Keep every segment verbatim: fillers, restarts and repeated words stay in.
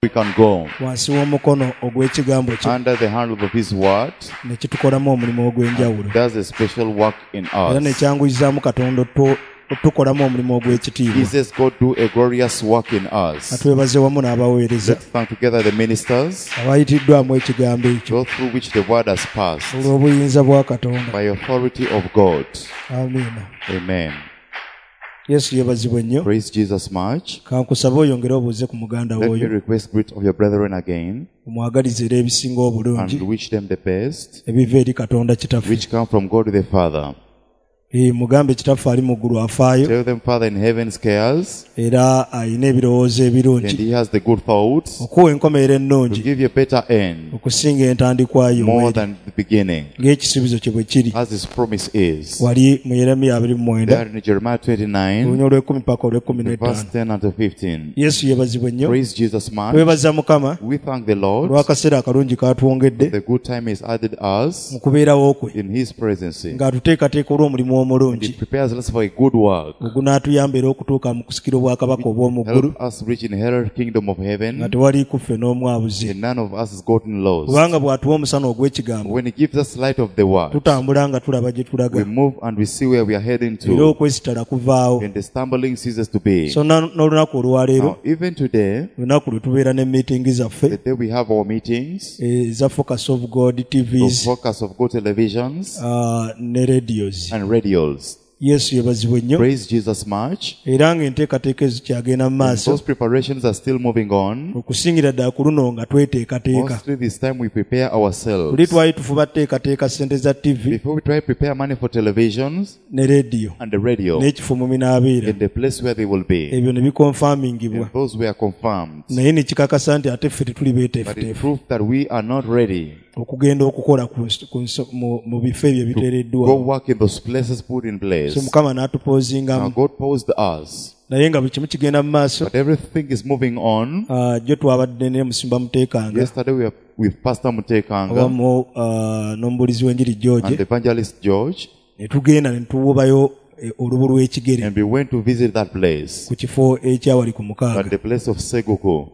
We can go wansi w'omukono ogw'ekigambo kye under the handle of His word. Ne kitukolamu omulimu ogw'enjawulo. Does a special work in era ne us. kyanguyizaamu Katonda otu- otukolamu omulimu ogw'ekitiibwa. He says God do a glorious work in us. Atwebaze wamu n'abaweereza Let's thank together the ministers, abayitiddwamu ekigambo ekyo those through which the word has passed olw'obuyinza bwa Katonda. by authority of God. Amiina. Amen. Yesu yeebazibwe nnyo. Praise Jesus much. Kankusaba oyongere obuuze ku muganda Let me w'oyo. request greet of your brethren again Omwagalize era ebisinga obulungi and wish them the best, ebiva eri Katonda Kitaffe. which come from God the Father. Eh, mugambe Kitaffe ali mu ggulu afaayo Tell them Father in heaven cares era alina ebirowoozo and ebirungi He has the good thoughts okuwa enkomerero to ennungi give you a better end okusinga entandikwa yo more bw'eri, than the beginning, ng'ekisuubizo kye bwe kiri as His promise is. wali mu Yeremiya abiri mu mwenda There in Jeremiah twenty-nine, olunya olw'ekkumi paka olw'ekkumi verse n'ettaano. ten unto fifteen. Yesu yeebazibwe nnyo. Praise Jesus much. Twebaza Mukama We thank the Lord. olw'akaseera akalungi k'atwongedde The good time has added us mu kubeerawo kwe in His presence. ng'atuteekateeka olw'omulimu omulungi He prepares us for a good work. ogunaatuyamba era okutuuka mu kusikira obwakabaka obw'omu ggulu Help us reach inherit kingdom of heaven, nga tewali ku ffe n'omu abuze. and none of us has gotten lost. Kubanga bw'atuwa omusana ogw'ekigambo When He gives us light of the word, tutambula nga tulaba gye tulaga we move and we see where we are heading era to, okwesitala kuvaawo. and the stumbling ceases to be. So na- n'olunaku olwaleero Now, even today, lunaku lwe tubeera ne meetingi zaffe the day we have our meetings, eza Focus of God the T Vs, Focus of God televisions, ah, ne radios. and radios. Yesu yeebazibwe nnyo. Praise Jesus much. Era ng'enteekateeka ezikyagenda mu maaso. Those preparations are still moving on. Okusingira ddala ku luno nga tweteekateeka. Mostly this time we prepare ourselves. Luli twali tufuba tuteekateeka ssente za T V Before we try to prepare money for televisions ne radio and the radio n'ekifo mu binaabeera. in the place where they will be. Ebyo ne bikonfamingibwa. And those were confirmed. Naye ne kikakasa nti ate ffe tetuli But it beeteefuteefu. proved that we are not ready okugenda okukola ku nsi-, ku nso-, mu, mu bifo ebyo ebiteereddwa. Go work in those places put in place. So Mukama n'atupoozingamu. Now God paused us. Naye nga buli kimu kigenda mu maaso. But everything is moving on. Ah, jjo twabadde ne Musumba Muteekanga. Yesterday we were with Pastor Muteekanga. Awamu, ah, n'omubuulizi w'enjiri George. And Evangelist George. Ne tugenda ne tuwubayo, eh, olubu lw'ekigere. And we went to visit that place. Ku kifo ekyawali ku mukaaga. At the place of Seguku.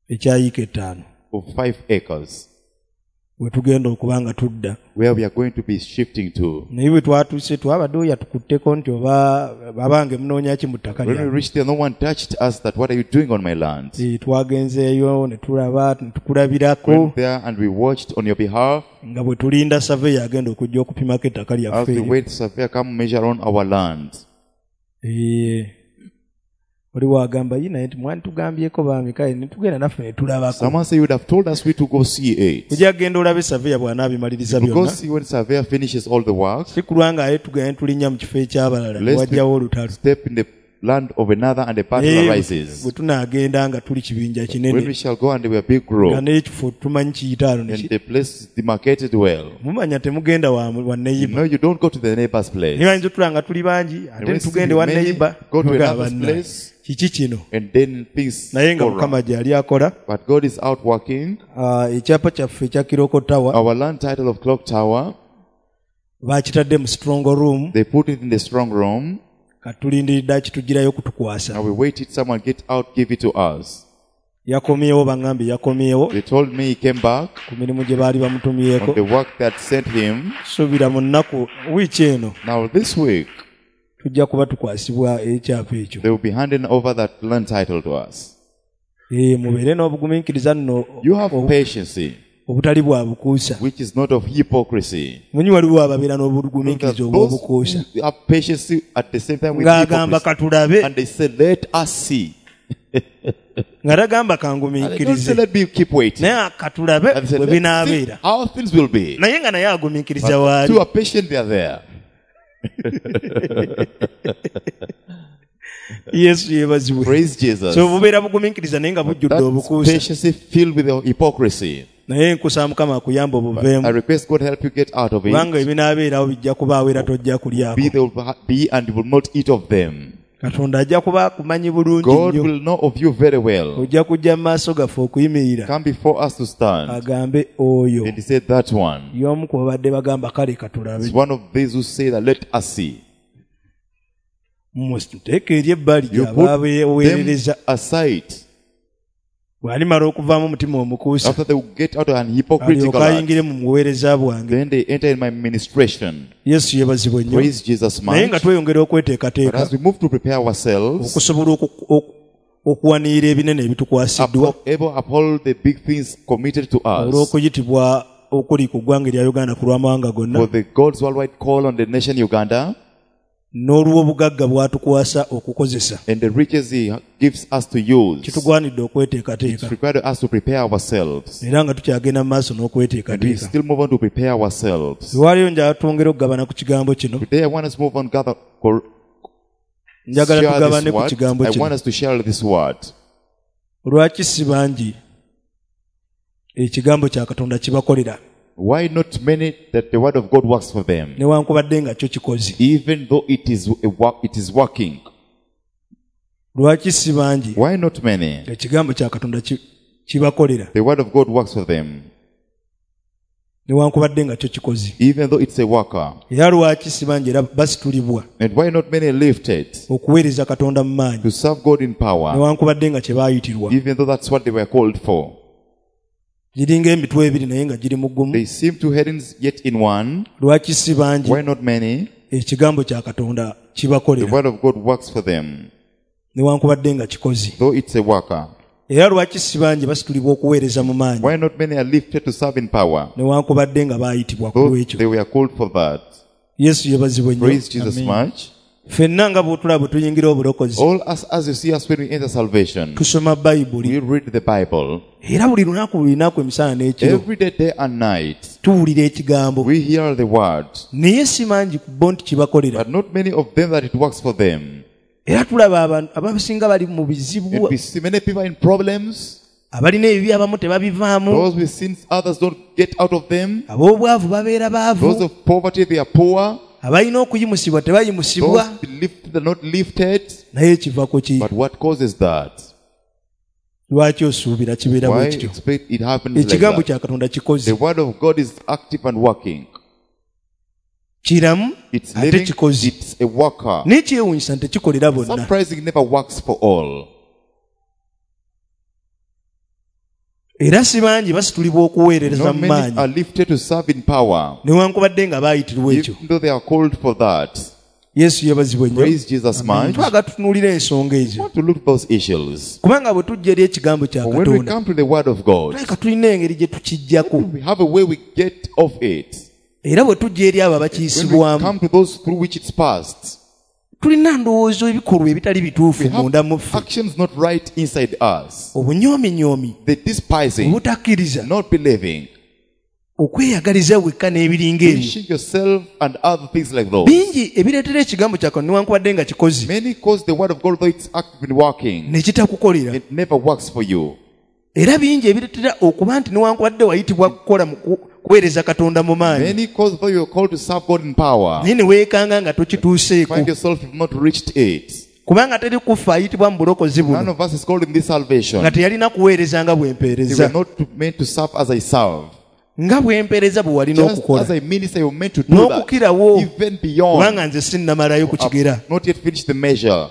Ekya yiika ettaano. Of five acres. We tugenda okuba nga tudda. Where we are going to be shifting to. Naye bwe twatuuse twabadde oyo atukutteko nti oba abange munoonya ki mu ttaka When we lyange. reached there, no one touched us that what are you doing on my land? Eh, twagenzeeyo ne tulaba, ne tukulabirako. Went there and we watched on your behalf. Nga bwe tulinda surveyor agenda okujja okupimako ettaka lyaffe As we eryo. wait, surveyor come measure on our land. Eh, oli wagamba, Yi, naye nti mwantugambyeko baami, kale ne tugenda naffe ne tulabako. Someone say you would have told us we to go see it. Ojja kugenda olabe surveyor bw'anaabimaliriza You go byonna. see when surveyor finishes all the work. Si kulwa nga aye tugenda ne tulinnya mu kifo eky'abalala, Lest wajjawo olutalo. step in the land of another and the battle Naye arises. bwe tunaagenda nga tuli kibinja kinene, When we shall go and we are big group, nga n'ekifo tumanyi kiyita ano ne and ki- the place is demarcated well. Mumanya temugenda wa, wa neighbor. No, you don't go to the neighbor's place. Naye bayinza otulaba nga tuli bangi, ate And when tugende wa many neighbor, go to tugamba another's banna, place, kiki kino? and then things Naye nga go Mukama wrong. gy'ali akola. But God is out working. Ah, ekyapa kyaffe ekya Kiroko Tower, Our land title of Clock Tower, baakitadde mu strong room. They put it in the strong room. Katulindiridde akitugirayo kutukwasa. Now we waited someone get out, give it to us. Yakomyewo, bangambye yakomyewo. They told me he came back ku mirimu gye baali bamutumyeko. on the work that sent him. Suubira mu nnaku wiiki eno. Now this week, tujja kuba tukwasibwa ekyapa ekyo. They will be handing over that land title to us. Eh, mubeere n'obugumiikiriza nno. You have obu- patience, obutali bwa bukuusa. which is not of hypocrisy. Munyi waliwo ababeera n'obugumiikiriza Those obw'obukuusa. who have patience at the same time with Ng'agamba hypocrisy. katulabe. And they say, let us see. Nga tagamba And they don't kangumiikirize. say, let me keep waiting. Naye katulabe And they say, bwe let's see binaabeera. how things will be. Naye nga naye agumiikiriza But waali. two are patient, they are there. Yesu yeebazibwe. Praise Jesus. So bubeera bugumiikiriza naye nga bujjudde That obukuusa. patience filled with hypocrisy. Naye nkusaba Mukama akuyambe obuveemu. I request God help you get out of it. Kubanga ebinaabeerawo bijja kubaawo era tojja kulyako. Be, they will be and you will not eat of them. Katonda ajja kuba akumanyi bulungi God nnyo. will know of you very well. Ojja kujja mu maaso gaffe okuyimirira. Come before us to stand. Agambe oyo. And he said that one. Y'omu ku babadde bagamba kale katulabe. It's one of these who say that let us see. Muteeke eri ebbali You gy'aba put aweerereza. them aside. Bw'alimala okuvaamu omutima omukuusa After they will get out of an hypocritical alyoke heart, ayingire mu buweereza bwange. then they enter in my ministration. Yesu yeebazibwe nnyo. Praise Jesus Naye nga much. tweyongera But okweteekateeka as we move to prepare ourselves, okusobola oku- oku- okuwanirira ebinene ebitukwasiddwa uphold, able uphold the big things committed to us olw'okuyitibwa okuli ku ggwanga erya Uganda ku lw'amawanga gonna for the God's worldwide call on the nation Uganda n'olw'obugagga bw'atukwasa okukozesa. and the riches He gives us to use. Kitugwanidde okweteekateeka It's required us to prepare ourselves. era nga tukyagenda mu maaso And we n'okweteekateeka. still move on to prepare ourselves. Lwaliyo njagala twongere okugabana ku kigambo kino. Today I want us to move on, gather, cor- Njagala share tugabane this ku word. kigambo I kino. want us to share this word. Lwaki si bangi ekigambo kya Katonda kibakolera Why not many that the word of God works for them, newankubadde nga kyo kikoze? even though it is a work, it is working? Lwaki si bangi Why not many? ekigambo kya Katonda ki- kibakolera The word of God works for them, newankubadde nga kyo kikoze? even though it's a worker. Era lwaki si bangi era basitulibwa And why not many lifted okuweereza Katonda mu maanyi to serve God in power, newankubadde nga kye baayitirwa? even though that's what they were called for? Giringa emitwe ebiri naye nga giri mu gumu. They seem two headings yet in one. Lwaki si bangi Why not many? ekigambo kya Katonda The kibakolera word of God works for them, newankubadde nga kikoze? though it's a worker. Era lwaki si bangi basitulibwa okuweereza mu maanyi Why not many are lifted to serve in power, newankubadde nga baayitibwa ku though lw'ekyo? they were called for that? Yesu yeebazibwe nnyo. Praise Jesus much. Ffenna nga bw'otulaba bwe tuyingira obulokozi All us, as you see us when we enter salvation, tusoma Bayibuli we read the Bible era buli lunaku buli lunaku emisana n'ekiro every day, day and night. tuwulira ekigambo We hear the word, naye si mangi ku bo nti kibakolera. but not many of them that it works for them. Era tulaba abantu abasinga bali mu bizibu And we see many people in problems. abalina ebibi abamu tebabivaamu Those with sins, others don't get out of them. ab'obwavu babeera Those baavu of poverty, they are poor. abalina okuyimusibwa tebayimusibwa Those lifted are not lifted. naye kiva ku ki? But what causes that? Lwaki osuubira kibeera bwe Why kityo? expect it happens like Ekigambo that? kya Katonda kikoze The word of God is active and working. kiramu It's ate living. kikoze It's a worker. naye kyewuunyisa nti tekikolera bonna. Surprising, it never works for all. Era si bangi basitulibwa okuweerereza Not mu many maanyi are lifted to serve in power, newankubadde nga baayitirwa ekyo. even though they are called for that. Yesu yeebazibwe nnyo. Praise Jesus much. Twagala tutunuulire ensonga ezo Want to look at those issues. kubanga bwe tujja eri ekigambo kya But when we Katonda come to the word of God, tulabika tulina engeri gye tukijjako we have a way we get off it. era bwe tujja eri abo When we abakiyisibwamu come to those through which it's passed, tulina ndowooza ebikolwa ebitali bituufu we have munda mu ffe actions not right inside us. obunyoominyoomi The despising, obutakkiriza not believing, okweyagaliza wekka n'ebiringa ebyo wishing yourself and other things like those. bingi ebireetera ekigambo kya Katonda newankubadde nga kikoze Many cause the word of God, though it's active and working, ne kitakukolera it never works for you. era bingi ebireetera okuba nti newankubadde wayitibwa kukola mu ku- kuweereza Katonda mu maanyi Many cause, though you're called to serve God in power, naye ne weekanga nga tokituuseeko find yourself you've not reached it. kubanga teri kufa ayitibwa mu bulokozi None buno of us is called in this salvation. nga teyalina kuweereza nga bwe They mpeereza were not meant to serve as I serve. nga bwe mpeereza bwe walina Just as okukola I minister, you're meant to do that. n'okukirawo Even beyond. kubanga nze sinnamalayo ku kigera I've not yet finished the measure.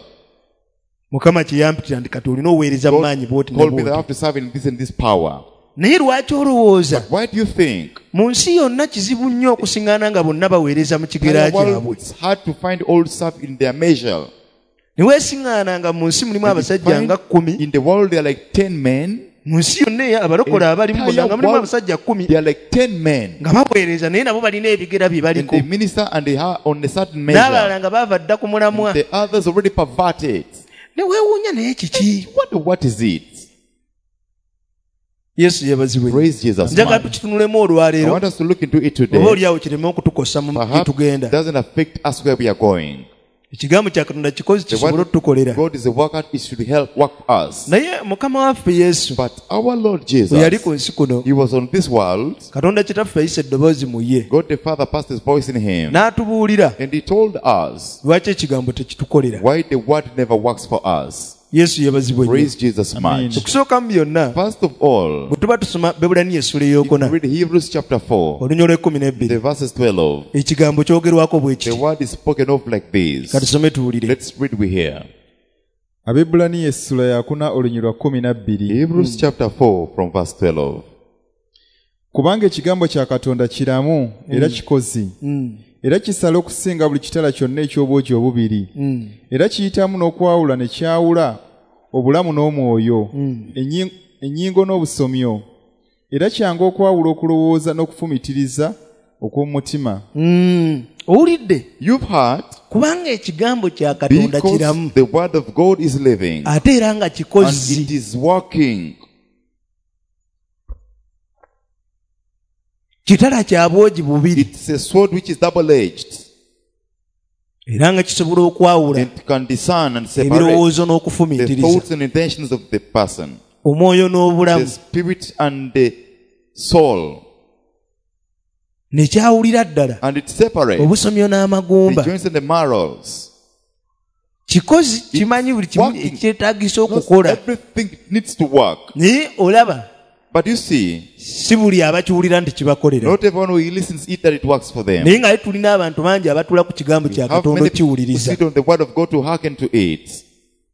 Mukama kye yampitira nti kati olina oweereza mu God maanyi bw'oti ne called me that I bw'oti have to serve in this and this power. naye lwaki olowooza Why do you think? mu nsi yonna kizibu nnyo okusiŋŋaana nga bonna baweereza mu kigera Entire world, kyabwe it's hard to find all serve in their measure. ne weesiŋŋaana nga mu nsi mulimu And you abasajja find nga kkumi In the world, there are like ten men. mu nsi yonna eya abalokole abalimu bonna nga mulimu Entire abasajja kkumi There are like ten men. nga baweereza naye nabo balina ebigera bye And baliko they minister and they are on a certain n'abalala measure. nga baava dda ku mulamwa The others already perverted. ne weewuunya naye kiki What, what is it? Yesu yeebazibwe nnyo. Praise Jesus. Njagala Man. tukitunulemu I olwaleero want us to look into it oba today. oliawo kireme okutukosa mu gye Perhaps it tugenda doesn't affect us where we are going. ekigambo kya Katonda kikozi The kisobole word otutukolera God is a worker, it should help work us. naye Mukama waffe Yesu But our Lord bwe yali Jesus, ku nsi kuno He was on this world. Katonda kitaffe yayisa eddoboozi mu ye God the Father passed His voice in Him. n'atubuulira And He told us lwaki ekigambo tekitukolera why the word never works for us. Yesu yeebazibwe nnyo. Praise Jesus much. Okusooka mu byonna First of all, bwe tuba tusoma Bebulaniya essuula if ey'okuna you read Hebrews chapter four, olunya olw'ekkumi n'ebbiri the verses twelve, ekigambo kyogerwako bwe the kiti word is spoken of like this. katusome tuwulire Let's read we hear. Abebbulaniya essula ya kuna olunyiriri lwa kkumi na bbiri. Hebrews chapter four from verse twelve. Kubanga ekigambo kya Katonda kiramu era kikozi. Mm. Era kisala okusinga buli kitala kyonna eky'obwogi obubiri. Mm. Era kiyitamu n'okwawula ne kyawula obulamu n'omwoyo, Mm. enyi-, ennyingo n'obusomyo. Era kyangu okwawula okulowooza n'okufumiitiriza okw'omutima. Mm. Owulidde? You've heard. Kubanga ekigambo kya Katonda Because kiramu. the word of God is living. Ate era nga kikozi. And it is working. Kitala kya bwogi bubiri. It's a sword which is double-edged. Era nga kisobola okwawula It can discern and separate ebirowoozo the n'okufumiitiriza. thoughts and intentions of the person. Omwoyo n'obulamu. The spirit and the soul. Ne kyawulira ddala. And it separates Obusomyo n'amagumba. the joints and the marrows. Kikozi It's kimanyi buli kimu working. ekyetaagisa Knows okukola. everything needs to work. Naye olaba, But you see, si buli abakiwulira nti kibakolera. not everyone who listens it that it works for them. Naye nga tulina abantu bangi abatuula ku kigambo We kya have Katonda many people who okiwuliriza. sit on the word of God to hearken to it.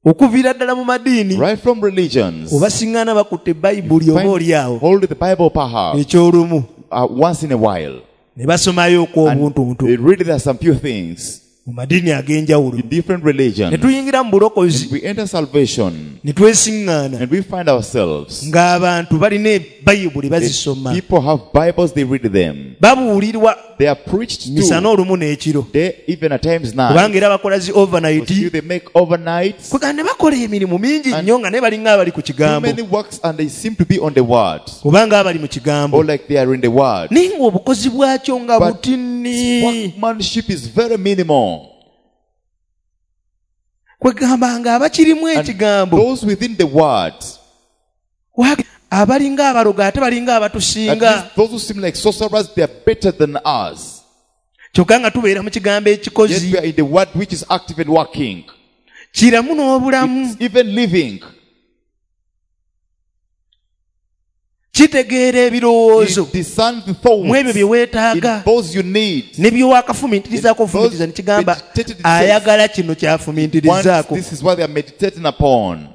Okuviira ddala mu madiini, Right from religions, obasiŋŋaana bakutte Bayibuli oba find oli awo. hold the Bible perhaps, Eky'olumu. uh, once in a while. Ne basomayo okw'obuntuntu. And really there are some few things Mu madiini ag'enjawulo. in different religions. Ne tuyingira mu bulokozi. And we enter salvation. Ne twesiŋŋaana. And we find ourselves. Ng'abantu balina Bayibuli bazisoma. People have Bibles, they read them. Babuulirwa They are preached to. misana olumu n'ekiro. They even at times now. Kubanga era bakola zi overnight. Because they make overnights. Kwegamba ne bakola emirimu mingi And nnyo nga naye balinga abali ku kigambo. Too many works and they seem to be on the word. Kubanga abali mu kigambo. Or like they are in the word. Naye ng'obukozi bwakyo nga But butini. workmanship is very minimal. Kwegamba nga abakirimu And ekigambo. those within the word. Wa-, abalinga abalogo ate balinga abatusinga. At least those who seem like sorcerers, they are better than us. Kyokka nga tubeera mu kigambo ekikozi. Yet we are in the word which is active and working. Kiramu n'obulamu. It's even living. Kitegeera ebirowoozo. It discerns the thoughts. Mu ebyo bye weetaaga. In those you need. Ne bye waakafumiitirizaako In those ofumiitiriza ne kigamba, meditated it says, ayagala kino ky'afumiitirizaako. Once this is what they are meditating upon.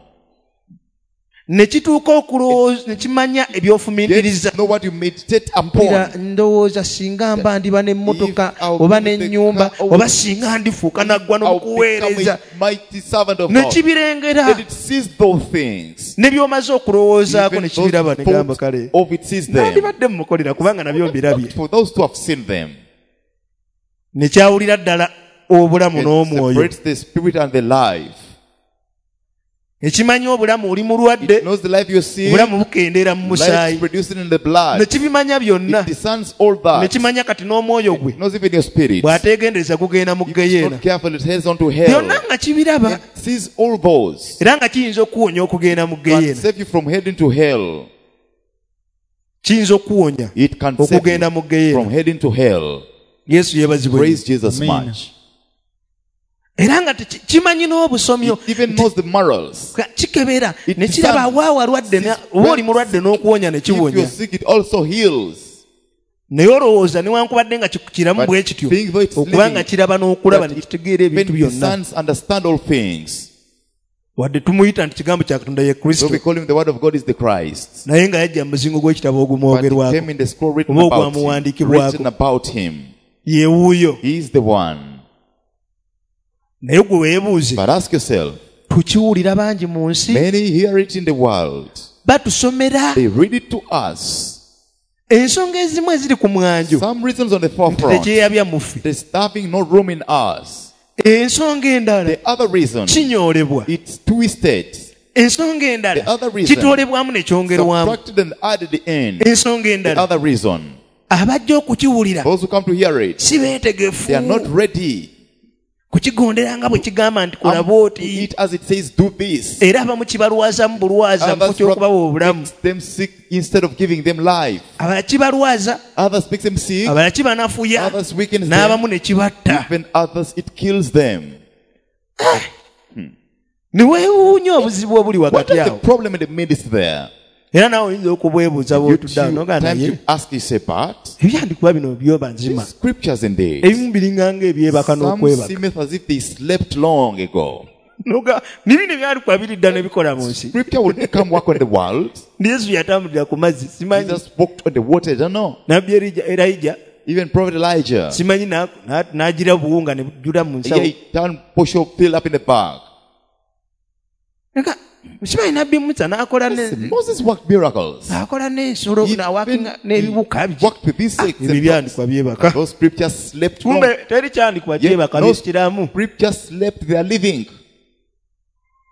Ne kituuka okulowooza, ne kimanya ebyofumiitiriza. Know what you meditate upon. Mpulira ndowooza singa mba ndiba n'emmotoka, If I'll oba be the n'ennyumba, car, I will oba singa ndifuuka naggwa I'll become a n'okuweereza. mighty servant of Ne God. kibirengera. Then it sees those things. Ne by'omaze okulowoozaako Even ne kibiraba those ne gamba thoughts kale. of it sees them. Nandibadde mmukolera kubanga nabyo mbirabye. For those who have seen them. Ne kyawulira ddala obulamu It n'omwoyo. separates the spirit and the life. Ekimanyi obulamu oli mulwadde, It knows the life you see, obulamu bukendeera mu life is musaayi. producing in the blood. Ne kibimanya byonna. It discerns all that. Ne kimanya kati n'omwoyo gwe. It knows even your spirit. Bw'ateegendereza gugenda mu If it's ggeyeena. not careful, it heads on to hell. Byonna nga kibiraba. It sees all those. Era nga kiyinza okuwonya okugenda mu Can ggeyeena. save you from heading to hell. Kiyinza okuwonya It can save okugenda you mu ggeyeena. from heading to hell. Yesu yeebazibwe. Praise Jesus Amen. much. Era nga teki-, kimanyi n'obusomyo. It even knows the morals. Ka-, kikebera, It ne kiraba discerns. wa walwadde na-, oba oli mulwadde n'okuwonya ne If you're kiwonya. sick, it also heals. Naye olowooza newankubadde nga ki-, kiramu But bwe kityo, being though it's okuba nga living, kiraba n'okulaba that ne it kitegeera ebintu even byonna. discerns, understand all things. Wadde tumuyita nti kigambo kya Katonda ye Kristo. So we call him the word of God is the Christ. Naye nga yajja mu muzingo gw'ekitabo ogumwogerwako. But he came in the scroll written Oba about him, ogwamuwandiikibwako. written about him. Ye wuuyo. He is the one. Naye gwe weebuuze. But ask yourself, Tukiwulira bangi mu nsi. Many hear it in the world. Batusomera. They read it to us. Ensonga ezimu eziri ku mwanjo. Some reasons on the forefront. Tekyeyabya mu ffe. There's having no room in us. Ensonga endala. The other reason. Kinyoolebwa. It's twisted. Ensonga endala. The other reason. Kitoolebwamu ne kyongerwamu. Subtracted and added in. Ensonga endala. The other reason. Abajja okukiwulira. Those who come to hear it. Si beetegefu. They are not ready. Kukigondera nga bwe kigamba nti kola Um, bw'oti. It as it says, do this. Era abamu kibalwaza mu bulwaza mu Others ky'okubawa obulamu. makes them sick instead of giving them life. Abalala kibalwaza. Others makes them sick. Abalala kibanafuya. Others weakens them. N'abamu ne kibatta. Even others, it kills them. Ah. Ne weewuunya obuzibu obuli What wakati is the awo. problem in the midst there? Era naawe oyinza okubwebuuza You bw'otudde awo two n'ogamba times naye. you ask, you say, but Ebyandiikuba bino byoba nzima. These scriptures indeed. Ebimu biringa ng'ebyebaka Some n'okwebaka. seemeth as if they slept long ago. Noga nibino ebyandikwa biri ddala ebikola mu nsi. Scripture will come work on the world. Yesu yatambulira ku mazzi simanyi. Jesus walked on the water, I don't know. Nabbi Elijah, even Prophet Elijah. Simanyi na n'agira buwunga ne bujjula mu nsawo. Yeah, he turned posho fill up in the bag. Nka simanyi Nabbi Musa n'akola ne Moses worked miracles. N'akola n'ensolo n'awakinga n'ebibuka bye. Worked with these six. Ebyo byandikwa byebaka. Those scriptures slept. Kumbe teri kyandikwa kyebaka bikiramu. Scriptures slept, they are living.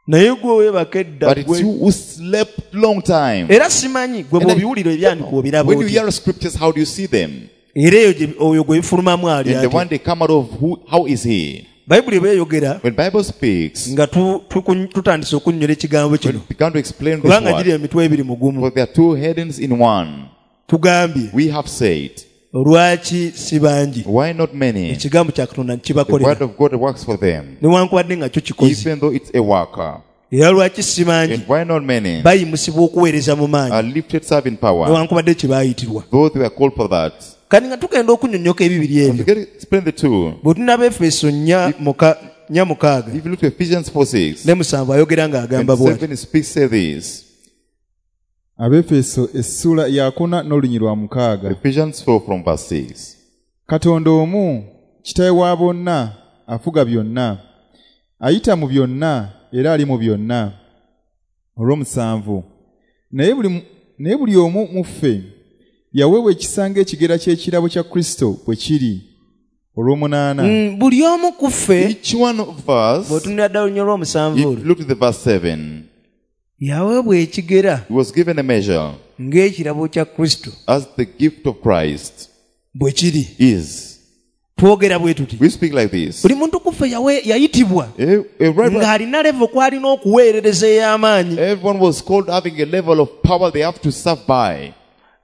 Naye gwe weebaka edda. But it's you who slept long time. Era simanyi gwe bw'obiwulira ebyandikwa obiraba When you otya. hear scriptures, how do you see them? Era eyo oyo gwe bifulumamu ali And the atya. one they come out of, who, how is he? Bayibuli bw'eyogera, When Bible speaks, nga tutandise okunnyonnyola ekigambo kino, when we began to explain this kubanga word, giri emitwe ebiri mu gumu. for there are two headings in one. Tugambye, We have said, lwaki si bangi? Why not many? Ekigambo kya Katonda The kibakolera. word of God works for them, Newankubadde nga kyo kikoze. even though it's a worker. Era lwaki si bangi? And why not many? Bayimusibwa okuweereza mu maanyi. Are lifted serving power, Newankubadde kye baayitirwa. though they were called for that. Kati nga tugenda okunnyonnyoka ebibiri ebyo. To explain the two. Bwe tunaba Efeso nnya mukaaga. If you look to Ephesians four six. Ne musanvu ayogera ng'agamba bw'ati. And seven speaks say this. Abefeso essuula ya kuna n'olunyi lwa mukaaga. Ephesians four from verse six. Katonda omu, kitaawe wa bonna, afuga byonna, ayita mu byonna, era ali mu byonna. Olw'omusanvu. Naye buli naye buli omu mu ffe yaweebwa ekisa ng'ekigera ky'ekirabo kya Kristo bwe kiri. Olw'omunaana. Mm, buli omu ku ffe, Each one of us, bw'otunula ddala olunyiriri lw'omusanvu olwo, look to the verse seven. Yaweebwa ekigera He was given a measure ng'ekirabo kya Kristo as the gift of Christ bwe kiri. is. Twogera bwe tuti. We speak like this. Buli muntu ku ffe yayitibwa ng'alina level kw'alina okuweerereza ey'amaanyi. Everyone was called having a level of power they have to serve by.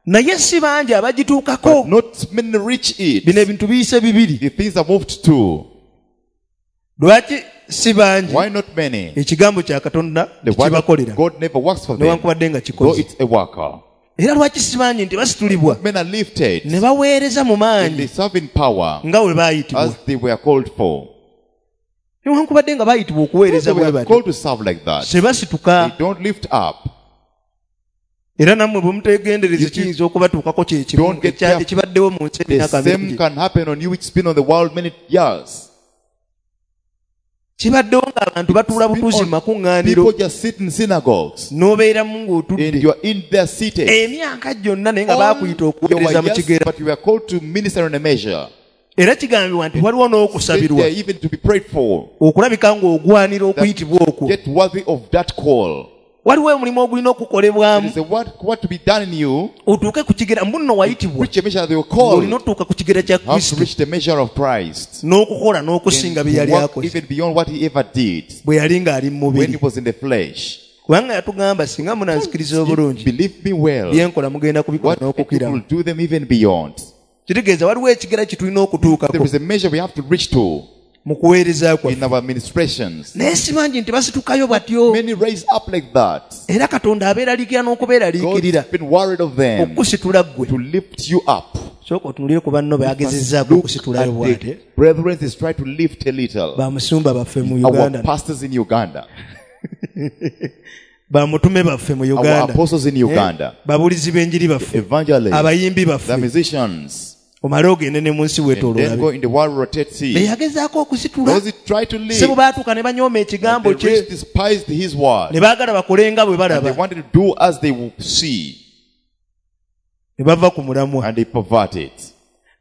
Naye si bangi abagituukako. But not many reach it. Bino ebintu biyise bibiri. The things are moved to. Lwaki si bangi? Why not many? Ekigambo kya Katonda kibakolera. God never works for them. Newankubadde nga kikoze. Though it's a worker. Era lwaki si bangi nti basitulibwa? Men are lifted. Ne baweereza mu maanyi. And they serve in power. Nga bwe baayitibwa. As they were called for. Newankubadde nga baayitibwa okuweereza bwe batyo. Called to serve like that. Tebasituka. They don't lift up. Era nammwe bwe muteegendereza kiyinza okubatuukako kye kimu ekibaddewo mu nsi emyaka The same mingi. can happen on you which has been on the world many years. Kibaddewo ng'abantu batuula butuuzi mu makuŋŋaaniro. People just sit in synagogues. N'obeeramu ng'otudde. And you are in their seated. Emyaka gyonna naye nga baakuyita okuweereza mu kigera. But you were called to minister in a measure. Era kigambibwa nti waliwo n'okusabirwa. Even to be prayed for. Okulabika ng'ogwanira okuyitibwa okwo. Get worthy of that call. Waliwo omulimu ogulina okukolebwamu. There is a what, what to be done in you. Otuuke ku kigera mbu wayitibwa. Reach a measure they were called. Olina otuuka ku kigera kya Kristo. Have to reach the measure of Christ. N'okukola n'okusinga bye yali akoze. Even beyond what he ever did. Bwe yali ng'ali mu mubiri. When he was in the flesh. Kubanga yatugamba singa munanzikiriza obulungi. Believe me well. Bye nkola mugenda kubikola n'okukiramu. Will do them even beyond. Kitegeeza waliwo ekigera kye tulina okutuukako. There is a measure we have to reach to. Mu kuweereza kwaffe. In our administrations. Naye si bangi nti basitukayo batyo. Many raise up like that. Era Katonda abeeraliikirira n'okubeeraliikirira. God's been worried of them. Okusitula ggwe. To lift you up. Sooka otunuulire ku banno beagezezzaako okusitulayo bw'ate. Brethren is try to lift a little. Bamusumba baffe mu Uganda. Our pastors in Uganda. Bamutume baffe mu Uganda. Our apostles in Uganda. Babuulizi b'enjiri baffe. Evangelists. Abayimbi baffe. The musicians. Omale ogende ne mu nsi weetooloola. Then go in the world, rotate sea. Beyagezaako okusitula. Those who try to live. Sebo baatuuka ne banyooma ekigambo They kye. despised his word. Ne baagala bakole nga bwe And balaba. they wanted to do as they see. Ne bava ku mulamwa. And they pervert it.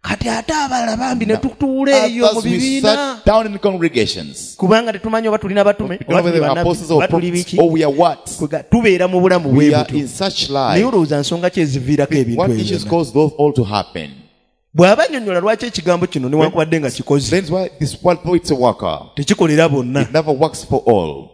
Kati ate abalala bambi ne tutuula eyo mu Others we bibiina. sat down in congregations. Kubanga tetumanyi oba tulina batume, We don't know oba whether tuli we are bannabbi, apostles or oba tuli prophets, biki. or we are what. Kwega tubeera mu bulamu We bwe are butyo. in such Naye life. olowooza nsonga ki eziviirako ebintu What ebyo issues byonna? cause those all to happen? Bw'aba annyonnyola lwaki ekigambo kino newankubadde nga kikoze. That's why this world, though it's a worker, Tekikolera bonna. it never works for all.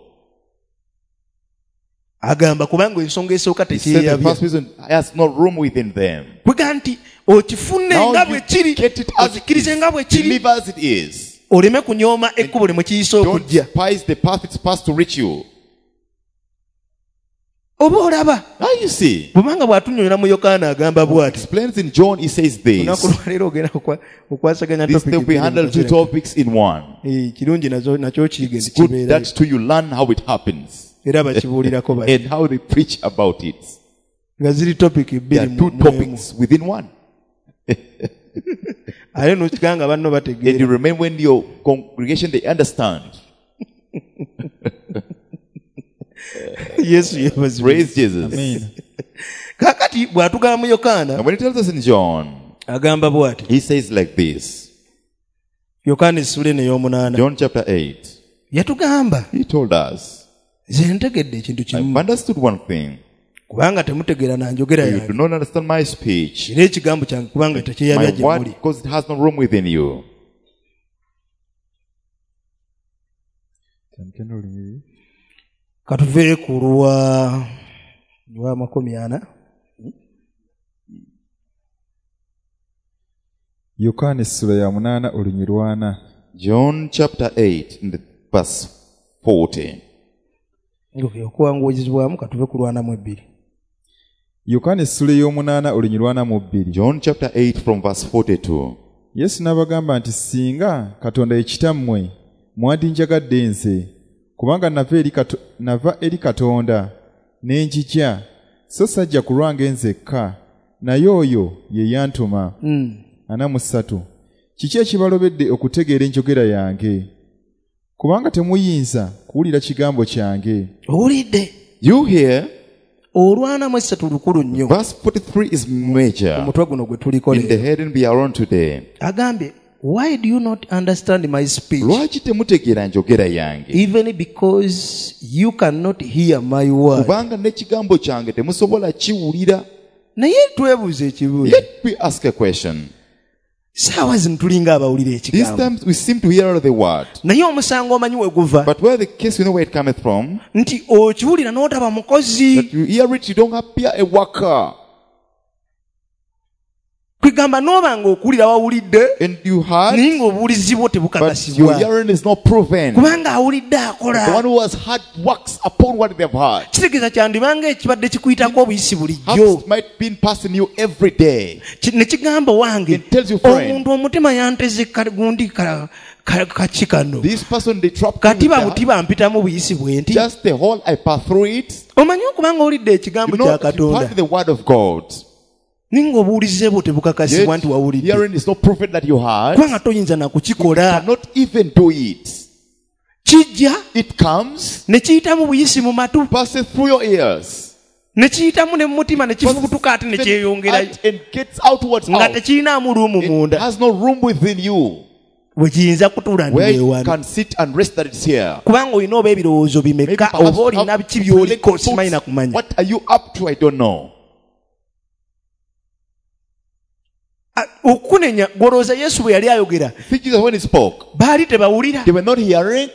Agamba kubanga ensonga esooka He said the tekyeyabya. first reason has no room within them. Kwega nti okifune Now nga bwe you kiri, get it as it okikkirize is. nga bwe kiri, Believe as it is. oleme kunyooma ekkubo lye mwe kiyise Don't okujja. despise the path it's passed to reach you. Oba olaba. Now you see. Bw'obanga bw'atunnyonnyola mu Yokaana agamba bw'ati. Explains in John, he says this. Olunaku lwaleero ogenda okwa- okwasaganya This topic day we handle two topics in one. Eh, kirungi nazo nakyo kiyige It's nti good kibeerayo. that too you learn how it happens Era bakibuulirako bati. and how they preach about it. Nga ziri topic There bbiri are mu two mu emu. topics within one. Ate n'okiganga banno And bategeera. you remember when your congregation, they understand. Yesu yeebazibwe. Praise Jesus. Amen. Kaakati bw'atugamba mu Yokaana, And when he tells us in John, agamba bw'ati. he says like this. Yokaana essula eno ey'omunaana. John chapter eight. Yatugamba, He told us, nze ntegedde ekintu kimu. I've understood one thing. Kubanga temutegeera na njogera You do yange. not understand my speech. Era ekigambo kyange kubanga tekyeyabya My gye word, muli. because it has no room within you. Tandika n'olunyiriri. Katuve ku lwa lwa makumi ana. Yokaana essula ya munaana olunyiriri lwana. John chapter eight, in the verse forty. Okay, okuwanguyizibwamu katuve ku lwana mu ebbiri. Yokaana essula ey'omunaana olunyiriri lwana mu bbiri. John chapter eight from verse forty-two. Yesu n'abagamba nti singa Katonda ye kitammwe mwandinjagadde nze, kubanga nava eri Kato-, nava eri Katonda ne njija, so sajja ku lwange nzekka, naye oyo ye yantuma. Mm. Ana mu ssatu. Kiki ekibalobedde okutegeera enjogera yange? Kubanga temuyinza kuwulira kigambo kyange. Owulidde? You hear? Olwana mu essatu lukulu nnyo. Verse forty-three is major. Omutwe guno gwe tuliko In the leero. heading we are on today. Agambye, why do you not understand my speech? Lwaki temutegeera njogera yange? Even because you cannot hear my word. Kubanga n'ekigambo kyange temusobola kiwulira. Naye twebuuze ekibuuzo. Let me ask a question. Saawa zino tulinga abawulira These ekigambo. times we seem to hear the word. Naye omusango omanyi we guva. But where the case, you know where it cometh from? Nti okiwulira n'otaba mukozi. That you hear it, you don't appear a worker. Kwegamba n'oba ng'okuwulira wawulidde, And you heard, naye ng'obuwulizi bwo but tebukakasibwa. your hearing is not proven. Kubanga awulidde akola. The one who has heard works upon what they have heard. Kitegeeza kyandibanga ekibadde kikuyitako obuyisi bulijjo. Perhaps might be passing you every day. Ki-, ne kigamba wange, It tells you, friend, omuntu omutima yanteze ka-, gundi ka-, ka-, kaki kano. This person, they trapped me Kati with that. butiba mpitamu buyisi bwe nti. Just the whole I pass through it. Omanyi okubanga owulidde ekigambo You know kya that you've Katonda. heard the word of God. Naye ng'obuwulize bwo tebukakasibwa Yet, nti wawulidde. hearing is not proven that you heard. Kubanga toyinza na kukikola. You cannot even do it. Kijja. It comes. Ne kiyitamu buyisi mu matu. Passes through your ears. Ne kiyitamu ne mu mutima ne kifubutuka ate ne Passes kyeyongerayo. out and gets outwards Nga out. tekirinaamu ruumu It munda. has no room within you. Bwe kiyinza kutuula Where ndi you wano. can sit and rest that it's here. Kubanga olina oba ebirowoozo Maybe bimeka, perhaps oba olina have biki by'oliko, thoughts. simanyi na kumanya. What are you up to? I don't know. Ah, okunenya gw'olowooza Yesu bwe yali ayogera, Think Jesus when he spoke, baali tebawulira. they were not hearing.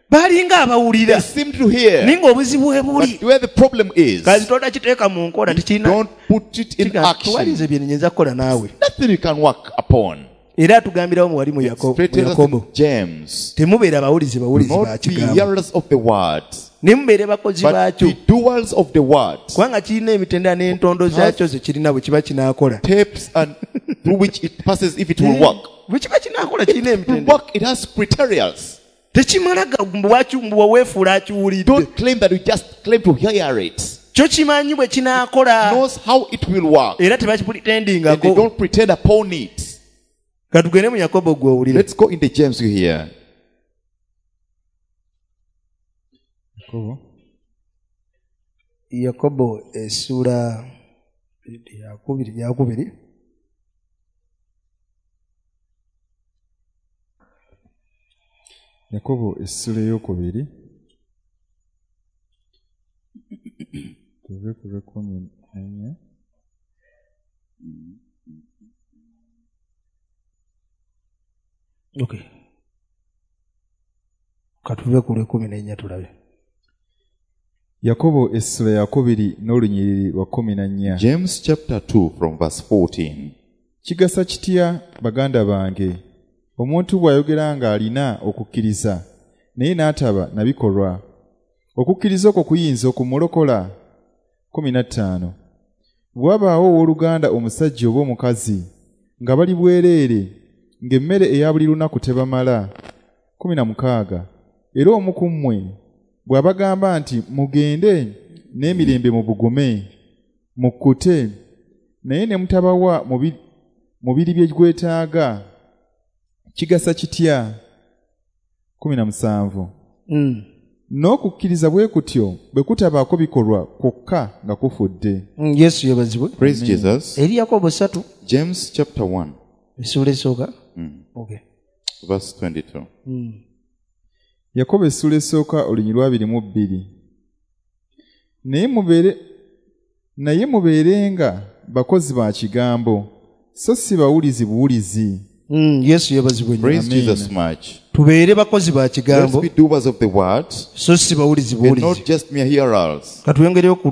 Baalinga abawulira. They seemed to hear. Naye ng'obuzibu bwe buli. But where the problem is, Kazi totakiteeka mu nkola, tekirina. don't put it in Kiga, action. tewali bye nnyinza kukola naawe. Nothing you can work upon. Era atugambirawo mu wali mu Yakobo, Straight mu Yakobo. James. Temubeera bawulizi Do bawulizi not ba be kigambo. hearers of the word, Ne mubeere bakozi but baakyo. be doers of the word. Kubanga kirina emitendera n'entondo zaakyo ze kirina bwe kiba kinaakola. Tapes and through which it passes if it will work. Bwe kiba kinaakola kirina It will emitendera. work, it has criteria. Tekimala ga mbu waaki-, mbu weefuula akiwulidde. Don't claim that you just claim to hear it. Kyo kimanyi bwe kinaakola. It knows how it will work. Era And they tebakipretendingako. don't pretend upon it. Katugende mu Yakobo gwe owulire. Let's go in the James you hear. Yakobo. Yakobo essuula yakubiri, yakubiri. Yakobo essuula ey'okubiri. Tuve ku lw'ekkumi n'ennya. Okay. Katuve ku lw'ekkumi n'ennya tulabe. Yakobo essuula yakubiri n'olunyiriri lwa kkumi na nnya. James chapter two from verse fourteen. Kigasa kitya baganda bange omuntu bw'ayogera ng'alina okukkiriza naye n'ataba na bikolwa? Okukkiriza okwo kuyinza okumulokola? Kumi na ttaano. Bw'abaawo owooluganda omusajja oba omukazi nga bali bwereere ng'emmere eya buli lunaku tebamala. Kumi na mukaaga. Era omu ku mmwe bw'abagamba nti mugende n'emirembe mubugume mukkute naye ne mutabawa mubiri bye gwetaaga kigasa kitya? Kumi na musanvu. Mm. N'okukkiriza bwe kutyo bwe kutabaako bikolwa kwokka nga kufudde. Mm, Yesu yeebazibwe. Praise Jesus. Eri Yakobo ssatu. James chapter one. Essuula esooka. Mm. Okay. Verse twenty-two. Mm. Yakobo essuula esooka olunyiriri lwa abiri mu bbiri. Naye mubeere naye mubeerenga bakozi ba kigambo so si bawulizi buwulizi. Mm, Yesu yeebazibwe nnyo. Praise Amen. Jesus much. Tubeere bakozi ba kigambo. Let's be doers of the word. So si bawulizi buwulizi. And not just mere hearers. Katwongereyo ku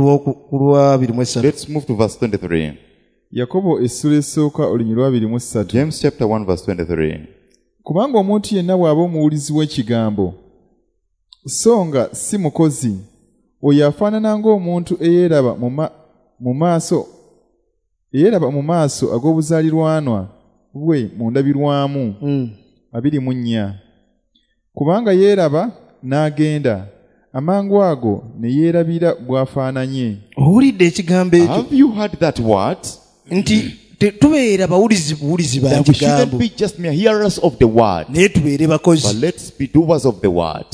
lwa abiri mu esatu. Let's move to verse twenty-three. Yakobo essuula esooka olunyiriri lwa abiri mu ssatu. James chapter one verse twenty-three. Kubanga omuntu yenna bw'aba omuwulizi w'ekigambo so nga si mukozi oyo afaanana ng'omuntu eyeeraba mu maaso eyeeraba mu maaso ag'obuzaalirwanwa bwe mu ndabirwamu. Mm. Abiri mu nnya. Kubanga yeeraba n'agenda amangu ago ne yeerabira bw'afaananye. Owulidde ekigambo ekyo? Have you heard that word? Nti tubeera bawulizi buwulizi ba That we kigambo. shouldn't be just mere hearers of the word. Naye tubeere bakozi. But let's be doers of the word.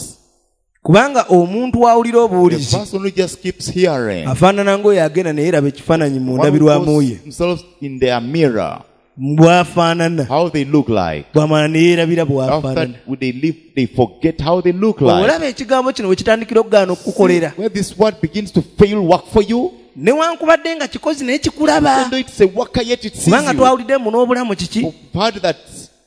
Kubanga omuntu awulira obuwulizi The person who just keeps hearing. afaanana ng'oyo agenda ne yeeraba ekifaananyi mu ndabirwamu ye. Themselves in their mirror. Bw'afaanana. How they look like. Bw'amala ne yeerabira bw'afaanana. After they leave, they forget how they look like. Olaba ekigambo kino we kitandikira okugaana okukukolera. Where this word begins to fail work for you. Newankubadde nga kikozi naye kikulaba. Even though it's a worker, yet it sees you. Kubanga twawulidde mu n'obulamu kiki? We've heard that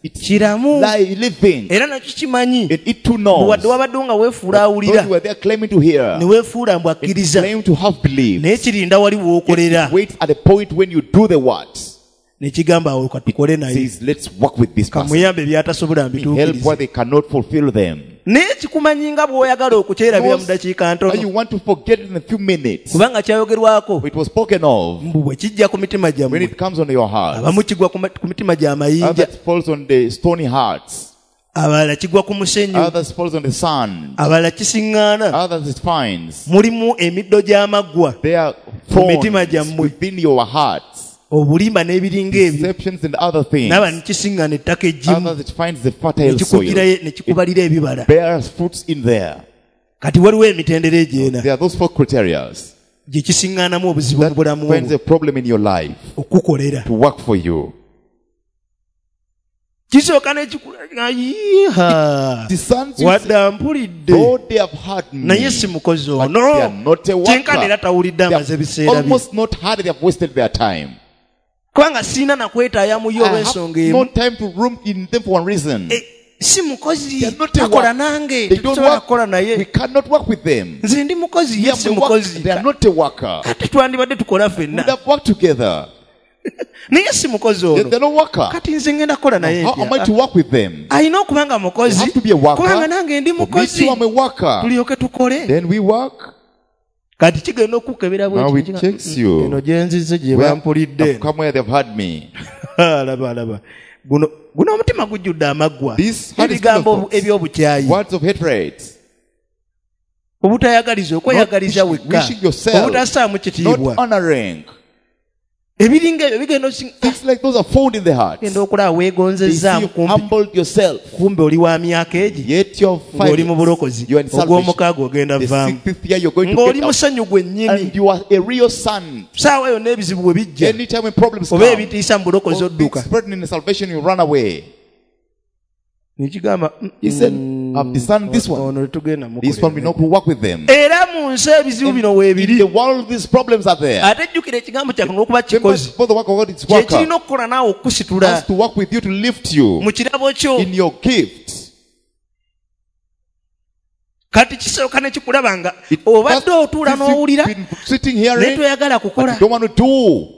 it's kiramu. Living. Era nakyo kimanyi. And it too knows. Wadde wabadde nga weefuula awulira. Those who are there claiming to hear. Ne weefuula mbu akkiriza. Claim to have believed. Naye kirinda wali w'okolera. It waits at a point when you do the words. Ne kigamba awo katukole naye. Says, let's work with this person. Kamuyambe by'atasobola mbituukirize. Help where they cannot fulfill them. Naye kikumanyi nga bw'oyagala okukyerabira mu dakiika ntono. You want to forget in a few minutes. Kubanga kyayogerwako. It was spoken of. Mbu bwe kijja ku mitima gyammwe. When it comes on your heart. Abamu kigwa ku mitima gy'amayinja. Others falls on the stony hearts. Abalala kigwa ku musenyu. Others falls on the sand. Abalala kisiŋŋaana. Others it finds. Mulimu emiddo gy'amaggwa. There are thorns within your hearts. Obulimba n'ebiringa ebyo. Deceptions and other things. N'aba ne kisiŋŋaana ettaka eggimu. Others it finds the fertile soil. Ne kikubalira ebibala. Bears fruits in there. Kati waliwo emitendera egy'ena. There are those four criteria. Gye kisiŋŋaanamu obuzibu mu bulamu bwo. Finds a problem in your life. Okukukolera. To work for you. Kisooka n'ekikula yiiha. Wadde mpulidde. Though they have heard me. Naye si mukozi ono. They are not a worker. Kyenkana era tawulidde amaze ebiseera bye. Almost not heard, they have wasted their time. Kubanga sirina na kwetaaya mu yo olw'ensonga emu. No time to room in them for one reason. Si mukozi takola nange tetusobola kukola naye. We cannot work with them. Nze ndi mukozi ye si mukozi. They are not a worker. Kati twandibadde tukola ffenna. We have worked together. Naye si mukozi ono. They are not worker. Kati nze ngenda kukola naye How am I to work with them? Alina okuba nga mukozi. Have to be a worker. Kubanga nange ndi mukozi. Me too, I'm a worker. Tulyoke tukole. Then we work. Kati kigenda okukebera bwe Now it checks you. Eno gye nzize gye bampulidde. Come where they've heard me. Laba laba. Guno guno omutima gujjudde amaggwa. Ebigambo eby'obukyayi. Words of hatred. Obutayagaliza okweyagaliza wekka. Obutassaamu kitiibwa. Not honoring. Ebiringa ebyo bigenda osinga. Things like those are found in the heart. Genda okulaba weegonzezza kumpi. Humbled yourself. Kumbe oli wa myaka egi. Yet you're five. Ng'oli mu bulokozi. Ogw'omukaaga ogenda vaamu. The sixth year you're going to Ng'oli get out. musanyu gwennyini. And you are a real son. Saawa yonna ebizibu bwe bijja. Anytime when problems Oba come. ebitiisa mu bulokozi odduka. Threatening in salvation, you run away. Nikigamba, He said, I've discerned this one. Ono tetugenda mukolera. This one will not work with them. Era mu nsi ebizibu bino weebiri. In the world, these problems are there. Ate jjukira ekigambo kya Katonda okuba kikozi. For the work of God, it's Kye worker. kirina okukola naawe okukusitula. Has to work with you to lift you. Mu kirabo kyo. In your gift. Kati kisooka ne kikulaba nga obadde otuula n'owulira. Sitting here, Naye toyagala kukola. But you don't want to do.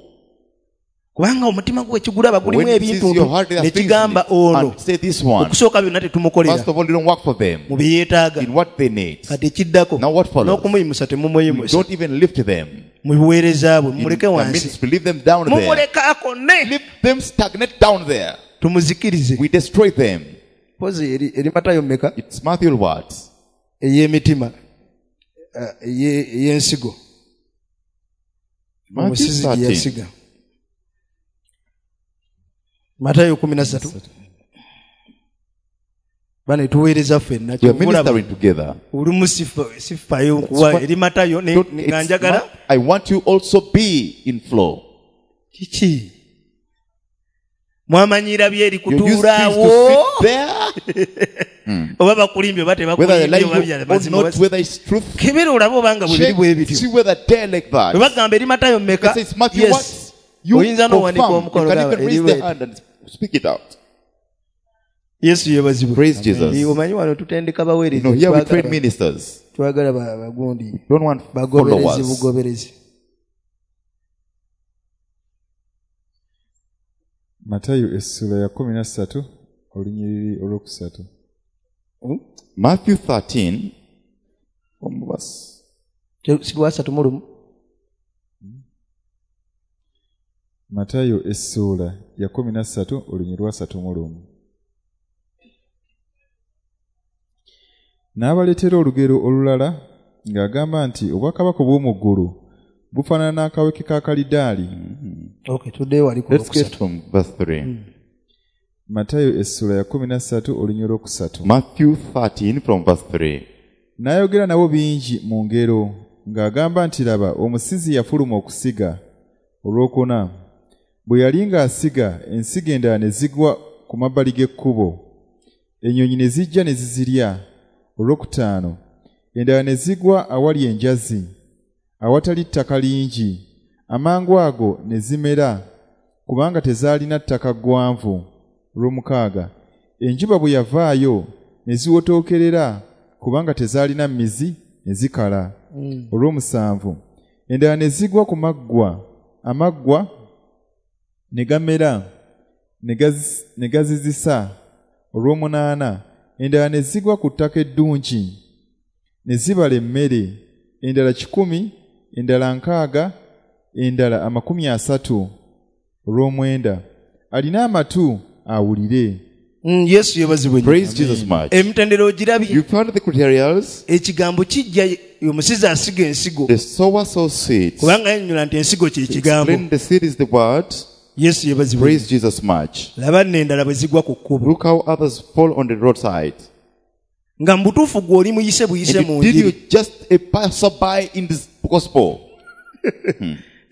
Kubanga omutima gwe ekigulaba gulimu When it sees ebintu your heart, there are ne things in kigamba it, ono and say this one. okusooka byonna tetumukolera First of all, you don't work for them mu bye yeetaaga in what they need. kati ekiddako Now what follows? n'okumuyimusa You temumuyimusa don't even lift them. mu buweereza bwe In mumuleke the wansi ministry, leave them down there. mumuleke akone Leave them stagnate down there. tumuzikirize We destroy them. pozi eri eri matayo mmeka It's Matthew what? ey'emitima eh, eye- ey'ensigo Matthew omusizi gye thirteen. yasiga matayo kumi na ssatu bane tuweereza ffenna We are kyova olaba ministering together. olumu sifa- sifaayo nkuwa That's eri matayo ne- Don't- ne- it's nga njagala not- I want you also be in flow. kiki mwamanyira byeri You use things to kutuulaawo sit there, oba bakulimbye oba whether they tebakulimbye like oba you bya or mazima not, oba- whether it's truth. kebera olabe obanga bwe biri Check, bwe bityo see whether they're like bwe that. bagamba eri matayo mmeka They say it's Matthew Yes. what? You oyinza n'owanika confirm. You omukono can gamba even eri raise the bweti. hand and speak it out. yesu yeebazibwe Praise Jesus. Eh, omanyi wano tutendeka You baweereza know, here we Twagala train ba- ministers. twagala ba- bagundi Don't want bagoberezi followers. bugoberezi Matayo essula ya kumi na ssatu olunyiriri olwokusatu. Matthew thirteen, from verse si lwasatu mu lumu Matayo essuula ya kumi na ssatu olunyiriri lwasatu mu lumu. N'abaleetera olugero olulala ng'agamba nti obwakabaka obw'omu ggulu bufaanana n'akaweke ka kalidaali. okay tuddeyo wali ku Let's get lwokusatu from verse three. Matayo essuula ya kumi na ssatu olunyiriri olwokusatu. Matthew thirteen from verse three. N'ayogera nabo bingi mu ngero ng'agamba nti laba omusizi yafuluma okusiga. Olwokuna bwe yali ng'asiga ensigo endala ne zigwa ku mabbali g'ekkubo, ennyonyi ne zijja ne zizirya. Olwokutaano endala ne zigwa awali enjazi awatali ttaka lingi, amangu ago ne zimera kubanga tezaalina ttaka ggwanvu. Olwomukaaga enjuba bwe yavaayo ne ziwotookerera kubanga tezaalina mizi ne zikala. Olw'omusanvu endala ne zigwa ku maggwa, amaggwa ne gamera ne gazi- ne gazizisa. Olw'omunaana endala ne zigwa ku ttaka eddungi ne zibala emmere, endala kikumi, endala nkaaga, endala amakumi asatu. Olw'omwenda alina amatu awulire. Mm, yesu yeebazibwe nnyo. Praise Jesus much. Emitendera ogirabye You found the criteria. ekigambo kijja omusizi asiga ensigo The sower sows seeds. kubanga yannyonnyola nti ensigo kye kigambo Explain the seed is the word. yesu yeebazibwe Praise Jesus much. laba nno endala bwe zigwa ku kkubo Look how others fall on the roadside. nga mu butuufu gwe oli muyise buyise And mu did you njiri just a passerby in this gospel?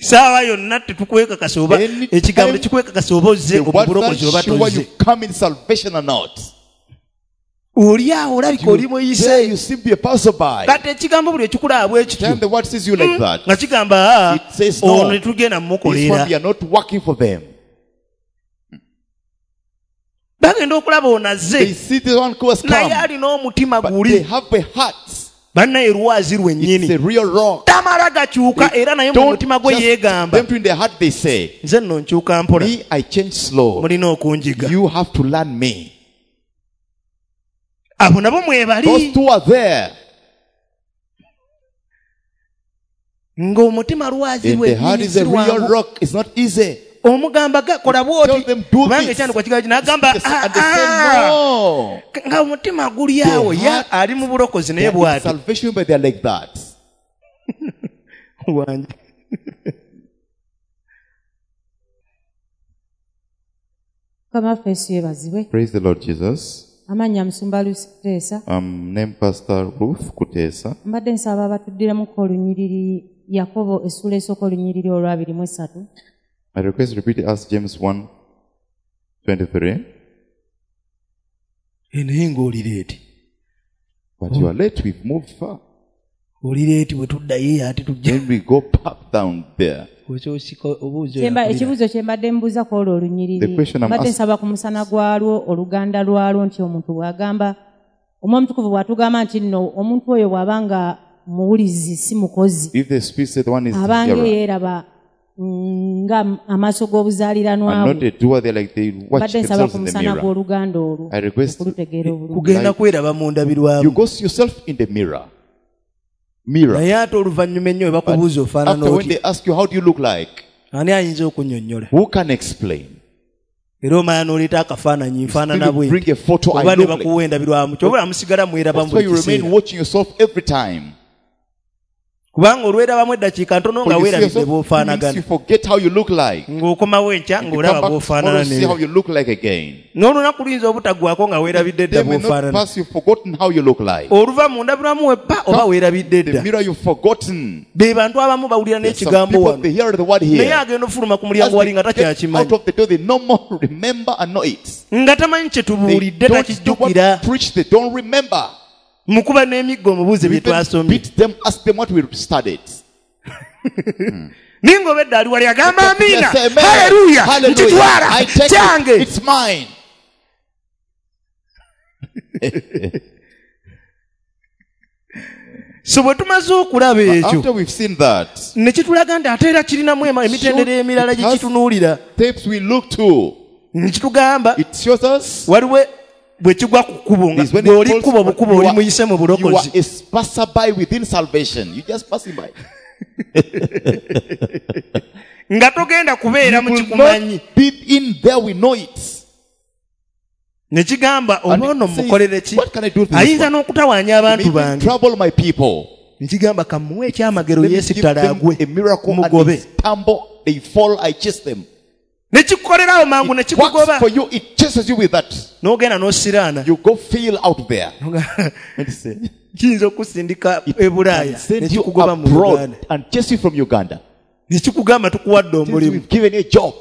saawa yonna tetukwekakasa oba Any ekigambo time tekikwekakasa oba ozze The word obulokozi oba not sure tozze you come in salvation or not. oli awo olabika oli There muyise you seem to be a passerby. kati ekigambo buli ekikulaba bwe kityo Then the word sees you like that. nga kigamba "Ah, It says no. ono tetugenda This one mumukolera we are not working for them. bagenda okulaba ono They azze see this one who has naye come, alina omutima but they guli have a heart. bannaye lwazi It's lwennyini a real rock. tamala gakyuka era naye mu Don't mutima gwe just yeegamba them to in their heart they say, nze nno nkyuka mpola me, I change slow. mulina okunjiga You have to learn me. abo nabo mwebali Those two are there. ng'omutima lwazi And the heart lwennyini is a si real lwangu rock. It's not easy. omugamba ga- kola bw'oti Tell them, do kubanga this. ekyandikwa kigambo kino n'agamba Yes, "Ah, and they say, ah." no. nga omutima guli awo The ya heart- ali mu bulokozi They naye are in bw'ati salvation, but they are like that. Wangi. Mukama waffe Yesu yeebazibwe. Praise the Lord Jesus. Amannya Musumba Lucy Kuteesa. Um, name Pastor Ruth Kutesa. Mbadde nsaba abatuddiremuko olunyiriri Yakobo essuula esooka olunyiriri olwabiri mu esatu. I request repeat us James one twenty-three. Eh, naye ng'oli leeti But you are late, we've moved far. oli leeti bwe tuddayo ate tujja Then we go back down there. okyosika obuuzi Kyemba- Ekibuuzo kye mbadde mbuuza ku olwo The olunyiriri question I'm mbadde ask- nsaba ku musana gwalwo oluganda lwalwo nti omuntu bw'agamba omwoyo omutukuvu bw'atugamba nti nno omuntu oyo bw'aba nga muwulizi si mukozi If the spirit said one is the abanga hearer, yeeraba nga amaaso g'obuzaaliranwa And not a doer, they're like they watch mbadde nsaba themselves ku in the musana mirror. gw'oluganda olwo I request okulutegeera obulungi kugenda kweraba mu ndabirwamu You go see yourself in the mirror. Mirror. naye ate oluvannyuma ennyo we bakubuuza ofaanana After when otya they ask you, how do you look like? ani ayinza okunnyonnyola Who can explain? era omala n'oleeta akafaananyi nfaanana Still bwe you bring a photo, I oba ne look like. bakuwa endabirwamu kyobula musigala mwerabamu That's why buli you remain kiseera watching yourself every time. kubanga olwerabamu eddakiika ntono For nga you see weerabidde yourself, bw'ofaanagana means you forget how you look like. ng'okomawo enkya You ng'olaba come back tomorrow, bw'ofaanana see how neera you look like again. n'olunaku luyinza obutaggwako nga weerabidde dda They may not bw'ofaanana pass, you've forgotten how you look like. oluva mu ndabirwamu weppa oba weerabidde The dda mirror, you've forgotten. be bantu abamu bawulira There's some n'ekigambo people, wano they hear the word naye here. agenda ofuluma ku As mulyango wali they nga get takyakimanyi out of the door, they no more remember and know it. nga tamanyi kye They tubuulidde don't do takijjukira what preach, they don't remember. mukuba n'emiggo omubuuze bye Even twasomye beat them, ask them what we studied. ninga obedda ali wali agamba amiina Yes, amen. haleluya Hallelujah. nkitwala I take kyange it. It's mine. so bwe tumaze okulaba ekyo After we've seen that, ne kitulaga nti ate era kirinamu ema- emitendera emirala it gye has kitunuulira steps we look to. ne kitugamba It shows us waliwo bwe kigwa ku kkubo nga is when bw'oli it falls, kkubo bukubo you oli are, muyise mu you are bulokozi a passerby within salvation. You just passing by. nga togenda kubeera mu You will kikumanyi not be in there. We know it. ne kigamba And oba ono it says, mukolere ki what can I do to this ayinza one? n'okutawaanya abantu May even bange trouble my people. ne kigamba kamuwe ekyamagero Let me give yeesittala them agwe a miracle and mugobe they stumble, they fall, I chase them. ne kikukolerawo mangu ne It works kikugoba for you, it chases you with that. n'ogenda n'osiraana You go feel out there. And say, kiyinza okusindika it e Bulaaya can ne send you kikugoba mu abroad Uganda and chase you from Uganda. ne kikugamba tukuwadde Since omulimu we've given you a job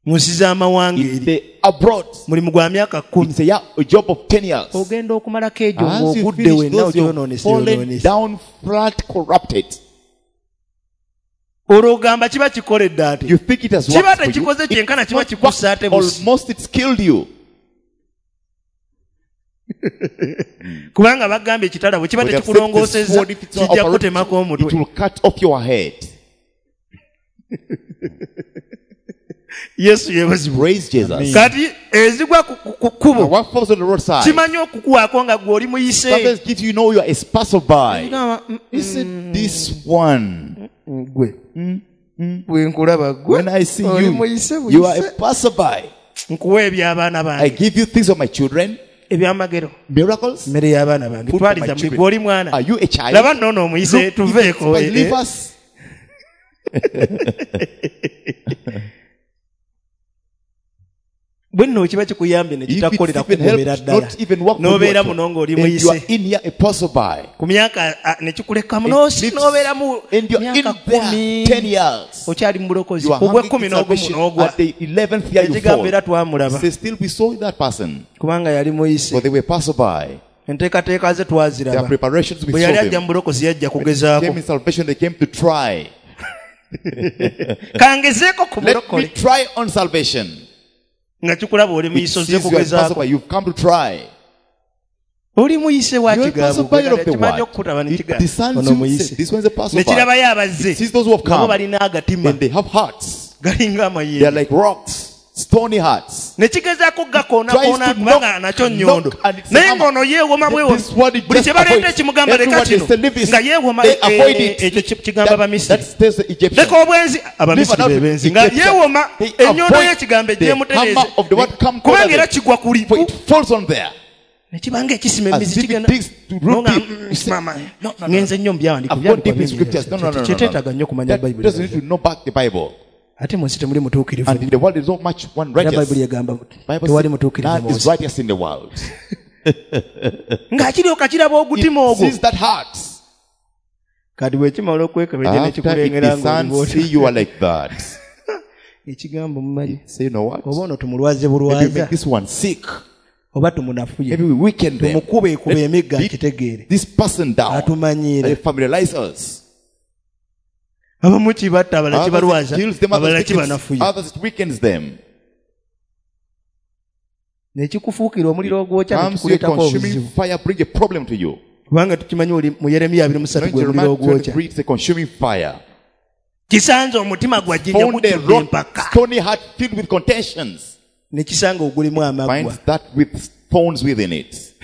mu nsi z'amawanga in eri the abroad. mulimu gwa myaka kkumi It's a, year, a job of ten years. ogenda okumalako egyo As you ng'ogudde finish wenna those, you've ogyonoonese fallen yonoonese down flat, corrupted. olwo ogamba kiba kikoledde ate You think it has kiba worked for you. tekikoze kyenkana It's kiba not kikussa worked. ate busi Almost it's killed you. kubanga bagambye ekitala bwe kiba But they have said the tekikulongoosezza sword, if it's not kijja operative, kutemako it omutwe will cut off your head. Yesu yeebazibwe Praise Jesus. kati ezigwa ku- ku ku kkubo Now what falls on the roadside? kimanyi okukuwaako nga gwe oli muyise Sometimes gives you know you are a passerby. Gamba, mm, He said, this one. gwe bwe nkulaba gwe When I see oli you, muyise you are buyise a passerby. nkuwa eby'abaana I bange give you things of my children, ebyamagero miracles. mmere y'abaana bange Food for my twaliza muli children. gwe oli mwana Are you a child? laba nno ono omuyise Look, tuveeko if eh, it's- leave eh. us. bwe nno kiba kikuyambye ne If it's kitakukolera even kugobera helped, ddala not even work for you n'obeera at all. muno ng'oli And you are muyise in here a passerby. ku myaka ah, ne kikulekamu It n'osi- leaves- n'obeeramu And you're in myaka there kumi ten years. okyali mu bulokozi You are ku hanging gw'ekkumi in n'ogumu salvation. n'ogwa At the eleventh year you ekigambo fall. era twamulaba Say, still we saw that person. kubanga yali muyise For they were passerby. enteekateeka ze Their twaziraba preparations we bwe saw yali ajja them. mu bulokozi yajja Came kugezaako in salvation, they came to try. kangezeeko ku Let me bulokole try on salvation. nga kikulaba oli It muyise sees ozze you are kugezaako passerby, you've come to try. oli muyise wa You're a kigambo passerby of the kimanyi word. okukutaba ne It kiga- discerns ono you, muyise say, this one's a ne passerby. kirabayo abazze It sees those who have nabo come. balina agatima And they have hearts. galinga They are amayinja like rocks, stony hearts. ne kigezaako Tries gakoonakona to kubanga knock, nakyo nnyondo knock, and it's a naye hammer. ng'ono yeewoma bwewo This one it buli just kye baleeta avoids. ekimugamba leka Everyone kino they say, leave this. nga yeewoma They eh, avoid eh, it. ekyo ki- kigamba That, Bamisiri that stays the Egyptians. leka obwenzi Abamisiri Leave be another benzi nga Egyptian. yeewoma They ennyondo avoid y'ekigambo the egyemutereeze hammer of the word come kubanga closer era kigwa kuli For it falls on there. ne kibanga ekisima As emizi if it kigenda digs to root Nonga, deep. mm, You say, mama, no, no, no. ngenze nnyo mu byawandiiko I've gone deep in byawandiikwa scriptures. No, no, no, no, no. Kyeteetaaga nnyo kumanya That Bayibuli doesn't need to know back the Bible. ate mu nsi temuli mutuukirivu And in the world there's not much one era righteous. Bayibuli egamba Bible tewali says, mutuukirivu none mu is nsi righteous in the world. ng'akiryoka kiraba ogutima It ogwo sees that heart. kati bwe kimala okwekebejja ne After it kikulengera discerns, ng'oli see you are like that. ekigambo mumanyi Say, you know what? oba ono tumulwaze Maybe we bulwaza make this one sick. oba tumunafuye Maybe we weaken them. tumukube ekuba Let's emigga beat akitegeere this person down. atumanyiira They familiarize us. abamu kibatta abalala Others it kibalwaza kills them, abalala others, it weakens, kibanafuya others it weakens them. nekikufuukira omuliro ogwokya Comes your nekikuleetako consuming obuzibu fire, bring a problem to you. kubanga tukimanyi oli mu Yeremiya abiri mu ssatu Now in gwe muliro Jeremiah ogwokya twenty-three, it's a consuming fire. Kisanze omutima gwa jjinja Found a gujjudde rock, empaka. stony heart filled with contentions. Ne kisanga ogulimu amaggwa. Finds that with thorns within it.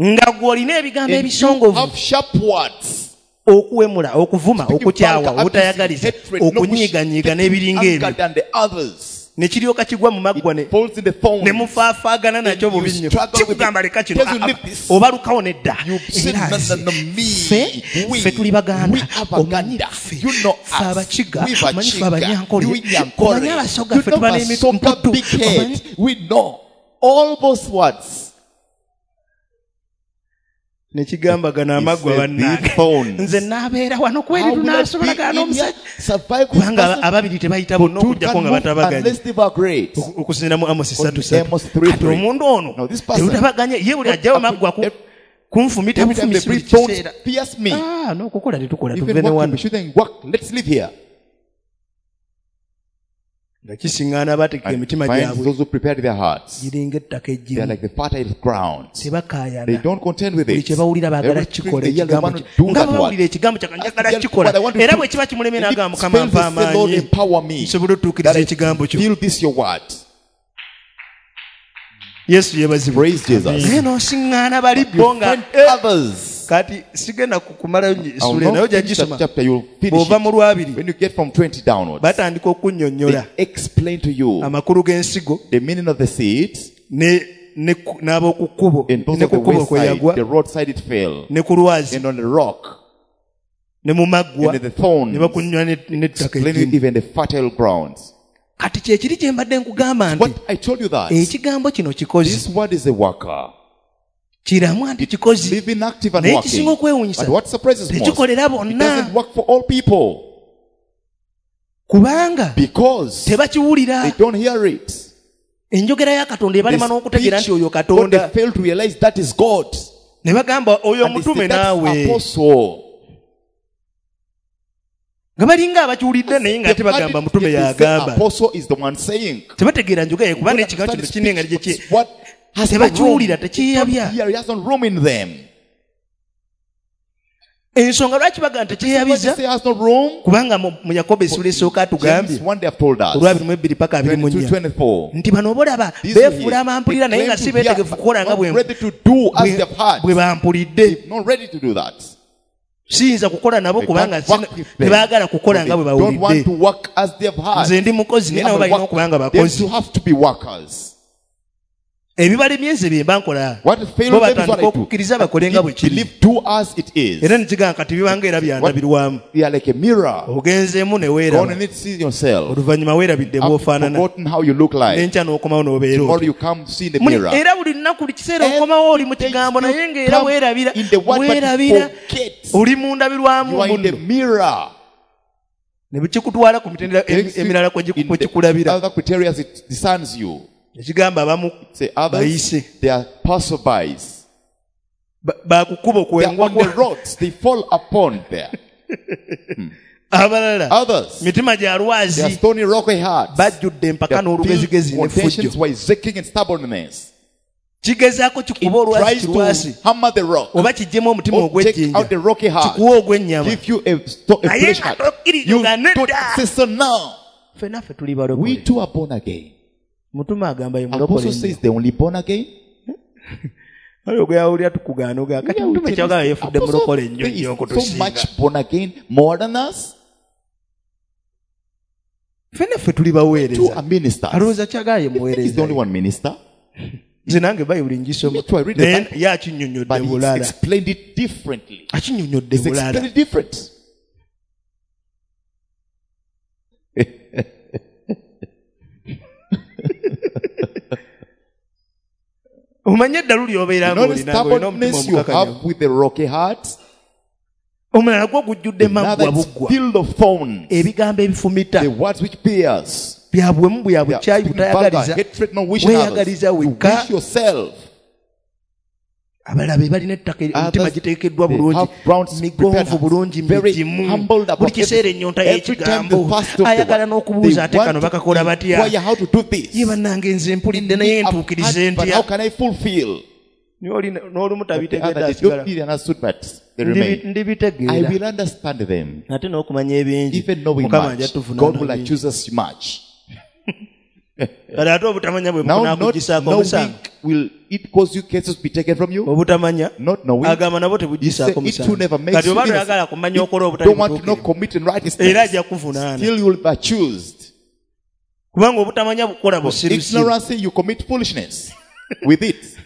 Nga ggwe olina ebigambo And you ebisongovu. have sharp words. Okuwemula, okuvuma, Speaking okukyawa, vulgar, obutayagaliza, hatred, no okunyiiganyiiga wish, n'ebiringa anger ebyo. than the others. Ne kiryoka kigwa mu maggwa ne It falls in the thorns. ne mufaafaagana nakyo And you bubi nnyo. struggle with Kikugamba it. leka kino, Tells you ah, ah, leave this. obalukawo nedda. You say, Era no, no, no, me, ffe, we, ffe tuli Baganda. we are Omanyi Baganda. ffe, You know ffe us. Abakiga, We omanyi ffe Bakiga. Abanyankole, You Nyankole. omanyi Abasoga, You ffe know tuba Basoga, n'emitutu. big head. Omanyi We know all those words. Ne kigamba gano He amaggwa said, bannange. these thorns. Nze naabeera wano kweri How will I be tunaasobolagana in here? n'omusajja. Survive this Kubanga person? ababiri tebayita bonna Two okuggyako can nga move batabaganye. unless they were great. Oku-, okusinziira mu Amos ssatu ssatu. Amos three Kati three. omuntu ono Now this person, terutabaganye, ye buli ajjawo maggwa ku-, Every kunfumita Every time they bufumisi buli bring thorns, kiseera. pierce me. Ah, n'okukola tetukola, Even tuve ne working, wano. we shouldn't work. Let's live here. Nga kisiŋŋaana abateeka And emitima finds gyabwe. those who prepared their hearts. Giringa ettaka They are eggimu. like the fertile ground. Tebakaayana. They don't contend with Buli it. kye bawulira baagala Everything kukikola they hear, they ekigambo want to kye. do Nga that bwe bawulira word. ekigambo kya Katonda, njagala As they kukikola. what I want to Era do. bwe kiba kimulemye And if n'agamba, it Mukama, fails, mpa they say, Lord, amaanyi. empower me. Nsobole otuukiriza That I ekigambo kyo. Feel this your word. Yesu yeebazibwe. Praise Jesus. Naye n'osiŋŋaana bali You bo nga, find eh, others. kati sigenda kumalayo I will essuula not naye ojja finish that gisoma. chapter, you'll finish Bw'ova it. mu lwabiri, When you get from twenty downwards, batandika okunnyonnyola they explain to you amakulu g'ensigo the meaning of the seed ne, ne ku-, n'ab'oku kkubo, and those ne of the ku kkubo kwe wayside, yagwa, the roadside it fell, ne ku lwazi, and on the rock, ne mu maggwa, and in the thorns, ne bakunnywa ne-, n'ettaka explaining eggimu. even the fertile grounds. Kati kye kiri kye mbadde nkugamba nti What I told you that ekigambo kino kikozi. this word is a worker. Kiramu anti kikozi. Living active and Naye working. ekisinga okwewuunyisa, But what surprises most, tekikolera it bonna. doesn't work for all people. Kubanga Because tebakiwulira. they don't hear it. Enjogera ya Katonda The ebalema n'okutegeera speech, nti oyo what they Katonda. fail to realize that is God. Ne bagamba oyo And they omutume say, that's naawe. apostle. Nga balinga abakiwulidde naye nga They've ate heard bagamba it, mutume yet they say y'agamba. Apostle is the one saying. Tebategeera njogera ye kuba Don't n'ekigambo understand kino kirina the engeri gye speech, ki- but what has no room. Tebakiwulira, They tekyeyabya. don't hear, it has no room in them. Ensonga lwaki bagamba Why tekyeyabiza? they say has no room? Kubanga mu, mu Yakobo essuula esooka atugambye, James one they have told us. olwabiri mu ebbiri paka abiri mu twenty-two, nnya. twenty-four. Nti bano bolaba These beefuula here, abampulira they naye nga claim si to hear, beetegefu kukola nga not bwe ready to do as bwe- they have heard. bwe bampulidde. Not ready to do that. Siyinza kukola nabo They kubanga can't work sina- with them. tebaagala kukola nga bwe They don't want bawulidde. to work as they have heard. Nze ndi mukozi They naye nabo have balina work. okuba nga They bakozi. too have to be workers. Ebibalemye nze bye mba nkola. What failed Bo them is what batandika I do. okukkiriza bakole nga bwe kiri. Believe do as it is. Era ne kigamba kati bibanga era byandabirwamu. They are like a mirror. Ogenzeemu ne Go on weeraba. and see yourself. Oluvannyuma weerabidde After bw'ofaanana. forgotten how you look like. N'enkya n'okomawo n'obeera Tomorrow otyo. you come see in the Muli- mirror. era buli lunaku buli kiseera Every okomawo oli mu day kigambo you naye ng'era come weerabira. in the word, but you Weerabira. forget. Oli mu ndabirwamu You are in the munno. mirror. Ne kikutwala ku mitendera emi- Takes you emirala kwe giku- in kwe the kikulabira. other criteria it discerns you. Ekigamba abamu Say others, bayise. they are passerbys. Ba-, bakukuba They are okwengwa on the roads. They fall upon there. Abalala, Others, mitima gya they are lwazi. stony rocky hearts. Bajjudde empaka They are n'olugezigezi filled n'effujjo. contentions, wiseacring and stubbornness. Kigezaako kikuba It olwazi tries kirwasi. to hammer the rock. Oba kiggyemu omutima Or take ogw'ejjinja. out the rocky heart. Kikuwa ogw'ennyama. Give you a, sto-, a Naye fresh nga heart. tokkiriza You nga don't nedda. say so now. Ffenna ffe tuli We balokole. too are born again. Mutume agamba ye mulokole Apostle nnyo. says they only born again. Waliwo gwe yawulira tukugaana ogaa, kati Yeah, mutume we tell kyagamba us, yeefudde Apostle mulokole nnyo says nnyo so okutusinga. much born again, more than us. Ffenna ffe tuli Two baweereza. are ministers. Alowooza kyagamba ye He's the muweereza. only one minister. Nze nange Bayibuli ngisoma. Me too, I read the Naye Bible. ye akinnyonnyodde But he's bulala. explained it differently. Akinnyonnyodde He's bulala. explained it different. Omanye eddalu ly'obeera You know the ng'olina ng'olina omutima stubbornness you omukakanyavu. have with the rocky heart? Omulala gwo gujjudde Another maggwa is buggwa. filled of thorns. Ebigambo ebifumita. The words which pierce. Bya buwemu, bya They are bukyayi, speaking vulgar, butayagaliza. hatred, not wishing others. Weeyagaliza You wekka. wish yourself. Abalala be balina ettaka eri, emitima Others, giteekeddwa they bulungi, have brown migonvu prepared bulungi, hearts, very migimu. humbled above Buli kiseera everything. ennyonta Every time y'ekigambo. the first of the Ayagala word, n'okubuuza they ate want kano to bakakola batya? inquire how to do this. Ye bannange nze mpulidde naye I've ntuukirize heard, but ntya? how can I fulfill? N'olumu But the tabitegedde other, they asigala. don't really understood, but they Ndibi- remain. I Ndibitegeera. will understand them. Ate n'okumanya ebingi. Even knowing Mukama ajja much, tuvunaana God will bingi. accuse us much. Kale ate obutamanya bwe Now, not bunakugisaako knowing omusango. will it cause you cases to be taken from you? Obutamanya Not knowing. agamba nabo He said, tebugisaako it too musango. never makes Kati you oba innocent. toyagala kumanya okola If obutali don't want to know butuukirivu, commit era unrighteousness, ajja kuvunaana. still you will be accused. Kubanga obutamanya bukola busirusiru. Ignorance, you commit foolishness with it.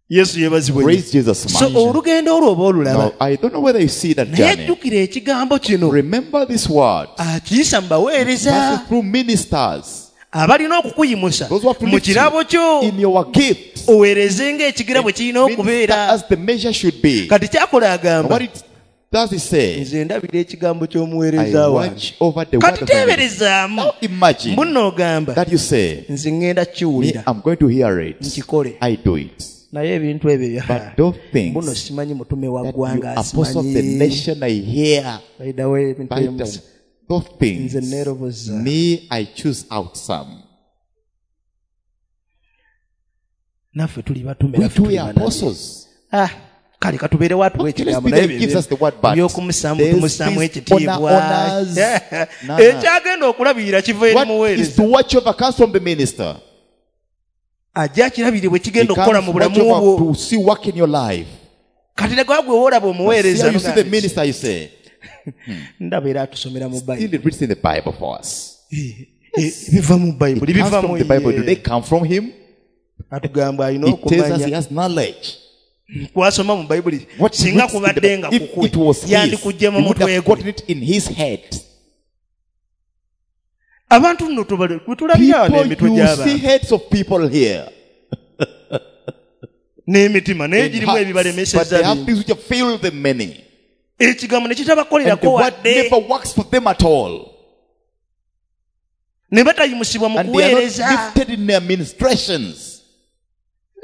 Yesu yeebazibwe nnyo. Praise Jesus So much. olugendo olwo oba olulaba. Now, I don't know whether you see that Naye journey. jjukira ekigambo kino. Remember this word. Akiyisa mu baweereza Passes through ministers. abalina okukuyimusa Those who have to mu lift you kirabo kyo in your gift. oweereze ng'ekigira bwe kirina Minister okubeera. as the measure should be. Kati kyakola And agamba what it does he say? nze ndabira ekigambo I ky'omuweereza wange. watch over the word Kati of the minister. teeberezaamu Now imagine munno ogamba that you say, nze ŋŋenda me, kiwulira I'm going to hear it. nkikole. I do it. Naye ebintu ebyo But those things mbuno simanyi mutume wa that you ggwanga apostle of the asimanyi. nation I hear, By the way, ebintu by ebyo the, those things, nze neeroboza. me, I choose out some. Naffe tuli batume, We naffe too tuli are bannabbi. apostles. Ah, kale katubeere watuwa Okay, let's ekigambo be naye there gives us the word, but ebyokumusaamu there's tumusaamu this ekitiibwa. honor, honors. No, no. Ekyagenda okulabirira kiva eri What is muweereza. to watch over comes from the minister. Ajja akirabire bwe He kigenda okukola comes mu to watch bulamu over bwo. to see work in your life. Kati ne gwe woolaba See omuweereza how you see the n'ogamba, minister, you say, ndaba era atusomera mu still Bayibuli. it reads in the Bible for us. Eh, eh, biva mu Bayibuli, It comes biva from mu the Bible. Do ye. they come from him? Atugamba alina He tells us he okumanya. has knowledge. Kwasoma mu Bayibuli. What he Singa reads in the kubadde nga Bible, if kukwe, it was his, he yandikuggye mu would mutwe have gwe. gotten it in his head. Abantu nno tubale, bwe tulabira wano People, emitwe you gy'abantu. see heads of people here. N'emitima naye In girimu hearts, ebibalemesezza but they have bingi. things which have failed them many. Ekigambo ne And the kitabakolerako word wadde. never works for them at all. Ne batayimusibwa mu And they are not kuweereza. lifted in their ministrations.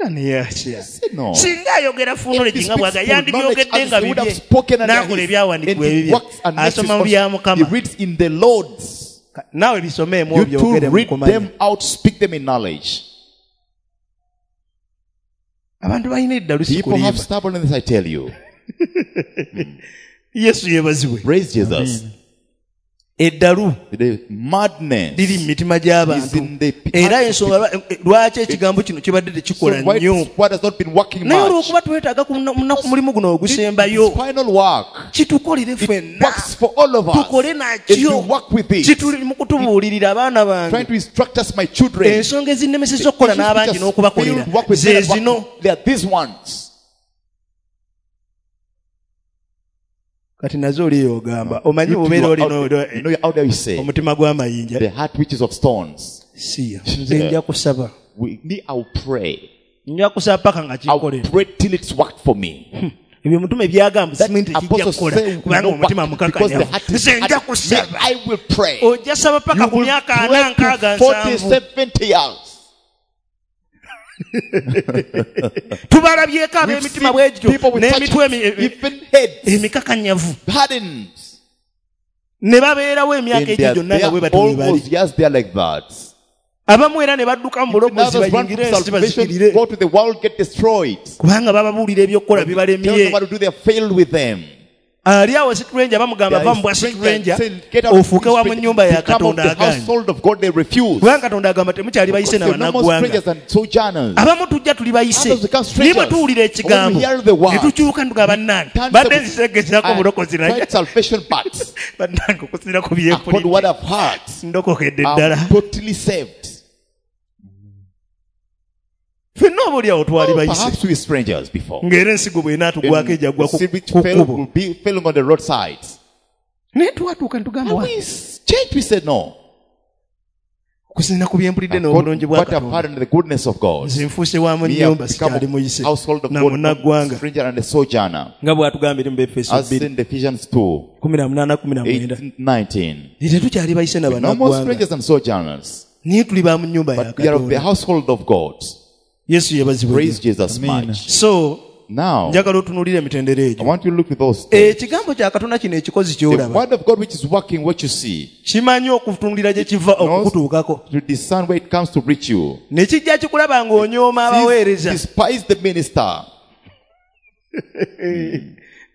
Nga ne yasya. Say no. Singa ayogera If full he knowledge nga speaks bw'aga, full knowledge, yandibyogedde as nga he would have bibye. spoken and N'akola his, ebyawandiikibwa and he ebibye. works and makes his Asoma mu bya own. Mukama. He reads in the Lord's. Naawe bisomeemu You too obyogere mu read kumanya. them out, speak them in knowledge. Abantu balina eddalu si People have kulimba. stubbornness, I tell you. Yesu yeebazibwe. Praise Jesus. Eddalu The madness liri mu mitima is gy'abantu. in the Era hearts of ensonga lwa- lwaki ekigambo kino kibadde So tekikola why nnyo. this word has not been working Naye much? olw'okuba twetaaga ku munaku munaku mulimu guno This ogusembayo, final work kitukolere ffenna. works for all of us. Tukole If nakyo. you work with it, Kituli mu kutubuulirira abaana trying bange. to instruct us, my children. Ensonga ezinnemesezza The okukola issues which n'abangi has n'okubakolera failed work with ze men and work- zino. They are these ones. Kati nazo oliyo ogamba omanyi You too, obeera you are olina out there- you know you're out there, you say, omutima gw'amayinja. the heart which is of stones. Siya, nze nja kusaba. We, me, I'll pray. Nja kusaba paka nga I'll kinkolera. pray till it's worked for me. Ebyo omutume byagamba simanyi nti kijja Apostle kukola say will kubanga not omutima work because the mukakanyavu. heart is Nze nja hard. Me, kusaba. I will pray. Ojja saba paka You ku will myaka ana pray nkaaga to forty, nsanvu. seventy years. Tubalabyeko We've ab'emitima seen bwe gityo people with such n'emitwe emi- even heads, emikakanyavu hardened. ne babeerawo emyaka And egyo they are gyonna nga there bwe batyo bwe all bali. those years, they are like that. Abamu era ne badduka mu Even bulokozi others run bayingire from ensi salvation, bazikirire. go to the world, get destroyed. Kubanga bababuulira ebyokukola Tell them bibalemye. what to do, they have failed with them. Ali awo stranger bamugamba There va is mu bwa stranger stranger saying, get out of ofuuke this wa mu stranger, nnyumba ya become of Katonda the agaanye. household of God, they refuse. Kubanga Katonda agamba temukyali bayise Because na they're no more bannaggwanga. strangers and sojourners. Abamu tujja tuli bayise. Others become Naye bwe strangers. tuwulira ekigambo When we hear the word, ne tukyuka ne tugamba bannange turn badde to- nzisegezaako I bulokozi naye tried salvation, but bannange okusinziira ku according to what byempulidde I've heard, ndokokedde ddala. I'm totally saved. Ffenna oba oli awo twali Oh, bayise. perhaps we were strangers before. Ng'era ensigo bw'enaatugwako ejja ggwa ku The seed which ku fell kkubo. will be falling on the roadside. Naye twatuuka ne tugamba And wa we changed, we said no. okusinziira ku byempulidde God, n'obulungi bwa what I've Katonda. heard and the goodness of God. Nze nfuuse wa mu Me nnyumba have become sikyali muyise a household of na God, munnaggwanga. stranger and a sojourner. Nga bw'atugamba eri mu Befeso As bbiri in Ephesians two, kumi na munaana kumi na mwenda. eighteen, nineteen. Tetukyali bayise na No more bannaggwanga. strangers and sojourners, Naye tuli ba mu nnyumba ya but we are of the Katonda. household of God. Yesu yeebazibwe Praise nnyo. Jesus Amen. much. So Now, Njagala otunuulire emitendera I egyo. want you to look at those steps. Ekigambo kya Katonda kino ekikozi The ky'olaba word of God which is working, what you see, kimanyi okutunuulira gye kiva knows okukutuukako. to discern where it comes to reach you. Ne kijja kikulaba ng'onyooma abaweereza. Despise the minister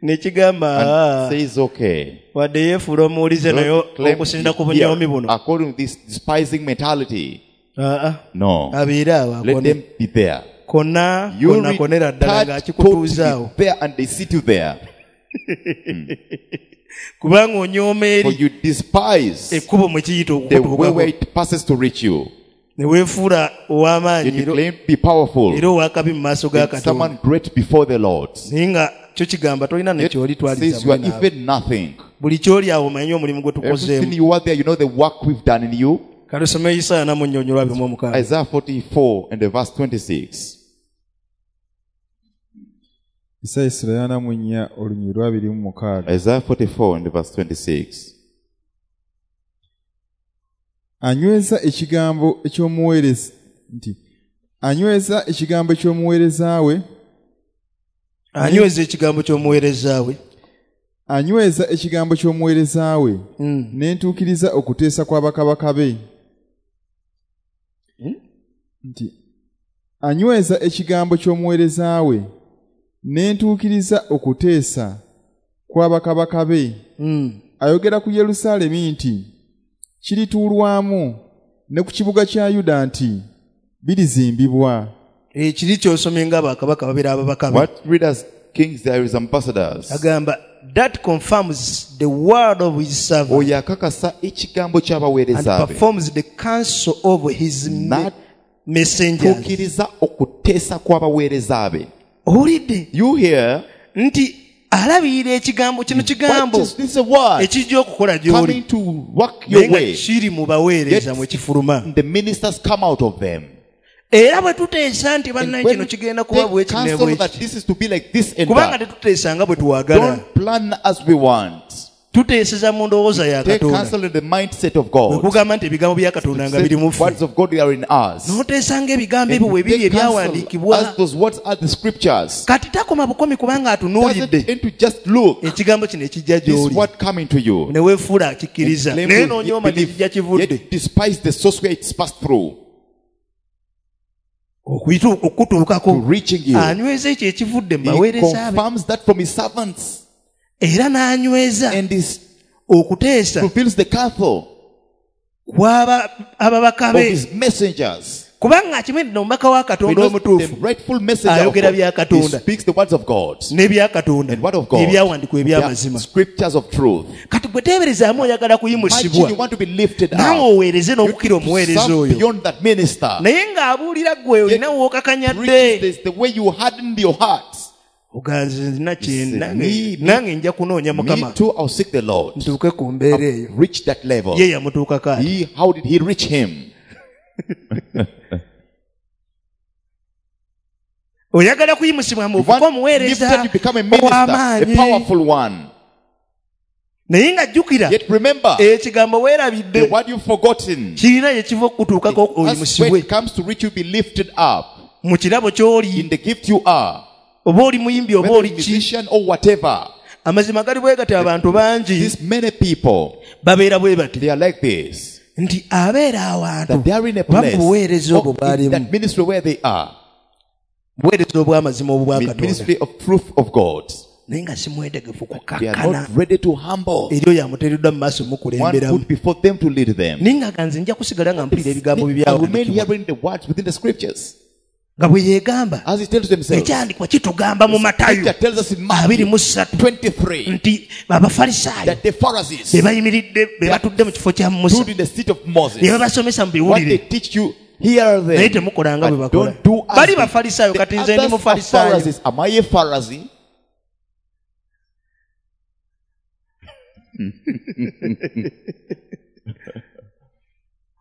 Ne kigamba and "Ah, says, okay. wadde yeefuula omuwulize naye Don't claim okusinda ku to hear bunyoomi buno. according to this despising mentality. Ah, ah. No. Abeere awo Let akone. them be there. Konna You konna konera ddala retard ng'akikutuuza awo. totally there and they sit you there. Kubanga onyooma For eri you despise ekkubo mwe kiyita the way okukutuukako. where it passes to reach you. Ne weefuula ow'amaanyi Yet you era- claim to be powerful. era ow'akabi mu maaso ga And Katonda. someone great before the Lord. Naye nga kyo kigamba tolina ne Yet ky'oli twaliza says you are muli naawe. even nothing. Buli ky'oli awo omanyi omulimu gwe tukozeemu. Everything you are there, you know the work we've done in you. Kale osome Isaaya na mu nnyonnyola abiri mu omukaaga. Isaiah forty-four and the verse twenty-six. Isaaya essula ya ana mu nnya olunyiriri lwa abiri mu mukaaga. Isaiah forty-four and the verse twenty-six. Anyweza ekigambo eky'omuweereza nti anyweza ekigambo eky'omuweereza we. Anyweza ekigambo ky'omuweereza we. Anyweza ekigambo ky'omuweereza we. Mm. Ne ntuukiriza okuteesa kwa bakabaka be. Mm? Nti anyweza ekigambo ky'omuweereza we. Ne ntuukiriza okuteesa kwa bakabaka be. Mm. Ayogera ku Yerusaalemi nti kirituulwamu ne ku kibuga kya Yuda nti birizimbibwa. Ekiri ky'osomye nga bakabaka babeera ababaka be. What read as kings there is ambassadors. Agamba that confirms the word of his servant. Oyo akakasa ekigambo ky'abaweereza And be. performs the counsel of his me- Not messengers. Tuukiriza okuteesa kw'abaweereza be. Owulidde? You hear Nti alabirira ekigambo kino kigambo What is this a word ekijja okukola gy'oli. coming to work your Naye nga way. kiri mu baweereza Yet mwe kifuluma. The ministers come out of them. Era bwe tuteesa nti And bannaye when kino kigenda kuba take bwe kino ne counsel bwe that kiti. this is to be like this and Kubanga that. tetuteesa nga bwe twagala. Don't plan as we want. Tuteeseza mu ndowooza ya Take Katonda. counsel in the mindset of God. Bwe kugamba nti ebigambo bya Katonda nga biri mu ffe. Words of God are in us. N'oteesa ng'ebigambo And ebyo bwe biri take counsel ebyawandiikibwa. as those words are the scriptures. Kati takoma bukomi kubanga atunuulidde. Doesn't end to just look. Ekigambo kino ekijja This gy'oli. word coming to you. Ne weefuula akikkiriza. Claim Naye to n'onyooma gye believe, kijja kivudde. yet despise the source where it's passed through. Okuyita okutuukako. To reaching you. Anyweza ekyo ekivudde mu He baweereza be. confirms that from his servants. Era n'anyweza And he okuteesa fulfills the counsel kw'aba ababaka of be. his messengers. Kubanga akimanyi nti omubaka wa Katonda Because omutuufu the rightful messenger of ayogera God, bya he Katonda. speaks the words of God. N'ebya Katonda. And word of God. Ebyawandiikibwa eby'amazima. The scriptures of truth. Kati gwe teeberezaamu oyagala Imagine kuyimusibwa. you want to be lifted Naawe up. oweereze n'okukira You omuweereza serve oyo. beyond that minister. Naye ng'abuulira ggwe olina w'okakanyadde. Preach this the way you hardened your heart. Oganze nina kye You say, nange- me- nange nja kunoonya Me Mukama. too, I'll seek the Lord. Ntuuke ku mbeera eyo. Reach that level. Ye yamutuukako ati. He, how did he reach him? Oyagala kuyimusibwa You mu want omuweereza lifted to become a minister, a ow'amaanyi. powerful one. Naye nga jjukira Yet remember, ekigambo weerabidde the word you've forgotten, kirina gye kiva okukutuukako as when oyimusibwe it comes to reach you, be lifted up mu kirabo ky'oli in the gift you are, oba oli muyimbi oba whether oli a ki. musician or whatever. Amazima gali bwe gati abantu bangi These many people, babeera bwe bati they are like this. nti abeera awantu That they are in a oba mu place, buweereza obwo or in bw'alimu that ministry where they are, buweereza obw'amazima obwa Katonda ministry of truth of God. naye nga si mwetegefu They are kukakkana not ready to humble. eri oyo amuteereddwa mu maaso One mukulemberamu put before them to lead them. naye nga nze nja kusigala nga mpulira ebigambo I remain bye hearing the words within the scriptures. nga bwe yeegamba As he tells himself, ekyandikwa kitugamba mu Matayo Scripture tells us in abiri Matthew mu ssatu twenty-three nti abafalisaayo that the Pharisees be bayimiridde be batudde mu kifo kya Musa stood in the seat of Moses. ne babasomesa mu What they biwulire teach you, hear them. naye temukola nga bwe But bakola don't do as bali they- bafalisaayo The kati nze ndi others are mufalisaayo Pharisees. Am I a Pharisee?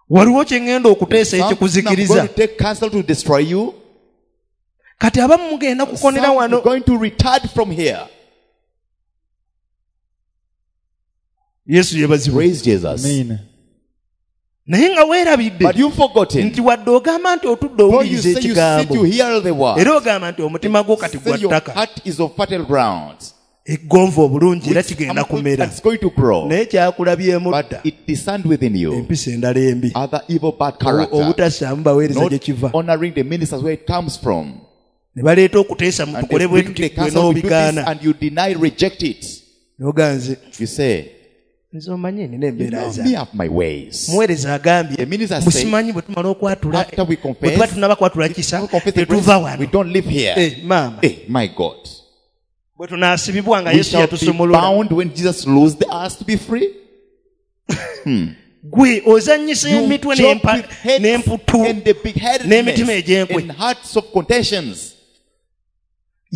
Waliwo kye ŋŋenda okuteesa Something I'm ekikuzikiriza going to take counsel to destroy you. Kati abamu mugenda kukonera Some wano are going to retard from here. Yesu yeebazibwe. Praise Jesus. Amen. Naye nga weerabidde But you've forgotten. nti wadde ogamba nti otudde Though you owuliriza say you sit, ekigambo you hear the word. era ogamba nti omutima gwo kati Say gwa your ttaka heart is of fertile ground. eggonvu obulungi era Which kigenda ample- kumera It's going to grow. naye kyakulabyemu But dda it discerned within you empisa endala embi other evil bad character. obutassaamu baweereza Not gye kiva honoring the ministers where it comes from. ne baleeta okuteesa And mutukole they bwe bring tuti the gwe counsel, we do this, n'obigaana and you deny, reject it. n'oganze You say, nze omanyi nina you embeera know zange me have my ways. muweereza agambye The minister said, musimanyi bwe tumala okwatula after we confess, bwe tuba tunaba kwatula kisa We confess the tetuva grace, we wano don't live here. Eh, maama Eh, my God. bwe tunaasibibwa nga We yesu shall be yatusumulula bound when Jesus loosed us to be free. gwe ozannyisa You emitwe joke n'empa- with heads n'emputu and the n'emitima big-headedness egy'enkwe. and hearts of contentions.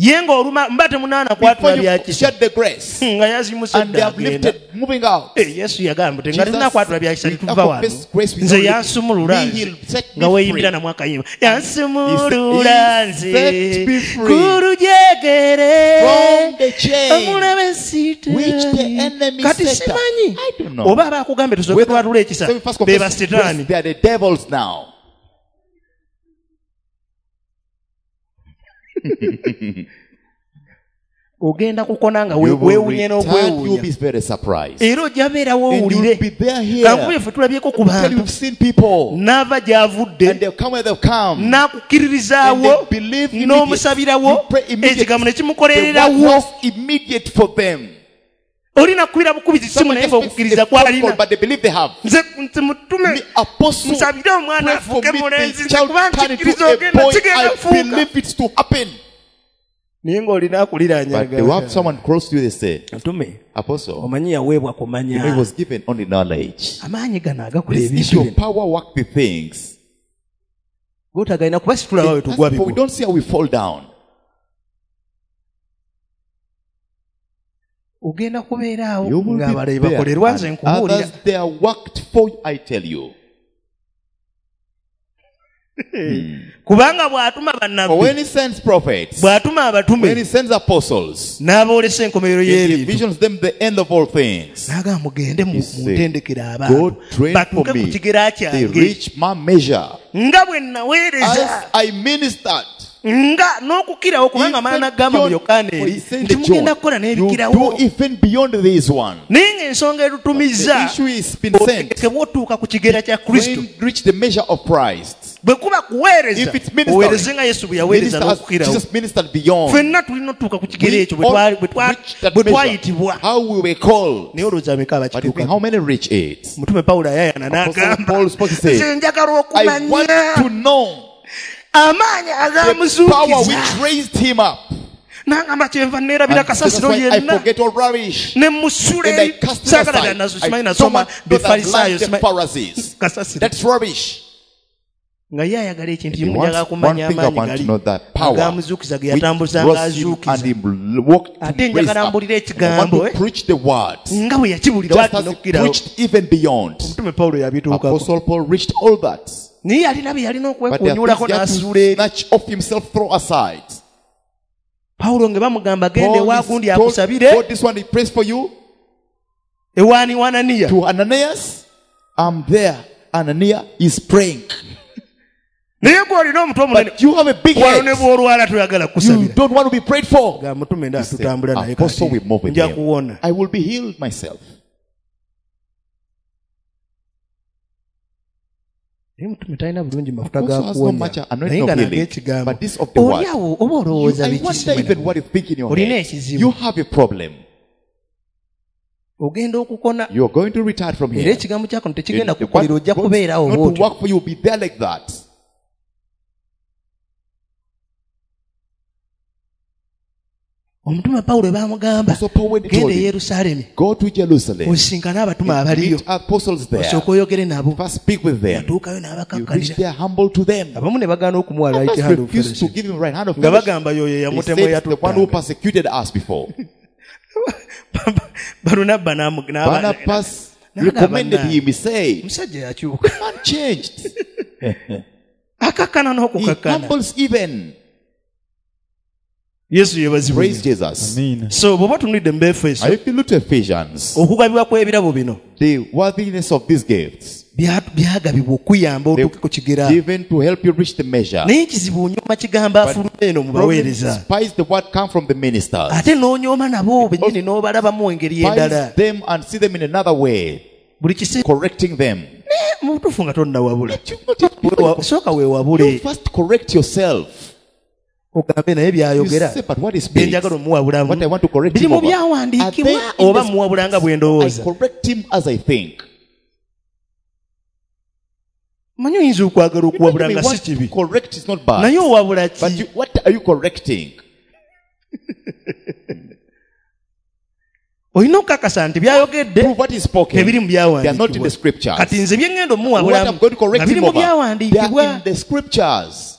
ye ng'oluma mba temunaana Before kwatula you bya kisa shed the grace, nga yazimuse and they dda have agenda lifted, moving out. Eh, yesu yagamba nti nga Jesus, tetunakwatula bya kisa we tetuva wano confess grace, we nze don't live. yansumulula Me, nze he'll set me nga weeyimbira free. namu akayimba yansumulula He nze set me free ku lujegere from the chain omulabe sitaani. which the enemy kati set up. simanyi I don't know. oba abaakugambye tusooke Whether- twatula ekisa So we first be confess basitaani grace, they are the devils now. ogenda kukona nga You will weewuunye return, you'll n'okwewuunya be very surprised. era ojja beerawo And owulire you'll be there here. kankuye ffe tulabyeko ku Tell you, bantu you've seen people, n'ava gy'avudde and they'll come where they've come. n'akukkiririzaawo And they believe immediate. n'omusabirawo You pray immediate. ekigambo ne The kimukolererawo word was immediate for them. olina kukubira bukubizi simu Someone naye just makes ng'okukkiriza a phone kwalina call, but they believe they have. nze nze mutume The apostle nsabire omwana pray for afuuke me, mulenzi the nze child kuba turn into nkikkiriza a ogenda boy. kigenda I kufuuka believe it's to happen. naye ng'olina akuliraanya But they will have someone close to you, they say, mutume Apostle, omanyi yaweebwa you know, he kumanya was given only knowledge. amaanyi gano agakola This ebintu issue of bino power work the things. gotagalina kuba situlaba we tugwa But we bigwa don't see how we fall down. ogenda kubeera awo You will ng'abalala be there. bakolerwa nze And nkubuulira others they are worked for, I tell you. kubanga bw'atuma For bannabbi when he sends prophets, bw'atuma when abatume he sends apostles, n'aboolesa enkomerero he y'ebintu visions them the end of all things. n'agamba mugende mu He said, muntendekere God abantu trained for batuuke ku me. kigera They kyange reach my measure. nga bwe naweereza As I ministered, nga n'okukirawo kubanga amala even n'agamba mu beyond- yokaana for eri he said nti to mugenda John, kukola you n'ebikirawo do even beyond this one. naye ng'ensonga The erutumizza issue is been sent. otegekebwa otuuka ku kigera kya kristo When reach the measure of Christ. bwe kuba kuweereza If it's ministering, oweereze nga yesu bwe yaweereza Minister as n'okukirawo Jesus ministered beyond. ffenna tulina otuuka ku kigero We ekyo bwe all twali- bwe twa- reach that bwe measure. twayitibwa How we were called. naye olowooza bameka But you think abakituuka how many reach it? mutume pawulo ayayana Apostle n'agamba Paul spoke, he said, nze njagala I want okumanya to know amaanyi the power agamuzuukiza which raised him up. n'agamba kyenva neerabira And that's kasasiro why I yenna forget all rubbish. ne musula And I eri cast it saagala aside. bya nazo I simanyi don't nasoma want those that befalisaayo learn the simanyi- Pharisees. kasasiro That's rubbish. nga ye ayagala ekintu He kimu wants njagala one kumanya thing I amaanyi want to gali know, that power agamuzuukiza ge which yatambuzanga rose him azuukiza and he walked to Ate raise njagala up. mbulire I want ekigambo, to eh. preach the word. nga bwe yakibulira Just waati as he n'okukirawo preached even beyond. omutume pawulo yabituukako Apostle Paul reached all that. naye yalina bye yalina But there are okwekunyulako things he had n'asuula to eri snatch off himself, throw aside. pawulo nga bamugamba genda Paul ewa is gundi told, akusabire God, this one he prays for you. ewaani wananiya To Ananias, I'm there. Ananias is praying. naye gwe olina omutwe omunene But you have a big wano ne head. bw'olwala toyagala You kusabira don't want to be prayed for. ga mutume nda He said, tutambula naye Apostle, we kati move with nja him. kuwona I will be healed myself. naye mutume talina bulungi mafuta Apostle ga has no kuwonya much naye anointing nga of naga healing, ekigambo but this of the oli word. awo oba You, olowooza I biki wonder even what you think in your Olina head. ekizibu. You have a problem. ogenda okukona You are going to retire from era here. ekigambo kyako tekigenda The kukolera word ojja God's kubeera awo not to bw'otyo work for you, will be there like that. omutume pawulo baamugamba So Paul when he genda told e him, yerusaalemi go to Jerusalem, osinkane abatume abaliyo meet apostles there, osooke oyogere nabo first speak with them. yatuukayo You reach n'abakakkalira there humble to them. abamu ne bagaana okumuwa right Others hand of refused to fellowship give him right hand of nga fellowship. bagamba yoyo They eyamutemu said, the one who eyatuttanga persecuted us before. balunabba n'amu- n'aba- Barnabas n'agamba recommended na- him. He said, omusajja yakyuka man changed. akakkana He n'okukakkana humbles even. yesu yeebazibwe Praise Jesus. Amiina. so bw'oba otunulidde mu befeso And if you look to Ephesians, okugabibwa kw'ebirabo bino the worthiness of these gifts, Bya- byagabibwa okuyamba They otuuke ku kigera given to help you reach the measure. naye ekizibu onyooma kigambo afuluma eno mu Problem baweereza despise the word come from the ministers. ate n'onyooma nabo bennyini n'obalabamu engeri endala Despise them and see them in another way, buli kiseera correcting them. mu butuufu nga tonnawabula You not yet- Weewa- sooka weewabule You first correct yourself. ogambe naye You byayogera say, but what is bye njagala omuwabulamu What I want to correct biri him mu over. Are they byawandiikibwa in oba the muwabula nga bwe I ndowooza correct him as I think. manyi oyinza okwagala You okuwabula may nga si want to kibi correct is not bad. naye owabula But ki you, what are you correcting? olina okukakasa nti byayogedde Prove what is spoken. tebiri mu They are not in byawandiikibwa the scriptures. kati nze bye ŋŋenda What omuwabulamu I'm going to correct nga biri him mu over, they are byawandiikibwa in the scriptures.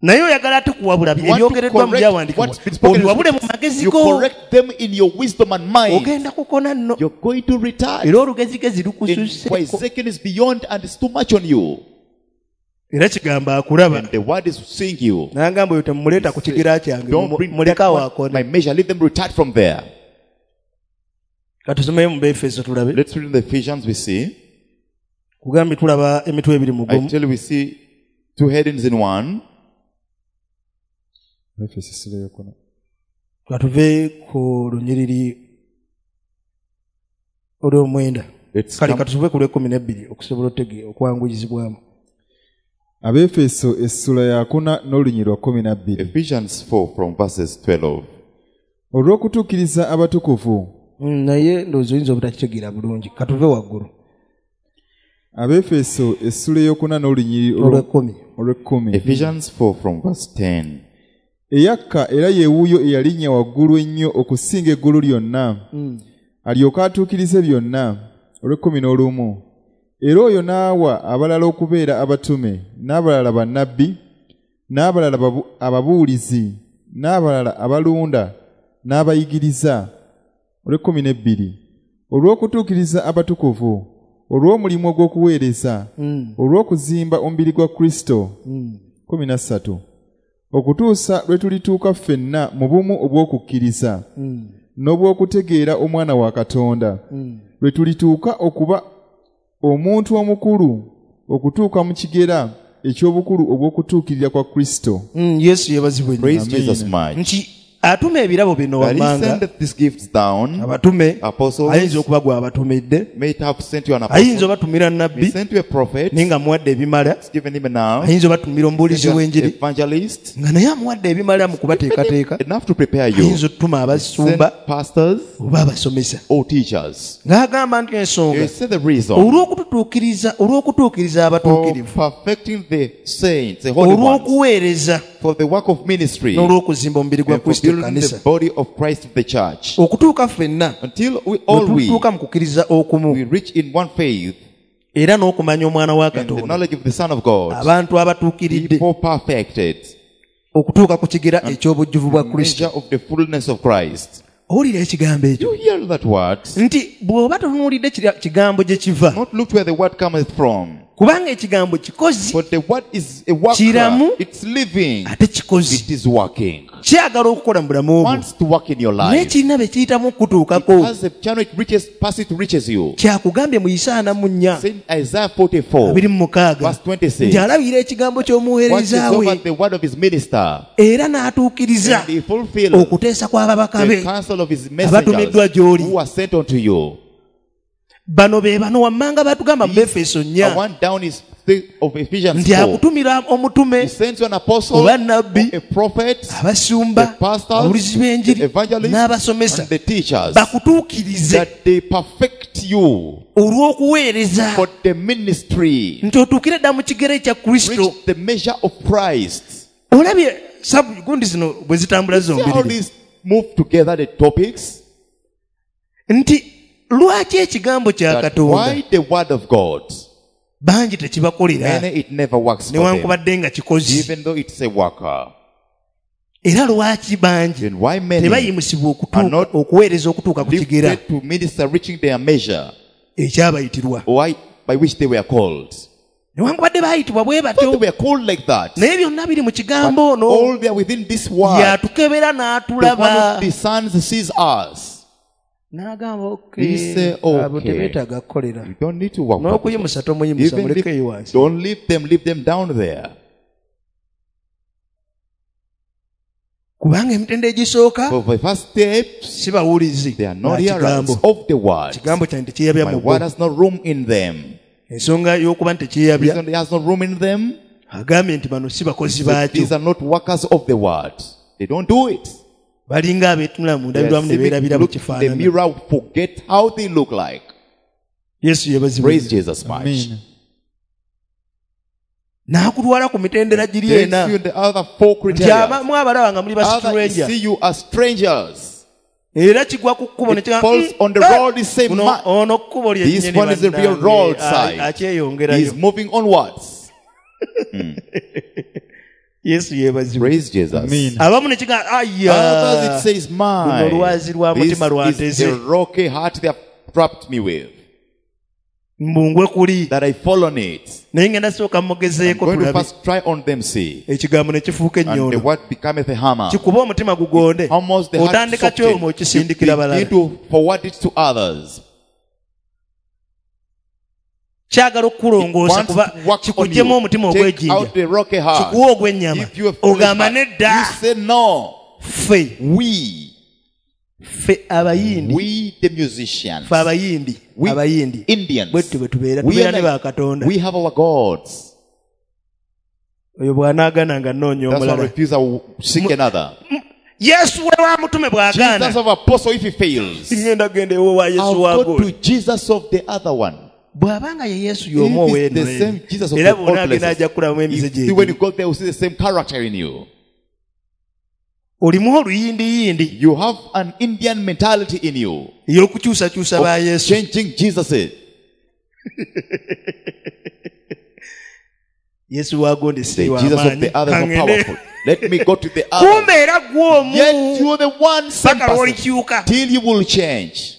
naye oyagala ate kuwabula You want to ebyogereddwa mu correct byawandiikibwa what's been spoken in the obiwabule mu scriptures. magezi You go correct them in your wisdom and mind. ogenda kukona nno You're going to retard. era olugezigezi In lukususseko Ezekiel is beyond and it's too much on you. era kigambo akulaba And the word is seeing you. nangamba oyo temumuleeta ku kigera kyange Don't bring muleke that awo one, akone my measure. Leave them retard from there. katusomeyo mu beefeso tulabe Let's read in the Ephesians. We see. kugambye tulaba emitwe ebiri mu I gumu tell you, we see two headings in one. Efeso essula ey'okuna. katuve ku lunyiriri olw'omwenda Let's kale come katuve ku lw'ekkumi n'ebbiri okusobola otege okwanguyizibwamu Abeefeso essula yakuna n'olunyiriri lwa kkumi na bbiri. Ephesians four from verses twelve. Olw'okutuukiriza abatukuvu Mm, naye ndowooza oyinza obutakitegeera bulungi katuve waggulu Abeefeso essula ey'okuna n'olunyiriri olw- olw'ekkumi olw'ekkumi. Ephesians four from verse ten. Eyakka era ye wuuyo eyalinnya waggulu ennyo okusinga eggulu lyonna alyoke atuukirize byonna olw'ekkumi n'olumu. Era oyo n'awa abalala okubeera abatume n'abalala bannabbi n'abalala babu- ababuulizi n'abalala abalunda n'abayigiriza olw'ekkumi n'ebbiri olw'okutuukiriza abatukuvu olw'omulimu ogw'okuweereza olw'okuzimba omubiri gwa Kristo kkumi na ssatu okutuusa lwe tulituuka ffenna mu bumu obw'okukkiriza n'obw'okutegeera omwana wa Katonda lwe tulituuka okuba omuntu omukulu okutuuka mu kigera eky'obukulu obw'okutuukirira kwa Kristo. Mm, yesu yeebazibwe nnyo. Praise Amen. Jesus much. nti atuma ebirabo bino That he wammanga sendeth these gifts down. abatume Apostles. ayinza okuba gwabatumidde May it have sent you an ayinza apostle. obatumira He nabbi sent you a prophet. naye nga amuwadde ebimala He's given him enough. ayinza obatumira Sent omubuulizi you an w'enjiri evangelist. nga naye amuwadde ebimala mu kubateekateeka Enough to prepare you. ayinza otutuma Send abasumba pastors oba abasomesa or teachers. ng'agamba nti ensonga You see the reason olw'okututuukiriza olw'okutuukiriza for abatuukirivu perfecting the saints, the holy ones, olw'okuweereza for the work of ministry, n'olw'okuzimba omubiri gwa and for kristo building ekkanisa the body of Christ, the church. okutuuka ffenna Until we all bwe we, tutuuka mu kukkiriza okumu we reach in one faith era n'okumanya omwana wa and the katonda knowledge of the Son of God, abantu abatuukiridde people perfected, okutuuka ku kigera eky'obujjuvu bwa kristo measure of the fullness of Christ. owulira ekigambo ekyo You hear that word? nti bw'oba totunuulidde kira- kigambo gye kiva Not look where the word cometh from. kubanga ekigambo kikozi But the word is a worker. Kiramu. It's living. ate kikozi It is working. kyagala okukola mu bulamu bwo Wants to work in your naye life. kirina bye kiyitamu okukutuukako As the channel it reaches, past it reaches you. kyakugambye mu isaana mu nnya Saint Isaiah forty-four, abiri mu mukaaga verse twenty-six. nti alabira ekigambo Watches ky'omuweereza over we the word of his minister. era n'atuukiriza And he fulfills okuteesa kw'ababaka the be counsel of his abatumiddwa messengers gy'oli. who are sent unto you. Bano be bano wammanga batugamba mu Befeso The nnya one down is the of Ephesians nti four. akutumira omutume He sends you an apostle, oba nabbi a prophet, abasumba the pastors, ababulizi the b'enjiri evangelists, n'abasomesa and the teachers, bakutuukirize that they perfect you olw'okuweereza for the ministry, nti otuukire dda mu kigere ekya Kristo reach the measure of Christ. olabye sabu gundi zino bwe zitambula See how zombiriri these move together, the topics? nti lwaki ekigambo kya That Katonda why the word of God, bangi tekibakolera many it never works for them, newankubadde nga kikozi even though it's a worker. era lwaki bangi Then why many tebayimusibwa okutuuka- are not okuweereza okutuuka ku kigera lifted to minister reaching their measure, ekyabayitirwa why by which they were called? newankubadde baayitibwa bwe But they batyo were called like that. naye byonna biri mu kigambo ono All they are within this word. yatukebera The one n'atulaba who discerns sees us. N'agamba He say, okay, abo okay. tebeetaaga kukolera. You don't need to work. for N'okuyimusa them. tomuyimusa Even mulekeyo if, wansi. don't leave them, leave them down there. Kubanga emitendera egisooka For the first steps, si bawulizi they are not ba hearers kigambo. of the word. Kigambo kyange tekyeyabya My mu bo. word has no room in them. Ensonga y'okuba nti tekyeyabya Reason it has no room in them, agambye nti bano si bakozi that baakyo. these are not workers of the word. They don't do it. Balinga abeetunula mu They are ndabirwamu ne civic, beerabira look bwe in the kifaanana. mirror, forget how they look like. Yesu yeebazibwe. Praise Jesus much. Amen. N'akutwala ku mitendera giri Takes ena. you in the other four Nti criteria. abamu abalaba nga muli ba Others stranger. see you as strangers. Era kigwa ku kkubo ne It kigamba, falls "Mm, on the eh, road, the same guno- man. ono kkubo This lyennyini one is the real bannange, roadside. a- akyeyongerayo." He's moving onwards. Yesu yeebazibwe. Praise Jesus. Amen. Abamu ne kigamba, "Aya, Others it says, my, luno lwazi lwa this mutima lwa is the nteze. rocky heart they have trapped me with, Mbungwe kuli." that I fall on it. Naye ngenda sooka I'm mugezeeko going to tulabe. first try on them, see. Ekigambo ne kifuuka And the ennyondo. word becometh a hammer. Kikuba omutima gugonde. Almost the heart Otandika kyoma softened. You okisindikira balala. begin to forward it to others. Kyagala okukulongoosa Wants kuba to work on kikugyemu you. omutima Take ogw'ejjinja. out the rocky heart. Kikuwa ogw'ennyama. Give you a foolish Ogamba heart. nedda. You say no. Ffe. We, Ffe abayindi. we the musicians, Ffe abayindi. we Abayindi. Indians, Bwe tutyo bwe tubeera. we, Tubeera are ne like, bakatonda. we have our gods. Oyo bw'anaagaana nga nnoonya That's why omulala. refuse, I will seek another. Yesu we wa mutume bw'agaana. Jesus of apostle, if he fails, Ngenda genda ewo wa Yesu I'll wa go gold. to Jesus of the other one. Bw'abanga ye Yesu y'omu If it's the ow'eno same Jesus of era the old bw'onaagenda places, ajja kukulamu emize if, gye when you go there, you see the same character in you. Olimu oluyindiyindi You have an Indian mentality in you ey'okukyusakyusa ba of Yesu. changing Jesus. Yesu wa gondi si The wa Jesus of maanyi. the others are Kangende. powerful. Let me go to the others. Kumbe era ggwe omu Yet you're the one same paka person lw'olikyuka. till you will change.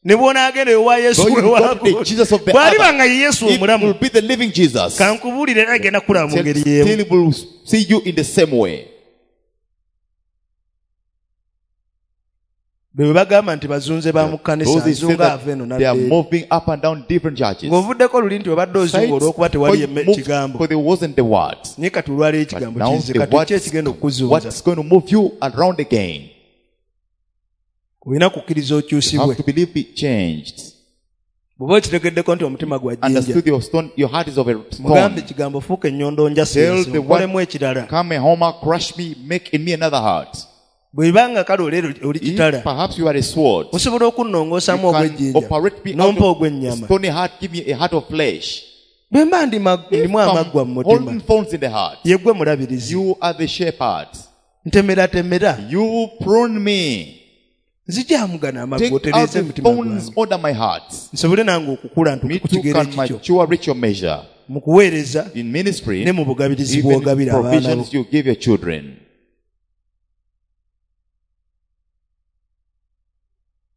Ne bw'onaagenda ewa Yesu Though you we go wa to the gondi. Jesus of the Bw'aliba other, nga ye Yesu it omulamu, will be the living Jesus. kankubuulire era agenda kukulaba mu Till, ngeri y'emu. till will see you in the same way. Be bwe bagamba nti bazunze ba mu kkanisa, Those they say azunga that ava eno they are n'adda eri. moving up and down different churches. Ng'ovuddeko luli nti obadde ozunga Sites, olw'okuba for tewali you emme- moved, kigambo. for there wasn't the word. Naye kati olwaleero But ekigambo now kizze, the kati ki word, ekigenda okukuzunza? what's going to move you around again? Olina kukkiriza You okyusibwe. have to believe be changed. Bw'oba okitegeddeko nti omutima gwa jjinja, Understood your stone, your heart is of a mugambe stone. ekigambo fuuka ennyondo njasi Tell ensi, the nkolemu word, ekirala. come a homer, crush me, make in me another heart. Bw'ebanga kale oleero oli If kitala, perhaps you are a sword, osobola okunnongoosaamu you can ogw'ejjinja, operate me out n'ompa of ogw'ennyama. stony heart, give me a heart of flesh. Bwe mba ndi ma- If ndimu amaggwa I'm mu mutima, holding thorns in the heart, ye ggwe mulabirizi. you are the shepherd. Ntemeratemera. You prune me. Nzijamugana amaggwa Take out otereeze the emitima thorns gwange. under my heart. Nsobole nange okukula Me ntuuke ku too kigero can ekikyo. mature, reach your measure. Mu kuweereza In ministry, ne mu bugabirizi even bw'ogabira abaana bo. provisions you give your children.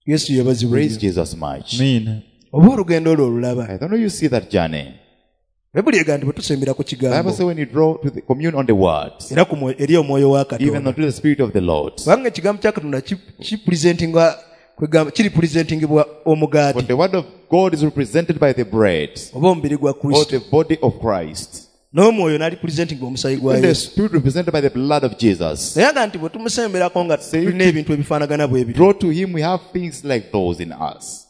Yesu yeebazibwe Praise nnyo. Jesus much. Amen. Oba olugendo olwo olulaba. I don't know you see that journey. Bayibuli egamba nti bwe tusembera ku Bible kigambo says when you draw to the commune on the word, era ku mwoyo- eri omwoyo wa even Katonda. unto the Spirit of the Lord. Kubanga ekigambo kya Katonda ki- kipresentingwa kwegamba kiripresentingibwa For omugaati the word of God is represented by the bread oba omubiri gwa or Kristo. the body of Christ. N'omwoyo n'alipresentingibwa omusaayi gwa And the Yesu. Spirit represented by the blood of Jesus. Naye aga nti bwe tumusemberako nga Say tulina ebintu ebifaanagana bwe bityo. Draw to him, we have things like those in us.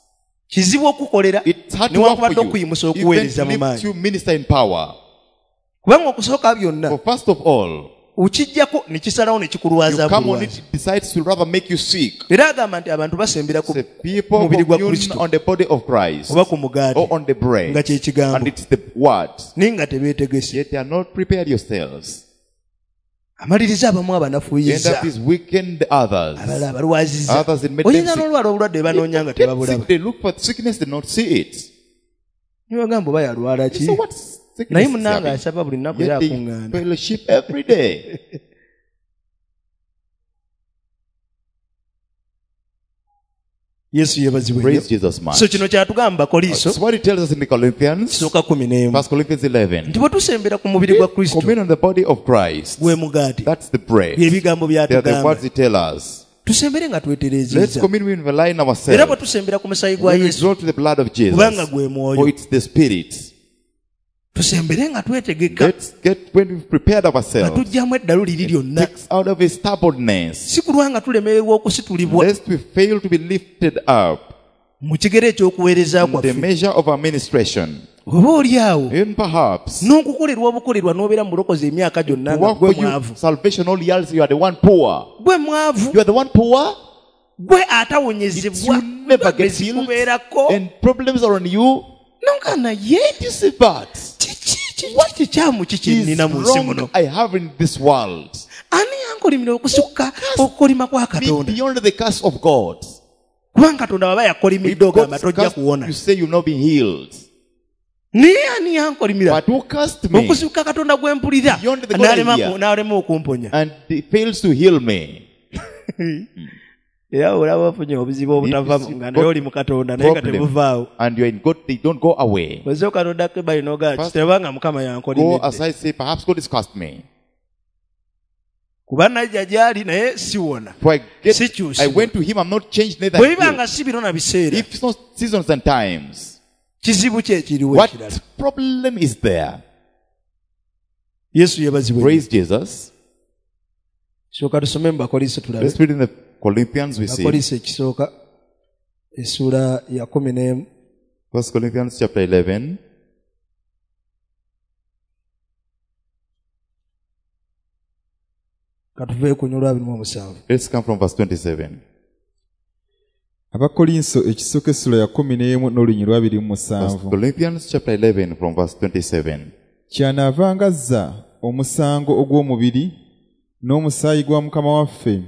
Kizibu okukolera It's hard to work newankubadde for you. okuyimusa Even okuweereza to mu lift maanyi. you minister in power. Kubanga okusooka byonna For first of all, okiggyako ne kisalawo ne you kikulwaza come on bulwazi. it, it decides to rather make you sick. Era agamba nti abantu basembera ku The people mubiri gwa commune Kristo on the body of Christ oba ku mugaati or on the bread, nga kye kigambo. and it's the word. Naye nga tebeetegese. Yet they are not prepared yourselves. Amaliriza abamu End abanafuyiza up is weaken the others. abalala abalwaziza. Others it made them Oyinza sick. n'olwala obulwadde banoonya nga Get tebabulaba. sick, they look for sickness, they not see it. Ne bagamba oba yalwala ki? So what sickness Naye is munnange having? asaba buli nnaku era Yet they akuŋŋaana. fellowship every day. Yesu yeebazibwe Praise nnyo. Jesus much. So kino kyatugamba Bakoliso That's what it tells us in the Corinthians, kisooka kumi n'emu. First Corinthians eleven. Nti bwe tusembera ku mubiri gwa Kristo Commune on the body of Christ. gwe mugaati That's the bread. bye bigambo They are the byatugamba. words he tell us. Tusembere nga Let's twetereezezza. commune with the line Era ourselves. bwe tusembera ku musaayi gwa When we Yesu draw to the blood of Jesus, kubanga gwe for mwoyo it's the Spirit. tusembere nga twetegeka Let's get when we've prepared nga ourselves. tuggyamu eddalu liri lyonna Takes out of his stubbornness, si kulwa nga tulemererwa okusitulibwa lest we fail to be lifted up mu kigero eky'okuweereza in the kwaffe measure of our ministration. oba oli awo Even perhaps n'okukolerwa obukolerwa n'obeera mu bulokozi emyaka gyonna to nga work gwe for you mwavu salvation all years, you are the one poor. gwe mwavu You are the one poor. gwe It's atawonyezebwa you never get healed, zikubeerako and problems are on you. nonga naye You see that kiki kiki kikyamu kiki is nnina mu nsi muno wrong I have in this world. ani yankolimira okusukka okukolima kwa Be katonda beyond the curse of God. kubanga katonda bw'aba If yakolimidde ogamba God's tojja cursed, kuwona you say you'll not be healed. naye ani yankolimira But who cursed me okusukka katonda gwe mpulira Beyond the God n'alema I hear. n'alema okumponya and he fails to heal me? era olaba ofunye obuzibu obutava If you nga naye oli mu katonda naye nga problem tebuvaawo and you're in God, they don't go away. osooka n'oddako ebbali n'ogamba First, kitebanga mukama Go yankolimidde aside, say, perhaps God has cursed me. kuba najja gy'ali naye siwona For I get, Sikyusibwa. I went to him, I'm not changed, neither bwe biba healed. nga si biro na biseera If it's not seasons and times, kizibu ki ekiriwo what ekirala problem is there? yesu yeebazibwe Praise Jesus. sooka tusome mu bakoliso tulabe Let's read in the Corinthians, we see. bakoliso ekisooka essuula ya kumi n'emu First Corinthians chapter eleven. katuve ku lunyiriri abiri mu omusanvu Let's come from verse twenty-seven. Abakolinso ekisooka essula ya kkumi n'emu n'olunyiriri lwa abiri mu First musanvu. Corinthians chapter eleven from verse twenty-seven. Kyanaavanga azza omusango ogw'omubiri n'omusaayi gwa Mukama waffe.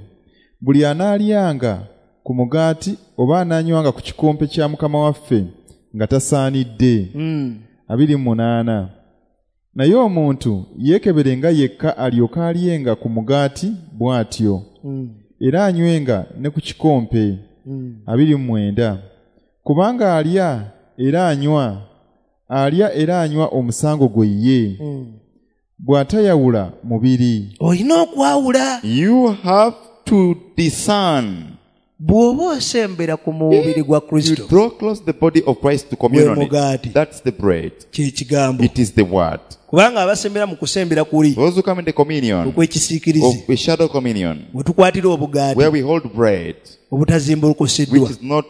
Buli anaalyanga ku mugaati oba anaanywanga ku kikompe kya Mukama waffe nga tasaanidde. Abiri mu munaana. Naye omuntu yeekeberenga yekka alyoke alyenga ku mugaati bw'atyo, era anywenga ne ku kikompe. Abiri mu mwenda. Kubanga alya era anywa, alya era anywa omusango gwe ye, bw'atayawula mubiri. Olina okwawula. You have to discern. Bw'oba osembera ku mubiri gwa You Kristo, draw close the body of Christ to communion. Gwe mugaati. That's the bread. Kye kigambo. It is the word. Kubanga abasembera mu kusembera kuli Those who come in the communion okw'ekisiikirize, of a shadow communion, we tukwatira obugaati where we hold bread, obutazimbulukusiddwa, which is not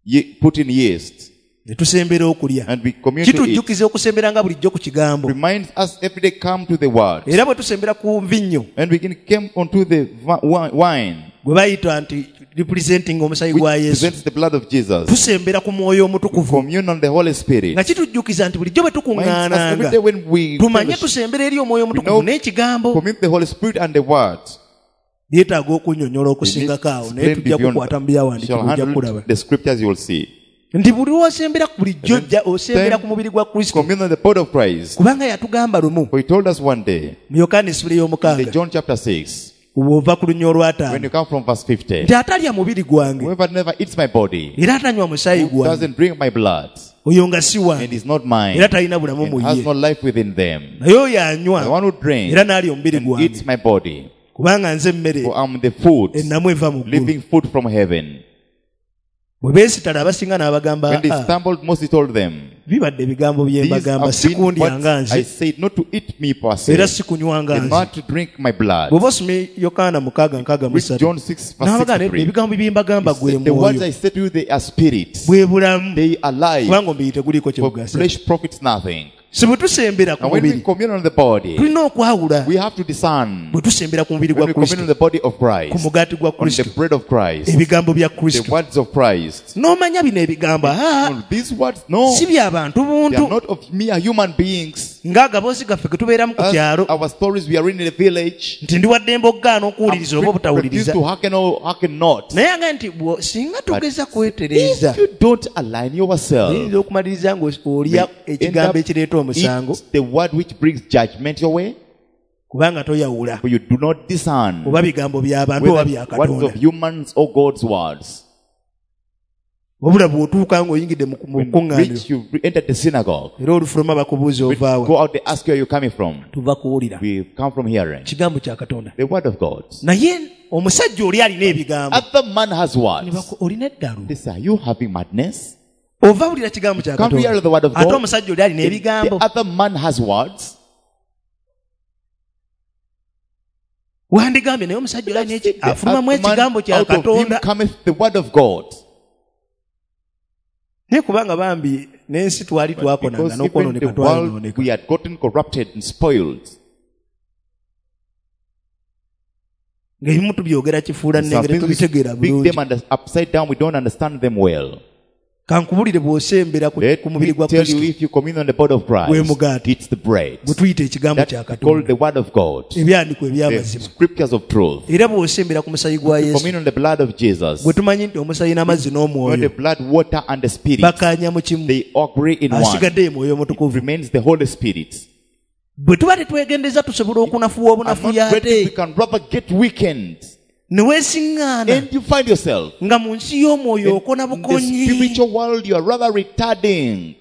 ye- put in yeast, ne tusembera okulya. and we commune to it, Kitujjukiza okusembera nga bulijjo ku kigambo. reminds us every day come to the word. Era bwe tusembera ku nvinnyo, And we can come onto the vi-, wi-, wine, gwe bayita nti representing omusaayi which gwa Yesu, presents the blood of Jesus. tusembera ku mwoyo omutukuvu. Commune on the Holy Spirit. Nga kitujjukiza nti bulijjo bwe Reminds us tukuŋŋaananga, every day when we tumanye fellowship, tusembera eri omwoyo omutukuvu know- n'ekigambo. commune the Holy Spirit and the word. Byetaaga okunnyonnyola okusingako awo, naye Explain tujja beyond- kukwata mu shall byawandiikibwa ojja handle kulaba. the scriptures you will see. Nti buli lw'osembera bulijjo ojja osembera Then ku mubiri gwa Kristo. Commune on the body of Christ. Kubanga yatugamba lumu For he told us one day, mu Yokaana essula in the ey'omukaaga, John chapter six, bw'ova ku lunya when olw'ataano, you come from verse fifty, nti atalya mubiri gwange whoever never eats my body, era atanywa musaayi who gwange, doesn't drink my blood, oyo nga si wange and is not mine, era talina bulamu mu and has ye. no life within them. Naye oyo The anywa one who drinks era n'alya omubiri and eats gwange, my body, kubanga nze emmere for I'm the food, ennamu eva mu ggulu. living food from heaven. Bwe beesitala abasinga n'abagamba, When they "Ah, stumbled, Moses told them, bibadde ebigambo bye These mbagamba, have si been what kundyanga I nze said, not to eat me per se, era si kunywanga and nze." not to drink my blood. Bw'oba osomye Yokaana mukaaga nkaaga mu Read ssatu, John six, verse n'abagamba sixty-three. ebigambo bye mbagamba He gwe said, The words mwoyo, I said to you, they are spirits. bwe bulamu, They are life. kubanga omubiri teguliiko kye For bugasa. flesh profits nothing. Si bwe tusembera ku And when we mubiri, commune on the body, tulina okwawula. we have to discern. Bwe tusembera ku mubiri When gwa we commune on Kristo, the body of ku Christ, mugaati gwa on the Kristo, bread of Christ, ebigambo bya the Kristo, words of Christ. n'omanya bino ebigambo, ah, No, these words, no, si bya bantu they are buntu, not of mere human beings. ng'agaboozi gaffe ge tubeeramu ku As kyalo, our stories, we are in the village. nti ndi wa ddembe okugaana okuwuliriza oba I'm free to refuse obutawuliriza. to hearken or hearken not. Naye nga nti bwo- singa tugeza kwetereeza, If you don't align yourself, oyinza okumaliriza ng'olya may end ekigambo up ekireeta omusango, eat the word which brings judgment your way, kubanga toyawula for you do not discern oba bigambo by'abantu oba whether bya words Katonda. of humans or God's words. Wabula bw'otuuka ng'oyingidde mu When kuŋŋaaniro. reach, you enter the synagogue. Era olufuluma bakubuuza ovaawa. Go out, they ask you where you're coming from. Tuva kuwulira. We come from hearing. Kigambo kya Katonda. The word of God. Naye omusajja oli alina ebigambo. Other man has words. Olina eddalu. They say, are you having madness? Ova wulira kigambo kya Come hear the word of Katonda. God. Ate omusajja oli alina ebigambo. The other man has words. Wandigambye naye omusajja oli alina The afulumamu other man, ekigambo kya out of him Katonda. cometh the word of God. Naye kubanga bambi n'ensi twali twakonanga Because even n'okwonooneka the world twalinooneka. we had gotten corrupted and spoiled. Ng'ebimu tubyogera kifuula Some nnengere things we tubitegeera speak bulungi. them and upside down, we don't understand them well. Kankubulire bw'osembera ku Let ku mubiri me gwa tell you, Kristo if you commune on the body of gwe Christ, mugaati it's the bread. gwe tuyita ekigambo That kya we call Katonda the word of God, ebyandikwa the eby'amazima. scriptures of truth. Era bw'osembera ku musayi gwa Yesu Commune on the blood of Jesus, gwe tumanyi nti omusayi n'amazzi not n'omwoyo the blood, water, and the spirit. bakkaanya mu kimu They agree in one. asigadde ye mwoyo omutukuvu. Remains the Holy Spirit. Bwe tuba tetwegendeza tusobola okunafuwa I'm obunafu not ready, we ate can rather get weakened. ne weesiŋŋaana And you find yourself nga mu nsi y'omwoyo okona in the bukonyi spiritual world, you are rather retarding.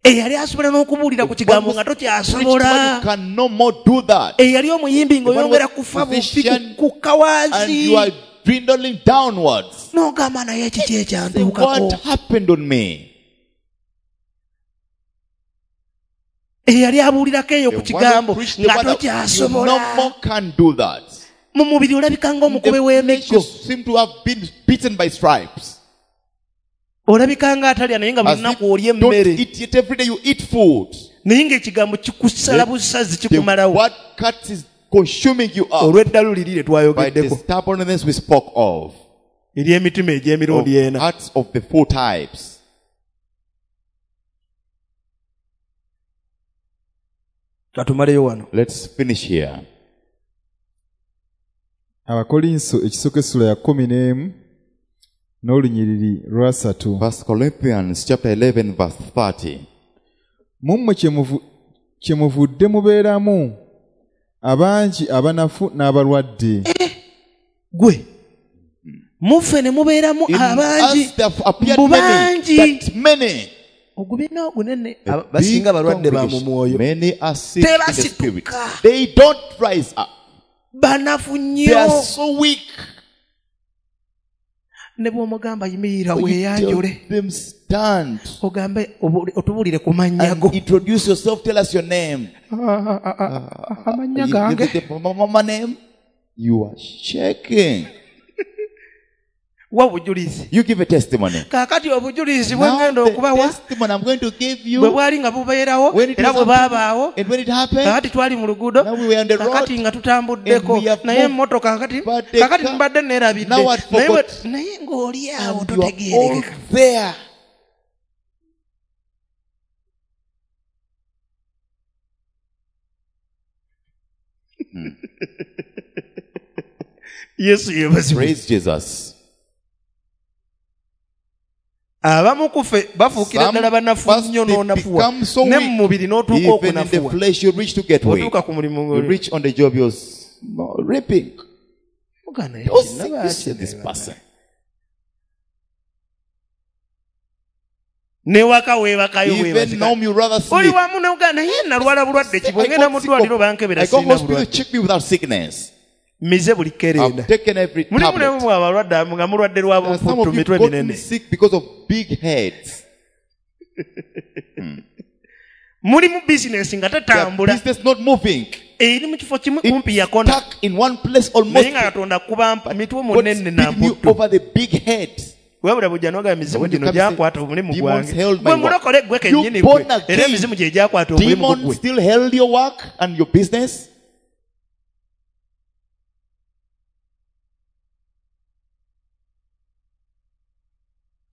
eyali asobola n'okubuulira ku kigambo nga tokyasobola You can no more do that. eyali omuyimbi ng'oyongera The one kufa bufi musician kukka And wansi you are dwindling downwards. n'ogamba naye kiki Say, ekyantuukako what happened on me? eyali abuulirako eyo The ku one who kigambo preached the nga word, you tokyasobola no more can do that. mu mubiri olabika ng'omukube The flesh w'emiggo you seem to have been beaten by stripes. olabika ng'atalya naye nga buli As if lunaku olya don't emmere eat yet every day you eat food. naye ng'ekigambo kikusala busazi The kikumalawo word cuts is consuming you up olw'eddalu liri lye by the twayogeddeko stubbornness we spoke of. ery'emitima Of egy'emirundi ena hearts of the four types. katumaleyo wano Let's finish here. Abakolinso ekisooka essula ya kkumi n'emu n'olunyiriri lwasatu. First Corinthians chapter eleven verse thirty. Mu mmwe kye muvudde mubeeramu abangi abanafu n'abalwadde. Gwe muffe ne mubeeramu In abangi us there have appeared mbu many, bangi that many. ogubiina ogunene A big basinga balwadde ba mu congregation. mwoyo Many are sick in the spirit. Tebasituka. They don't rise up. banafu They are nnyo so weak. ne bw'omugamba yimirira You tell weeyanjule them stand ogambe otubuulire ku mannya go and introduce yourself. Tell us your name. amannya You- gange you- the mama name. You are shaking. wa obujulizi You give a testimony. kaakati obujulizi bwe Now ngenda the okubawa testimony I'm going to give bwe you. bwali nga bubeerawo When it era was bwe happening, baabaawo and when it happened, kaakati twali mu luguudo now we were on the road, kaakati nga tutambuddeko and we have naye moved. emmotoka kaakati But the kaakati car- mbadde neerabidde Now I'd naye bwe- forgot. naye ng'oli awo and you are all totegeerekeka there. Yesu yeebazibwe Praise Jesus. abamu ku ffe bafuukira Some ddala banafu first nnyo they n'onafuwa become so ne weak. mu mubiri n'otuuka Even in the okunafuwa flesh, you reach to get weak. otuuka ku mulimu You ng'oli- reach on the job, you're s- no, reaping. Muganda, Oh, sick, naba you see this akireba. person. Newaka weebakayo Even weebazika now, you rather oli sleep. wamu n'ogamba naye nalwala bulwadde ki I bwe ngenda got mu sick ddwaliro of- bankebera I go sirina hospital, bulwadde check me without sickness. mize buli kerenda I've taken every mulimu tablet. nemu abalwadde abamu nga mulwadde lwa There are some buputtu of you mitwe gotten minene sick because of big heads. mulimu bizinesi nga Their tetambula business not moving. eri mu kifo kimu kumpi It's yakona stuck in one place almost. naye nga Katonda akuba mitwe God munene speaking na you mputtu over the big head. wabula bujja n'ogamba emizimu When you gino come say, gyakwata omulimu "Demons gwange held my gwe work." mulokole gwe You kennyini born gwe again. era emizimu gye gyakwata omulimu Demons gwe still held your work and your business.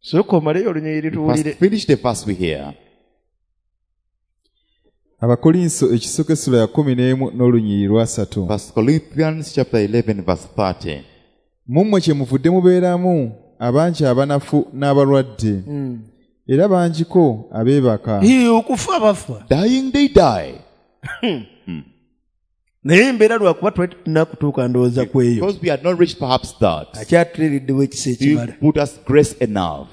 Sooka omaleyo olunyiriri tuwulire First, finish the verse we hear. Abakolinso ekisooka essula ya kkumi n'emu n'olunyiriri lwasatu. First Corinthians chapter eleven verse thirty. Mu mmwe kye muvudde mubeeramu abangi abanafu n'abalwadde era bangiko abeebaka. Hii, okufa bafa Dying they die. naye embeera lwakuba twali tulina kutuuka ndowooza ku eyo Because we had not reached perhaps that. akyatuleereddewo ekisa He ekimala put us grace enough.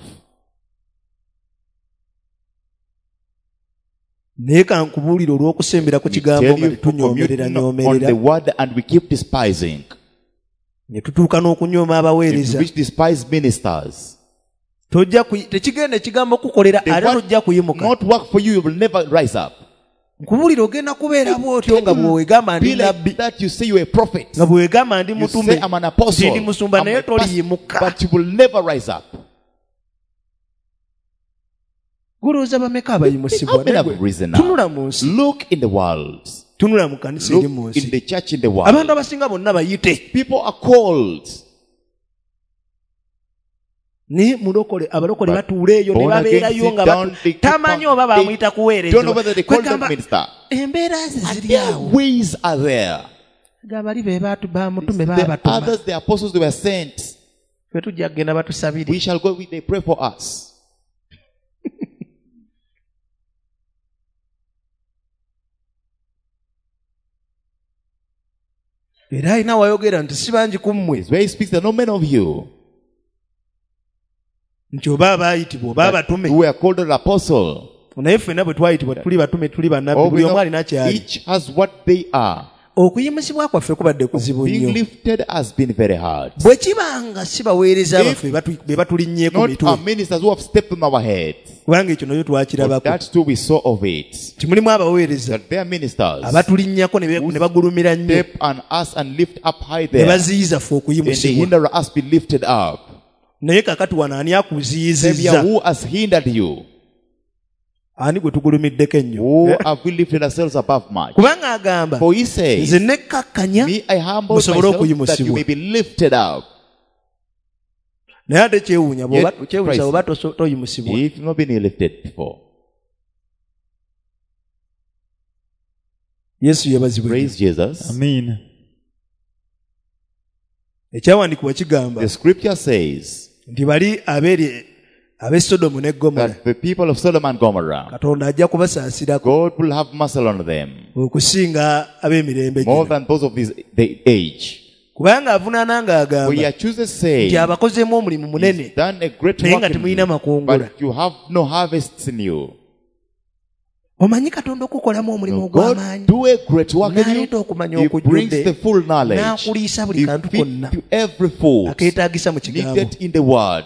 Naye kankubuulire olw'okusembera ku kigambo nga tetunyoomerera nyoomerera. On the word and we keep despising. Ne tutuuka n'okunyooma abaweereza. We despise ministers. Tojja tekigenda ekigambo kukolera ate tojja kuyimuka. Not work for you, you will never rise up. Nkubuulira ogenda kubeera bw'otyo nga bw'owegamba ndi nabbi. That you say you are a prophet. Nga bw'owegamba ndi mutume. You say I'm an apostle. Ndi musumba naye toliyimuka. But you will never rise up. Gulowooza bameka abayimusibwa? Tunula mu nsi. Look in the world. Tunula mu kanisa eri mu nsi. In the church in the world. Abantu abasinga bonna bayite. People are called. Naye mulokole abalokole batuula eyo ne babeerayo nga tamanyi oba bamuyita kuweereza. Embeera ze ziri awo. Ways are there. Gabali be bamutume baabatuma. Others, the apostles, they were sent. Ffe tujja kugenda batusabire. We shall go, they pray for us. Era alina wayogera nti si bangi ku mmwe. Where he speaks, there are no men of you. Nti oba abaayitibwa oba abatume. We are called an apostle. Naye ffenna bwe twayitibwa tuli batume tuli bannabbi buli omu alina ky'ali. Each has what they are. Okuyimusibwa kwaffe kubadde kuzibu nnyo. Being lifted has been very hard. Bwe kibanga si baweereza baffe be batulinnyeeko mitwe. Not our ministers who have stepped on our heads. Kubanga ekyo nayo twakirabako. That too we saw of it. Nti mulimu abaweereza. That they are ministers. Abatulinnyako ne bagulumira nnyo. Step on us and lift up high there. Ne baziyiza ffe okuyimusibwa. And they hinder us be lifted up. Naye kaakati wano ani akuziyizizza? Who has hindered you? Ani gwe tugulumiddeko ennyo? Who have we lifted ourselves above much? Kubanga agamba, For he says, nze nekkakkanya me I humble musobole myself that you okuyimusibwa. may be lifted up. Naye ate kyewuunya bw'oba kyewuunyisa bw'oba toyimusibwa. If you've not been lifted before. Yesu yeebazibwe. Praise Jesus. Amen. Ekyawandiikibwa kigamba, The scripture says, nti bali abeeri ab'e Sodomu ne Gomora, that the people of Sodom and Gomorrah, Katonda ajja kubasaasirako. God will have mercy on them. Okusinga ab'emirembe More gino. than those of this the age. Kubanga avunaana ng'agamba, For he accuses saying, nti abakozeemu omulimu munene, He's done a great naye work nga in temulina you, makungula. but you have no harvests in you. Omanyi Katonda okukolamu omulimu God ogw'amaanyi. do a great work in you. N'aleeta okumanya He brings okujjudde. the full knowledge. N'akuliisa buli He kantu feeds konna. you every food Akeetaagisa mu kigambo. needed in the word.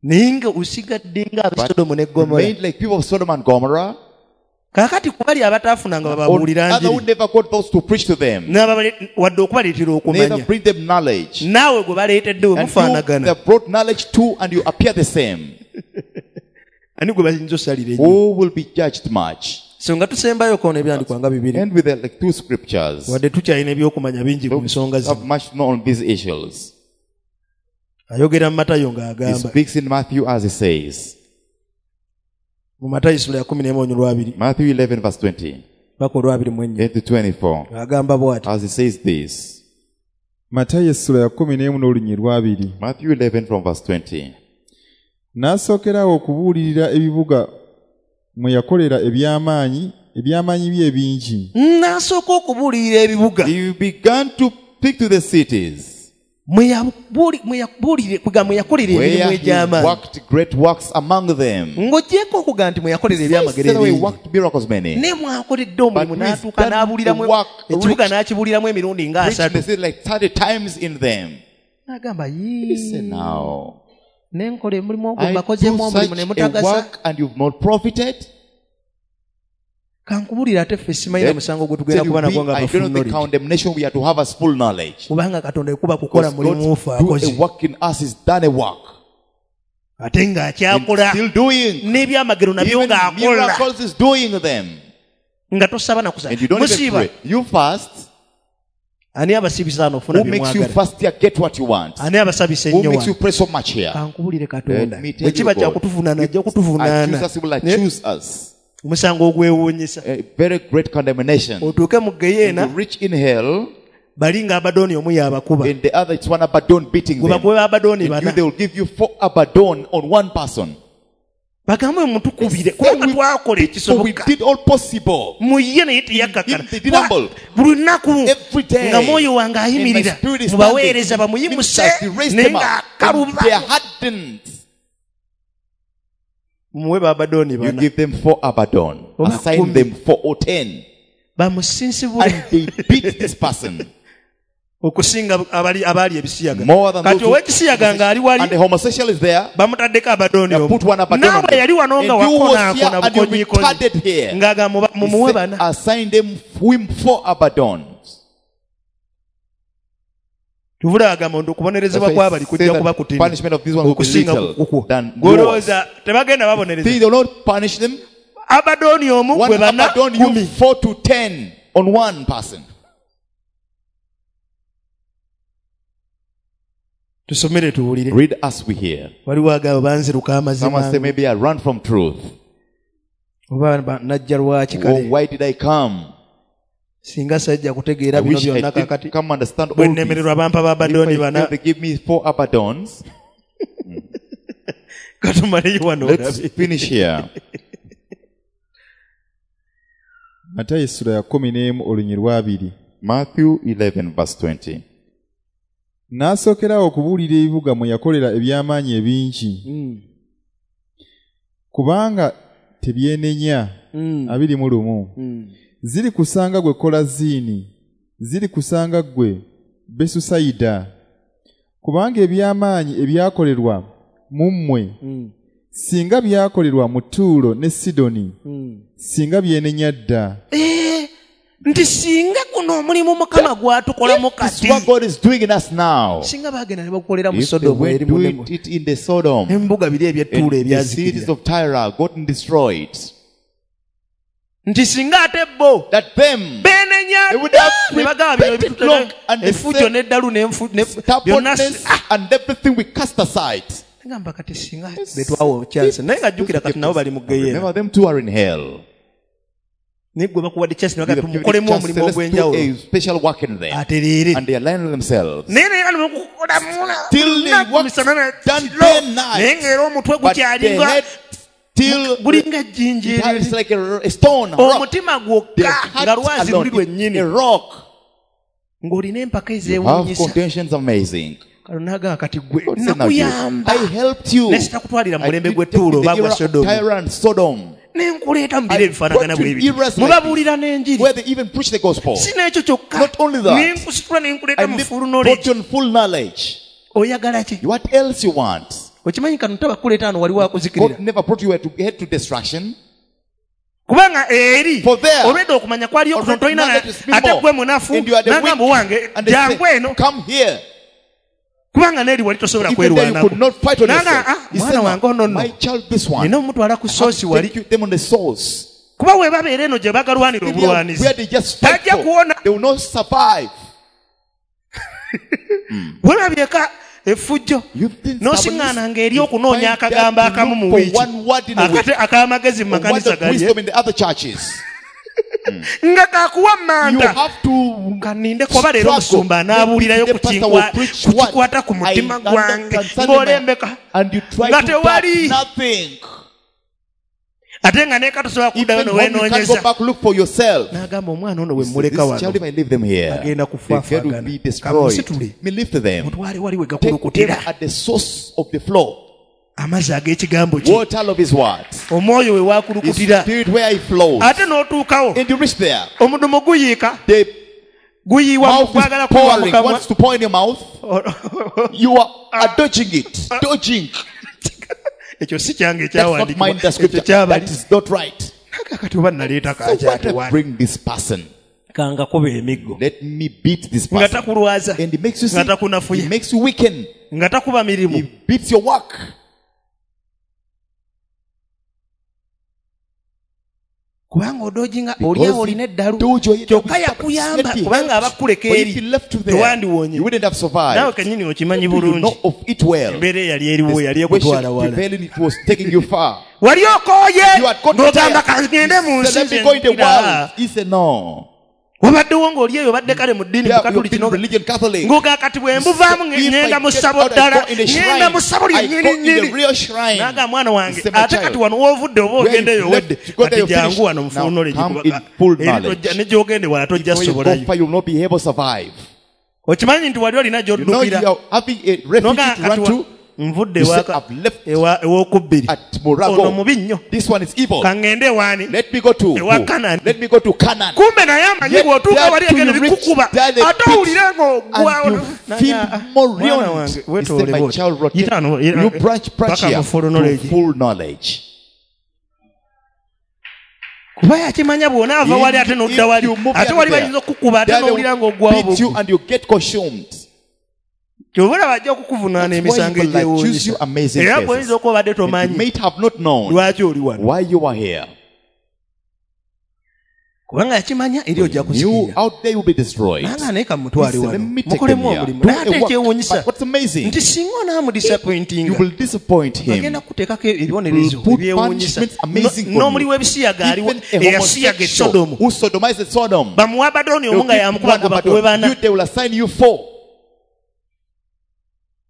Naye nga osigadde nga ab'e But Sodomu ne Gomora. remained like people of Sodom and Gomorrah. Kaakati ku bali abataafunanga bababuulira On other njiri. who never got those to preach to them. N'ababale-, wadde okubaleetera okumanya. Neither bring them knowledge. Naawe gwe baleetedde we And you mufaanagana. they brought knowledge to and you appear the same. Ani gwe bayinza osalira ennyo? Who will be judged much? So nga tusembayo koona ebyandiikwa nga bibiri. And with the, like two scriptures. Wadde tukyalina ebyokumanya bingi ku nsonga zino. Have much known on these issues. Ayogera mu Matayo He ng'agamba. speaks in Matthew as he says. Mu Matayo essula ya kumi n'emu olunyiriri lw'abiri. Matthew eleven verse twenty. Paka olw'abiri mu ennya. Eight to twenty-four. Agamba bw'ati. As he says this. Matayo essula ya kumi n'emu n'olunyiriri lw'abiri. Matthew eleven from verse twenty. N'asookerawo okubuulirira ebibuga mwe yakolera eby'amaanyi, eby'amaanyi bye ebingi. N'asooka okubuulirira ebibuga. He began to speak to the cities. Mwe yabuuli-, mwe yabuulire, kugamba mwe yakolera Where emirimu he egy'amaanyi. worked great works among them. Ng'oggyeeko okuga nti mwe yakolera ebyamagero He said, ebingi. worked miracles many. Ne mwakoledde omulimu But he's n'atuuka done n'abuuliramu the work ekibuga rich. n'akibuuliramu emirundi nga Preached asatu. the city like thirty times in them. N'agamba, yii. Listen now. Ne nkola omulimu ogwo I do mbakozeemu omulimu such ne a mutagasa. work and you've not profited. Kankubuulire ate ffe simanyi na Let musango gwe tugenda tell you, kuba nagwo we, nga I don't know the abafu knowledge. condemnation we are to have as full knowledge. Kubanga Katonda ekuba kukola Because mulimu God ffe do akoze. a work in us, is done a work. Ate ng'akyakola. And still doing. N'ebyamagero nabyo Even ng'akola. miracles is doing them. Nga tosaba na kusaba. And you don't even Musiiba. pray. You fast. Ani abasibisa wano ofuna Who makes you bye mwagala? fast here, get what you want? Ani abasabisa Who ennyo makes you wano? pray so much here? Kankubuulire Katonda. Let me tell Bwe kiba you, God, kyakutuvunaana, ajja if kutuvunaana. accuse us, he will accuse us. Omusango ogwewuunyisa. A very great condemnation. Otuuke mu ggeyeena, And you reach in hell, bali nga Abaddoni omu y'abakuba. And the other it's one Abaddon beating Gwe them. bakuba Abaddoni And you, bana. they will give you four Abaddon on one person. Bagambe mutukubire, kubanga We twakola So we ekisoboka. did all possible. Mu ye naye teyakkakkana. Him, they did humble. Buli lunaku Every day. nga mwoyo wange And my ayimirira, spirit is mubaweereza standing. bamuyimuse, Ministers, they raised naye them up. ng'akaluba. And they are hardened. Mumuwe ba Abaddon You bana. give them four Abaddon. Oba Assign kumi. them four or ten. Bamusinsibule. And they beat this person. Okusinga abali abali ebisiyaga. More than Kati those who- ow'ekisiyaga ng'ali wali And the homosexual is there. bamutaddeko Abaddon They omu. put one Abaddon on Naawe them. yali wano nga And you was wakonaakona here and you bukonyikonyi. retarded here. Ng'agamba He mumuwe said, bana. assign them him four Abaddons. Tuvula agamba nti okubonerezebwa That's why kw'abali he kujja said kuba that kutini punishment of this one will be okusinga little kukwo. than yours. Gw'olowooza tebagenda babonereza. See, they will not punish them. Abaddon omu One gwe bana Abaddon, you kumi. four to ten on one person. Tusomere tuwulire. Read as we hear. Waliwo agamba banziruka amazima. Someone say maybe I run from truth. Oba ba- najja lwaki Oh, kale. why did I come? Singa sajja kutegeera I bino wish I byonna didn't kakati. come understand all Bwe this. nnemererwa bampa ba If Abaddon I bana. fail, they give me four Abaddons. Katumaleyo wano Let's olabe. finish here. Matayo essula ya kkumi n'emu olunyi lw'abiri. Matthew eleven verse twenty. N'asookerawo okubuulira ebibuga mwe yakolera eby'amaanyi ebingi. Mm. Kubanga tebyenenya. Mm. Abiri mu lumu. Mm. Ziri kusanga gwe Kolaziini, ziri kusanga gwe Besusayida. Kubanga eby'amaanyi ebyakolerwa mu mmwe, Mm. singa byakolerwa mu Ttuulo ne Sidoni, Mm. singa byenenya dda. Eh, nti singa guno omulimu Mukama gw'atukolamu This is kati. what God is doing in us now. Singa baagenda ne bagukolera mu If they Sodom were eri mu doing nemu. it in the Sodom, Embuga biri eby'Ettuulo and the cities ebyazikirira. of Tyre gotten destroyed. Nti singa ate bo That them beenenya They would have ne bagamba bino repented ebitutera long and they effujjo said, n'eddalu n'enfu- ne- byonna stubbornness si- ah! and everything we cast aside. Ngamba kati singa betwawa chance naye nga jjukira kati nabo bali mu ggeyeena. Remember them two are in hell. Naye gwe bakuwadde chance ne You bagamba have given tumukolemu chance, omulimu let's do ogw'enjawulo. a special work in there. Atereere. And they align themselves. Naye naye nga nemukukolamu Till they lunaku work misana na done kiro. day and night. Naye ng'era omutwe But the gukyalinga head still gulinga ejjinja it eryo. is like a, a stone, a rock. Omutima The gwokka heart nga lwazi alone luli is lwennyini. a rock. Ng'olina empaka You have ezeewuunyisa. contentions amazing. Kano n'agamba kati gwe God said, now you, nakuyamba. I helped you. Ne sitakutwalira mu I mulembe did take gw'Ettuulo the oba gwa era of Sodom. Tyre and Sodom. Ne nkuleeta mu biro I ebifaanagana brought you bwe bityo. eras like Mubabuulira n'enjiri. Where they even preach the gospel. Si n'ekyo kyokka. Not only that. Ne nkusitula ne nkuleeta I mu lift- full brought knowledge. you in full knowledge. Oyagala ki? What else you want? Okimanyi kano tabakuleeta wano waliwo akuzikirira. God never brought you here to head to destruction. Kubanga eri For there, olwedde okumanya kwaliyo kutono already tolina knowledge is ate more. gwe munafu And you are the n'agamba weak. owange And they jangu say, eno come here. kubanga n'eri wali tosobola Even there you kwerwanako. could not fight on N'agamba, yourself. ah, He mwana said, wange ono nno my child, this one. nina omutwala ku I have soosi to wali. take you them on the source. Kuba we babeera eno gye bagalwanira Where obulwanizi they just fight tajja for, kuwona. they will not survive. Welabyeka effujjo You've been n'osiŋŋaananga eri You okunoonya find that akagambo to akamu look mu for wiiki one word in a week. akate ak'amagezi mu A word makanisa of gali wisdom in the other churches. nga kakuwa You manda have to kaninde kuba leero struggle. omusumba anaabuulirayo Maybe ku the pastor kinkwa- will preach ku what kikwata ku mutima I gwange concerning ng'olembeka my- and you try nga to tewali. doubt nothing. Ate nga neka tosobola kuddayo Even when you can't go newenoonyeza back, look for yourself. n'agamba omwana ono we This mmuleka child, wano if I leave them here, Agenda the girl will kufaafagana. be destroyed. Kamusitule. Me lift them. Mutwale wali we Take them gakulukutira at the source of the flow. amazzi ag'ekigambo kye Water of his words. omwoyo we His wakulukutira spirit where he flows. ate n'otuukawo And you reach there. omudumu guyiika The guyiwa mouth is gwagala kuyiwa pouring. mukamwa Wants to pour in your mouth. You are, are dodging it. Dodging. Ekyo si kyange That's not ekyawandiikibwa mine, the ekyo scripture. kyabali That is not right. Naga kati oba naleeta So what kakyati I wano bring this person? kangakuba emiggo Let me beat this nga person. takulwaza And he makes you nga sick. takunafuya He makes you weaken. nga takuba mirimu He beats your work. kubanga odojinga oli awo olina eddalu Dojo, you kyokka yakuyamba kubanga abakuleka But eri if you left you there, tewandiwonye you wouldn't have survived. naawe kennyini okimanyi You bulungi know of it well. embeera eyali eriwo The yali situation ekutwala wala prevailing, it was taking you far. wali okooye You had got ng'ogamba tired. kangende mu He nsi said, let me go in the nze world. He said, no. wabaddewo ng'oli eyo obadde kale mu ddiini Yeah, mu you've Katoliki been n'oga- religion Catholic. ng'oga kati bwe mbuvaamu If I ŋŋenda mu get ssabo out, I ddala go in the ŋŋenda shrine. mu ssabo I go lyennyini in the nnyini real shrine. naga mwana wange He said, my ate child, kati wano woovudde oba where ogenda you eyo left, owedde you go there, kati you jangu finish. wano mu full Now knowledge come kuba- in full eri knowledge. tojja- ne gy'ogende wala tojja When you go sobolayo far, you will not be able to survive. okimanyi nti wali olina You know gy'oddukira you are having a refuge Noga to run kati wa- to. Nvudde You say, ewaka I've left ewa ewokubbiri. at Ono Murago. mubi nnyo. This one is evil. Kaŋŋende ewaani. Let me go to Ewa who? Canaan. Let me go to Canaan. Kumbe naye amanyi Yet bw'otuuka there wali to egenda you reach, bikukuba. there they Ate beat owulire ng'ogwa and you feel more Mwana ruined. wange, He said, weetoole my bw'oti. child, rotate. Yita wano, You branch, branch paka here mu full to knowledge. full knowledge. Kuba yakimanya bw'onaava wali ate n'odda wali. If you move Ate here wali to there, bayinza okukukuba ate there they n'owulira will ng'oggwawo beat you bugwi. and you get consumed. Ky'oba olaba ajja okukuvunaana That's why emisango he will accuse egyewuunyisa. you amazing Era cases. bw'oyinza okuba obadde And you tomanyi may have not known lwaki oli wano. why you are here. Kubanga yakimanya eri ojja You kuzikirira. out there will be destroyed. Nanga naye kamutwale He said, wano. let me take them Mukolemu here. omulimu. Do Naye a ate work. ekyewuunyisa But what's amazing, nti singa onaamudisappointinga, you will disappoint him. agenda kuteekako ebibonerezo Will put ebyewuunyisa. punishments amazing No- on N'omuli you. w'ebisiyaga aliwo Even a eyasiyaga e homosexual Sodomu. who sodomized Sodom, Bamuwa Abaddoni they omu will nga give yamukuba one gwe bakuwe Abaddon. bana. You, they will assign you four.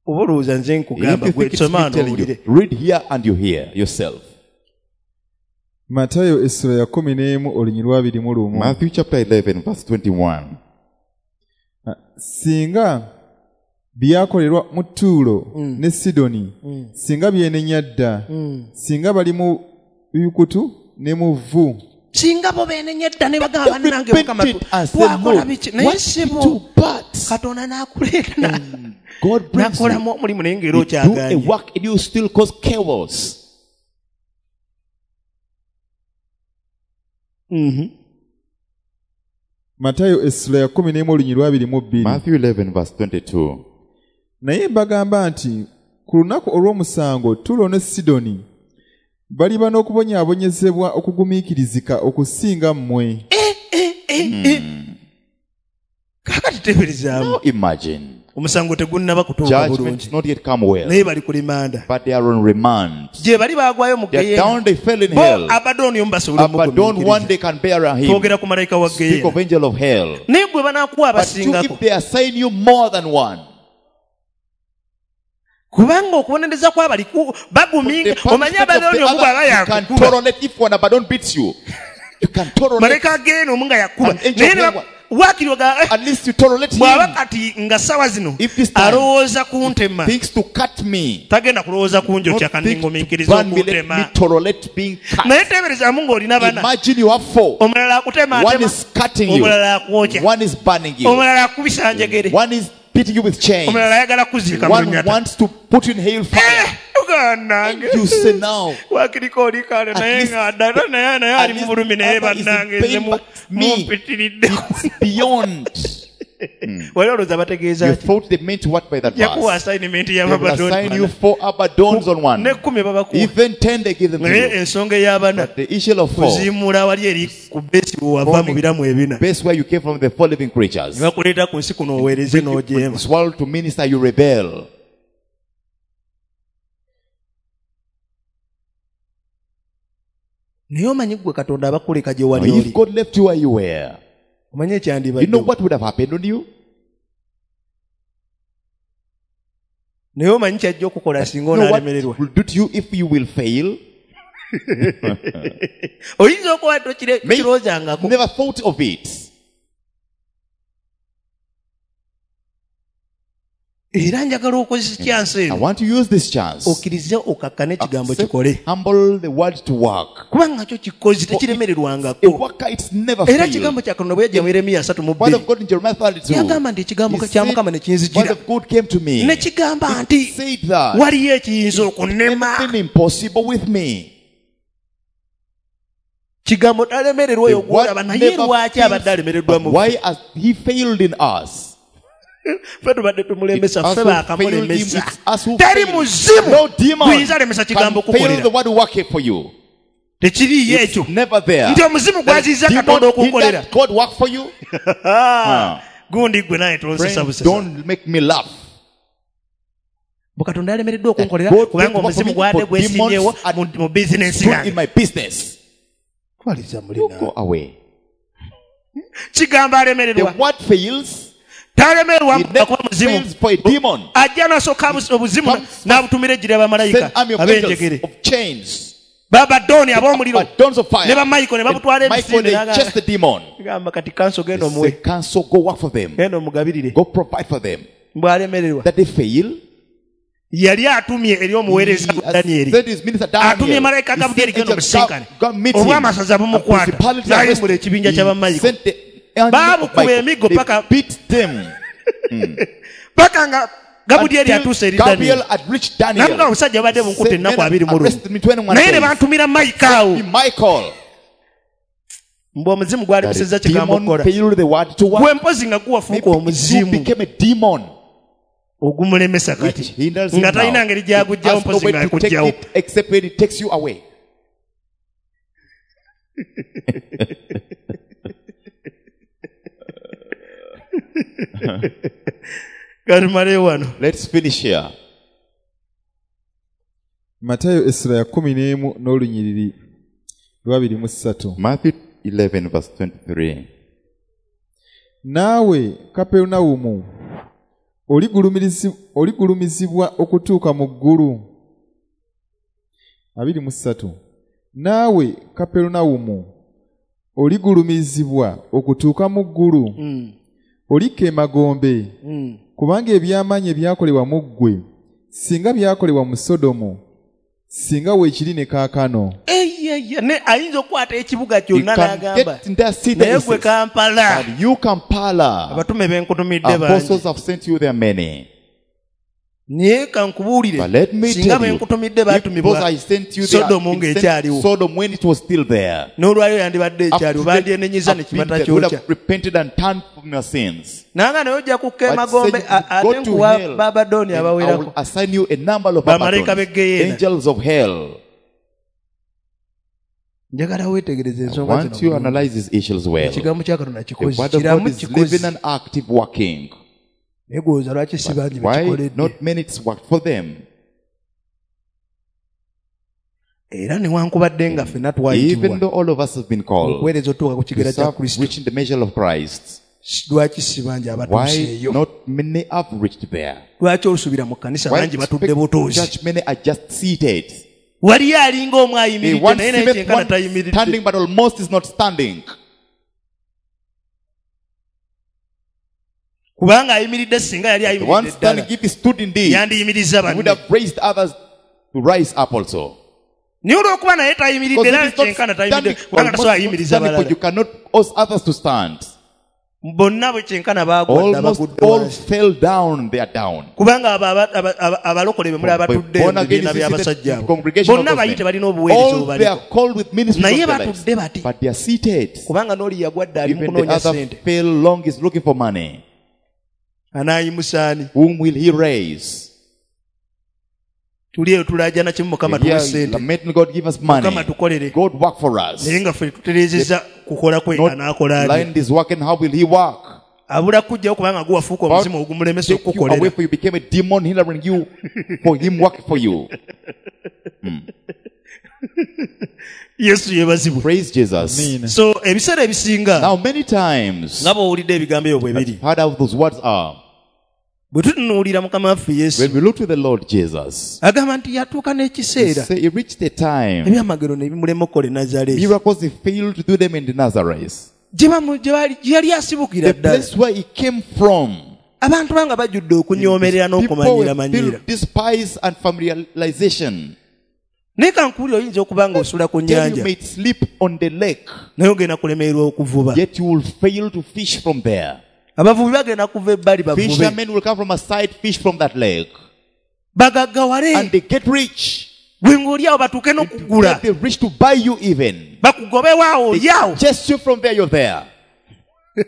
Oba olowooza nze If nkugamba you gwe think it's me soma telling n'owulire. you, read here and you hear yourself. Matayo essula ya kkumi n'emu olunyiriri lwa abiri mu lumu. Matthew chapter eleven verse twenty-one. Ah, singa byakolerwa mu Ttuulo ne Sidoni, singa byenenya dda, singa bali mu bikutu ne mu vvu. Singa bo beenenya dda ne bagamba They bannange Mukama repented and said, twakola Lord, biki naye what ssebo do but Katonda n'akuleeta na- God brings you. n'akolamu omulimu naye ng'era You do a okyagaanye. work and you still cause chaos. Mhm. Matayo essula ya kkumi n'emu olunyiriri lwa abiri mu bbiri. Matthew eleven verse twenty-two. Naye mbagamba nti ku lunaku olw'omusango Ttuulo ne Sidoni baliba n'okubonyaabonyezebwa okugumiikirizika okusinga mmwe. Eh, eh, eh, eh. Kaakati teeberezaamu. Now imagine. Omusango tegunnaba kutuuka Judgment bulungi. not yet come well. Naye bali ku limanda. But they are on remand. Gye bali baagwayo mu They are ggeyeena. down, they fell in Bo hell. Abaddoni omu basobola Abaddon one omugumiikiriza. they can bear him. Twogera ku malayika wa Speak ggeyeena. of angel of hell. Naye gwe banaakuwa But you, abasingako. if they assign you more than one, Kubanga okubonereza kw'abali ku- baguminga. the Omanyi punishment of Abaddoni the omu bw'aba other, you can yakukuba. tolerate if one Abaddon beats you. You can tolerate. Malayika ggeyeena omu nga yakuba. An angel Naye ne of ba- waakiri oga, eh, At least you tolerate bw'aba him. kati nga ssaawa zino If this time alowooza kuntema, thinks to cut me, tagenda kulowooza kunjokya not think to kanningumiikiriza burn me, let okuntema. me tolerate being cut. Naye teeberezaamu ng'olina bana. Imagine you have four. Omulala akutema One atema, is cutting you. omulala akwokya, One is burning you. omulala akubisa njegere, One is beating you with chains. omulala ayagala kuziika mu One lunyata. wants to put you in hellfire. Eh, uganda You say now, waakiriko olikaale At naye least- nga ddala naye naye at ali mu least bulumi naye other is in bannange nze pain, mu- but me, mumpitiridde. it's beyond. Wali olowooza bategeeza You ki? thought they meant what by that Yakuwa verse? assignment They will y'Abaddoni assign you bana. four Abaddons on one. N'ekkumi babakuwa. Even ten they give them to Naye you. ensonga ey'abana But the issue of four, kuziimula wali eri ku beesi we wava mu biramu ebina. base where you came from, the four living creatures. Ne bakuleeta ku nsi kuno oweereze n'ojeema. This world to minister, you rebel. Naye omanyi ggwe Katonda abakuleka gye wali Now, if oli. God left you where you were, Omanyi you ekyandibaddewo. know what would have happened on you? Naye omanyi ky'ajja okukola singa You know what onaalemererwa. will do to you if you will fail? Oyinza okuba tokire- May- tokirowoozangako. Never thought of it. Era njagala okozesa chance I eno. want to use this chance. Okkirize okakkane ekigambo Accept, kikole. humble the word to work. Kubanga kyo kikozi A tekiremererwangako. worker, it's never Era failed. ekigambo kya Katonda bwe yajja mu Yeremiya asatu mu Word bbiri. of God in Jeremiah thirty-two. Yagamba nti ekigambo He kya said, Mukama ne Word kinzijira. of God came to me. Ne kigamba nti Said that waliyo ekiyinza okunnema. anything impossible with me. Kigambo talemererwa The oyo gw'olaba word naye never lwaki fails, abadde alemereddwa but mu why has he failed in us? Ffe tubadde tumulemesa, It's us ffe who failed him, baakamulemesa. it's us who Teri failed. muzimu No demon guyinza alemesa kigambo can fail kukolera. the word working for you. Tekiriiyo ekyo. Never there. Nti omuzimu The gwaziza demon Katonda okukolera. hindered God work for you. Ah, gundi gwe naye tonsesa Friend, busesa. don't make me laugh. Bwe Katonda alemereddwa okunkolera God kubanga did work for omuzimu me, gwadde for gwesimbyewo demons mu- mu bizinensi Stood yange. in my business. Twaliza muli You naawe. go away. Kigambo The alemererwa. word fails. Talemererwa It never akuba muzimu. fails for a demon. Ajja n'asooka abus- obuzimu Comes n'abutumira ejjira bamalayika Send army of ab'enjegere. angels of chains. Babadooni ab'omuliro. Dons of fire. Ne bamaiko ne babutwala And Michael, emisinde they n'agamba- chase the demon. Gamba kati kanso genda They omuwe. say, counsel, go work for them. Genda omugabirire. Go provide for them. Bw'alemererwa. That they fail. Yali atumye eri omuweereza Daniel. Atumye malayika Gabriel genda omusinkane. Obw'amasaza bumukwata. N'ayimbula ekibinja kya Bamayiko. Baamukuba emiggo paka paka nga Gabriel atuuse eri Daniel. Namugamba omusajja abadde bunkutte ennaku abiri mu lumu. Naye ne bantumira Michael awo. Mbu omuzimu gwali busezza kigambo okukola. Gwe mpozi nga guwafuuka omuzimu. Ogumulemesa kati. Nga talina ngeri gy'agugyawo mpozi nga akugyawo. Katumale wano. Let's finish here. Matayo essula ya kkumi n'emu n'olunyiriri lw'abiri mu ssatu. Matthew eleven verse twenty-three. Naawe Kaperunawumu oligulumizibwa okutuuka mu ggulu. Abiri mu ssatu. Naawe Kaperunawumu oligulumizibwa okutuuka mu ggulu. Mm. Olikka emagombe. Mm. Kubanga eby'amaanyi ebyakolebwa mu ggwe singa byakolebwa mu Sodomu singa weekiri ne kaakano. Eyeye ne ayinza okukwata ekibuga kyonna n'agamba naye gwe Kampala. You Kampala. Abatume benkutumidde bangi. Apostles have sent you there many. Naye kankubuulire singa benkutumidde baatumibwa Sodomu ng'ekyaliwo. Sodom when it was still there. N'olwayo yandibadde ekyaliwo bandyenenyiza ne kibata kyokya. Repented and turned from your sins. Nanga naye ojja kukka emagombe ate nkuwa Babadooni abawerako. I will assign you a number of bamalayika b'eggeyeena. Angels of hell. Njagala weetegereze ensonga zino. Want you analyze these issues well. Ekigambo kya Katonda kikozi. The word of God is living and active working. Why not many it's worked for them? Even though all of us have been called to serve, reaching the measure of Christ, why not many have reached there? Why church many are just seated? They want one standing, but almost is not standing. Kubanga ayimiridde singa yali ayimiridde ddala. If he stood indeed, yandiyimirizza banne. He would have raised others to rise up also. Naye olw'okuba naye tayimiridde era kyenkana tayimiridde kubanga tasobola ayimiriza balala. You cannot cause others to stand. Bonna bwe kyenkana baagwa dda bagudde all fell down, they are down. Kubanga abalokole be muli abatudde mu bibiina by'abasajja abo. Bonna bayite balina obuweereza obubaliko. Naye batudde bati. But they are seated. Kubanga n'oli yagwa dda ali mu kunoonya ssente. Fell long is looking for money. Anayimusaani. Whom will he raise? Tuli eyo tulajana kimu Mukama tuwe ssente. Lamenting God give us money. Mukama tukolere. God work for us. Naye nga ffe tutereezezza kukola kwe anaakola atya. Blind is working, how will he work? Abula kujjawo kubanga guwafuuka omuzimu ogumulemesa okukukolera. Away for you became a demon hindering you for him work for you. Mm. Yesu yeebazibwe. Praise Jesus. Amen. So ebiseera ebisinga. Now many times. Nga bw'owulidde ebigambo ebyo bwe biri. Heard how those words are. Bwe tutunuulira Mukama waffe Yesu. When we look to the Lord Jesus. Agamba nti yatuuka n'ekiseera. He reached a time. Ebyamagero ne bimulema okukola e Nazareth. Miracles he failed to do them in the Nazareth. Gye yali asibukira The ddala. place where he came from. Abantu banga bajjudde okunyoomerera n'okumanyiira manyiira. Despise and familiarization. Naye kankuwulira oyinza okuba nga osula ku nnyanja. You may sleep on the lake. Naye ogenda kulemererwa okuvuba. Yet you will fail to fish from there. Abavubi bagenda kuva ebbali bavube. Fishermen will come from a side, fish from that lake. Bagaggawale. And they get rich. Gwe ng'oli awo batuuke n'okugula. They reach to buy you even. Bakugobewo awo oli awo. Chase you from there, you're there.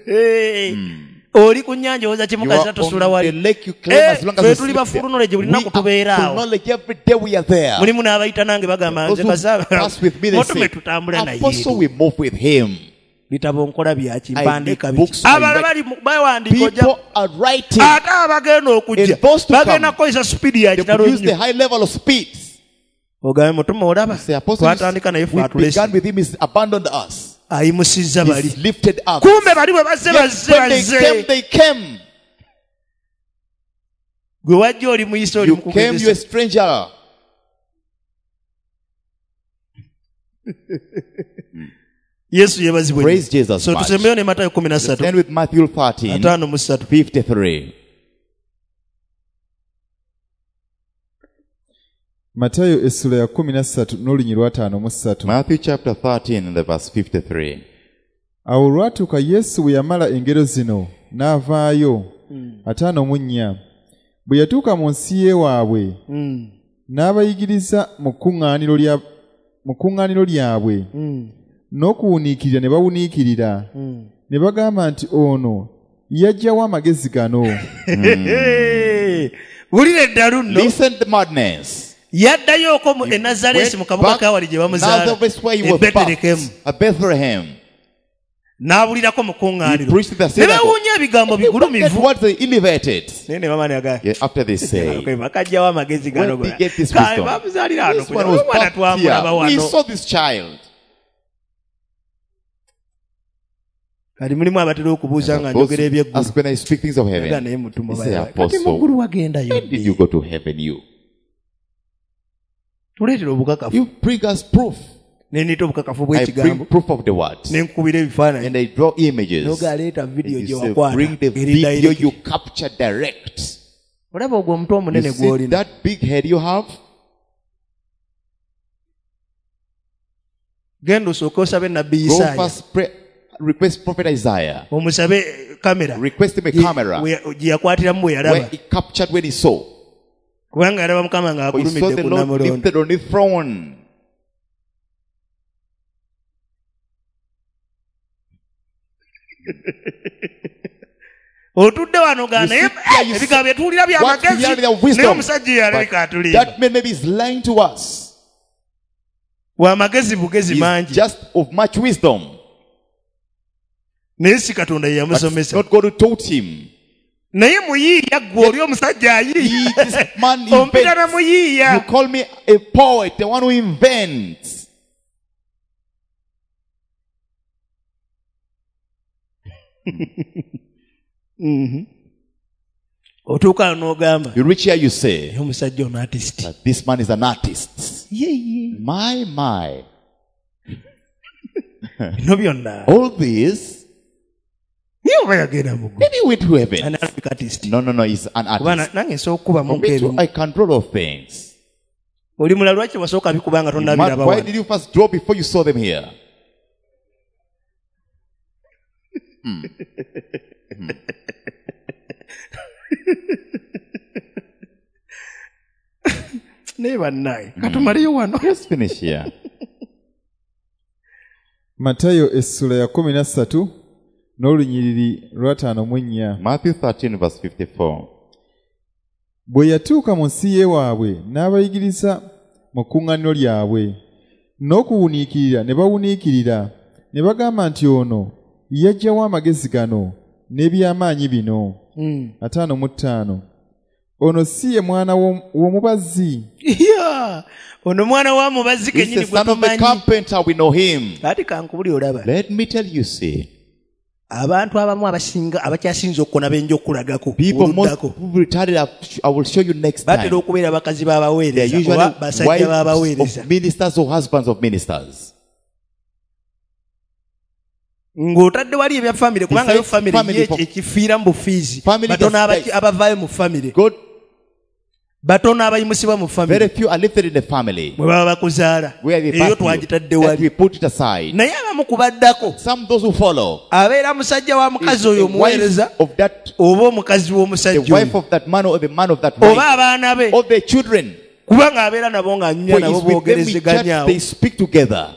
Mm. Oli ku nnyanja owoza kimu kasita tosula wali. The lake you claim as long as you tuli sleep ba full there. knowledge buli lunaku tubeera Full awo. knowledge every day we are there. Mulimu n'abayita nange bagamba nze Those who pass with me, they mutume say, tutambula naye. Apostle, we move with him. Bitabo nkola byaki I mpandiika make biki. books, I Abalala write. bali mu- bawandiika ojja. People are writing. Ate abagenda okujja And those to bagenda come, kukozesa speed ya they kitalo produce the nnyo. high level of speed. Ogambe mutume olaba Say, Apostle, twatandika naye ffe we atulese. began with him, he's abandoned us. Ayimusizza bali. He's lifted up. Kumbe bali bwe bazze Yet bazze when they bazze. came, they came. Gwe wajja oli muyise oli You came, mukugezesa. you a stranger. Yesu yeebazibwe. Praise Jesus So much. tusembeyo ne Matayo kumi na ssatu. Let's end with Matthew thirteen, Ataano mu ssatu. fifty-three. Matayo essula ya kkumi na ssatu n'olunyiriri lwa ttaano mu ssatu. Matthew chapter thirteen and the verse fifty-three. Awo olwatuuka Yesu bwe yamala engero zino n'avaayo ataano mu nnya. Bwe yatuuka mu nsi y'ewaabwe n'abayigiriza mu kkuŋŋaaniro lya mu kkuŋŋaaniro lyabwe n'okuwuniikirira ne bawuniikirira ne bagamba nti ono yaggyawo amagezi gano. Wulira eddalu nno. Listen the madness. Yaddayooko mu e Nazaresi mu kabuga kawali gye bamuzaala e Bethlehem. At Bethlehem. N'abulirako mu kkuŋŋaaniro. Ne beewuunya ebigambo bigulumivu. What they elevated. Naye ne bamala ga. Yeah, after they say. Bakaggyawo amagezi gano. Where did they get this wisdom? Bamuzaalira wano. This one was Omwana birthed twamulaba here. We wano. saw this child. Kati mulimu abatera okubuuza nga njogera ebyeggulu. Ask when I speak things of heaven. Nga naye mutumwa They say, bayawa. Kati Apostle, mu ggulu wagendayo when did you go to heaven, you? Tuleetera obukakafu. You bring us proof. Ne nneeta obukakafu I bring bw'ekigambo. proof of the word. Ne nkubira ebifaananyi. And I draw images. N'ogaleeta video And gye you say, wakwata. bring the Eri video direct. you capture direct. Olaba ogwo omutwe omunene You see gw'olina. that big head you have? Genda osooke osabe Nabbi Go Isaaya. first pray, request Prophet Isaiah. Omusabe kamera. Request him a Gye- camera. we- gye yakwatiramu bwe yalaba. Where he captured when he saw. Kubanga yalaba Mukama For he saw ng'akulumidde the ku Lord Namulondo. lifted on the throne. Otudde wano ga You naye sit there, you ebigambo bye tuwulira bya What we magezi. hear in their wisdom. Naye omusajja yalabika But atulimba. that man maybe is lying to us. Wa magezi bugezi He's mangi. just of much wisdom. Naye si Katonda ye But yamusomesa. not God who taught him. Naye muyiiya ggwe oli omusajja ayiiya. He, this man Ompita na invents. muyiiya. You call me a poet, the one who invents. Mm-hmm. Otuuka n'ogamba. You reach here, you say, Naye omusajja ono artist. that this man is an artist. Ye, ye. My, my. Bino byonna. All this, Naye oba yagenda mu ggulu. maybe he went to heaven. Ani alabika artist. No, no, no, he's an Kuba artist. na-, nange nsobola okukubamu For me too, nk'ebimu. I can draw of things. Oli mulala lwaki wasooka bikuba nga tonnabiraba Why wano? did you first draw before you saw them here? Hmm. Hmm. Naye bannaye, katumaleyo wano. Let's finish here. Matayo essula ya kkumi na ssatu n'olunyiriri lwa ttaano mu nnya. Matthew thirteen verse fifty-four. Bwe yatuuka mu nsi y'ewaabwe n'abayigiriza mu kkuŋŋaaniro lyabwe n'okuwuniikirira ne bawuniikirira ne bagamba nti ono yaggyawo amagezi gano n'ebyamaanyi bino. Mm. Ataano mu ttaano. Ono si ye mwana w'omubazzi. Yeah. Ono mwana wa mubazzi He's kennyini the gwe son of the tumanyi. carpenter, we know him. Kati kankubulire olaba. Let me tell you, see. Abantu abamu abasinga abakyasinze okukona benja okulagako. People most oluddako. who retired, I will show you next Batera time. okubeera bakazi b'abaweereza They are usually oba basajja wives b'abaweereza. of ministers or husbands of ministers. Ng'otadde wali ebya family, kubanga yo Besides family family ye for ekifiira mu bufiizi. Family Batono just abaki- dies. abavaayo mu family. God, Batono abayimusibwa mu family. Very few are lifted in the family. Bwe baba bakuzaala. Where they Eyo birth you, twagitadde that wali. we put it aside. Naye abamu ku baddako, Some those who follow, abeera musajja wa mukazi is oyo the omuweereza, wife of that, oba omukazi w'omusajja the wife oyo. of that man or the man of that Oba wife, abaana be. or their children. Kubanga abeera nabo ng'anyumya For nabo it's with them we chat, boogerezeganya awo. they speak together.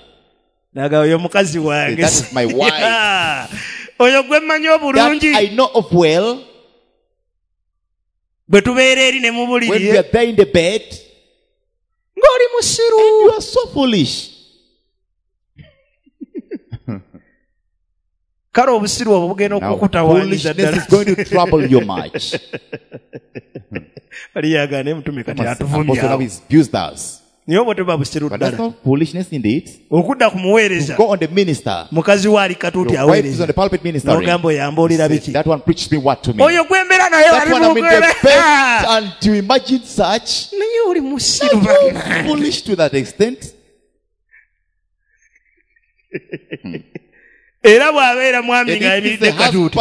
N'agamba, oyo mukazi wange. That is my wife. Yeah. Oyo gwe mmanyi That obulungi. I know of well. Bwe tubeera eri ne mu buliri, When we are there in the bed, ng'oli musiru. And you are so foolish. Kale obusiru obwo bugenda Now, okukutawaanyiza foolishness ddala. is going to trouble you much. Bali yagaana emutume kati atuvumye Apostle now awo. he's abused us. Naye obwo teba busiru But that's ddala. not foolishness indeed. Okudda ku muweereza. To go on the minister. Mukazi we ali katuuti Your wife is aweereza. on the pulpit ministering. N'ogamba oyo ambuulira biki? That one preached me what to me. Oyo gwe mbeera naye That ali one I'm in the mu bed, and to imagine such. Naye oli musiru Are you bannange. foolish to that extent? Era bw'abeera mwami ng'ayimiridde katuuti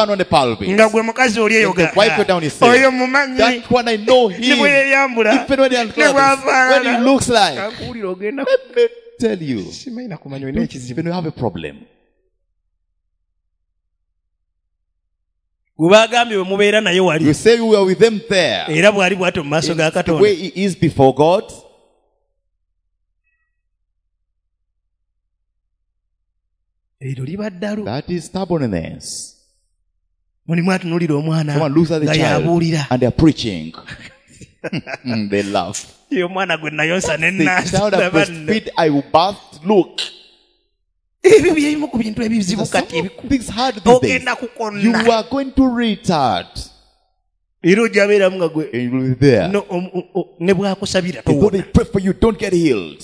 nga gwe mukazi oli eyoga oyo mumanyi ne bwe yeeyambula ne bw'afaanana kakuwulira ogenda tell you simanyi na kumanya olina ekizibu. When you have a problem, gwe baagambye bwe mubeera naye wali, you say you are with them there, era bw'ali bw'atyo mu maaso ga Katonda, the way he is before God. Eryo liba ddalu. That is stubbornness. Mulimu atunuulira omwana Someone looks at the nga child yabuulira. and they are preaching. They laugh. Ye omwana gwe nayonsa ne The child nnaasa I breastfeed, I will bath, look. Ebyo byebimu ku bintu ebizibu kati Some things hard these days. ogenda kukonna. You are going to retard. Era ojja beeramu nga gwe And you will be there. No, om, o, o, ne bw'akusabira Though towona. they pray for you, don't get healed.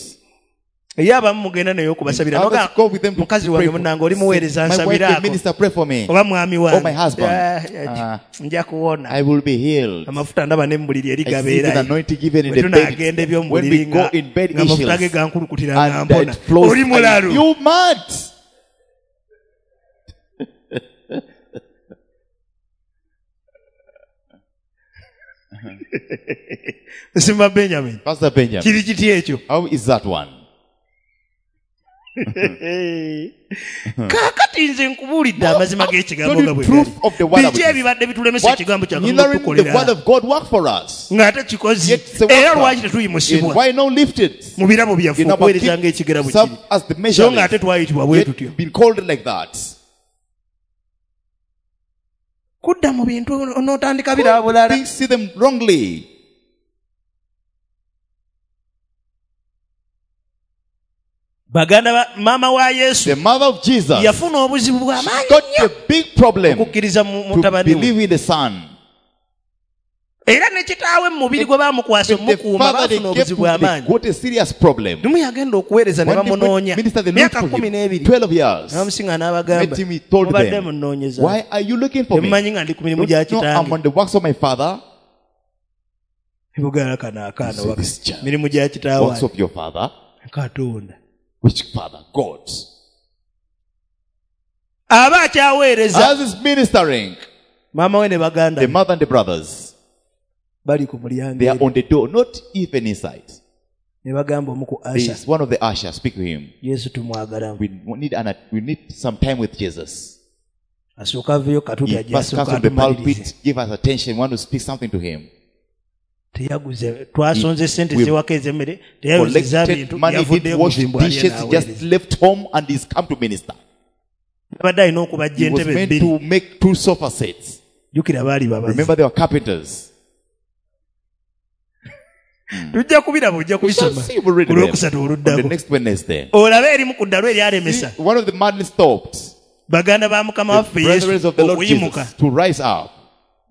Ye abamu mugenda naye okubasabira. Others Noga, go with them to mukazi pray wange for. munnange oli muweereza My wife, the nsabiraako. minister, pray for me. Oba mwami wange. Or my husband. Yeah, yeah, Ah. nja kuwona. I will be healed. Amafuta ndaba ne mu buliri eri I see the gabeerayo. anointing given in Bwe the bed. tunaagenda eby'omu When we buliri go nga in bed nga amafuta issues, ge gankulukutira nga and mpona. it flows. Oli mulalu. You mad. Simba Benjamin. Pastor Benjamin. Kiri kiti ekyo? How is that one? Kaakati nze nkubuulidde amazima g'ekigambo nga bwe Truth gali. of the word of Biki ebibadde bitulemesa What ekigambo kya Katonda hindering the okutukolera? word of God work for us? Ng'ate kikozi. Yet it's a Era worker. lwaki tetuyimusibwa? And why not lifted? Mu birabo byaffe In our okuweereza gift, ng'ekigera bwe serve kiri. as the measure. So ng'ate twayitibwa bwe Yet tutyo. been called like that. Kudda mu bintu onootandika biraba bulala. Things see them wrongly. Baganda ba maama wa Yesu The mother of Jesus yafuna obuzibu bw'amaanyi got nnyo a big problem okukkiriza mu to mutabani we. believe in the son. Era ne kitaawe mu mubiri gwe baamukwasa The omukuuma father they baafuna kept obuzibu bw'amaanyi. they got a serious problem. Lumu yagenda okuweereza ne When they went bamunoonya. minister, they looked Myaka for kkumi him. n'ebiri. twelve years. N'abamusinga n'abagamba, Met him, he told mubadde them, munnoonyeza. Why are you looking for me? Temumanyi nga ndi ku mirimu gya Don't you know I'm kitange. on the works of my father? Ebugala kano akaana So waka. this child, Mirimu gya kitaawe. Works of your father? Katonda. Which father? God. Aba akyaweereza. As is ministering, Maama we ne baganda the be mother and the brothers, bali ku mulyango they are eri. on the door, not even inside. Ne bagamba omu ku There usher, is one of the ushers, speak to him. Yesu tumwagalamu. We need an, we need some time with Jesus. Asooka aveeyo katuuti He ajje first asooka comes from the atumalirize. pulpit, give us attention, want to speak something to him. Teyaguze, twasonze ssente We z'ewaka ez'emmere, teyayozezza Collected bintu, money, yavuddeyo didn't wash kuzimbu alye dishes, he just n'aweereza. left home and he's come to minister. Yabadde alina okubajja He was entebe meant bbiri. to make two sofa sets. Jjukira baali babazi. Remember, they were carpenters. Tujja kubiraba, ojja We shall kubisoma see, we'll read ku them Lwokusatu on the oluddako. next Wednesday. Olabe erimu ku ddalu eryalemesa. See, one of the madness stopped. Baganda ba Mukama The waffe Yesu brethren of the Lord okuyimuka. Jesus to rise up.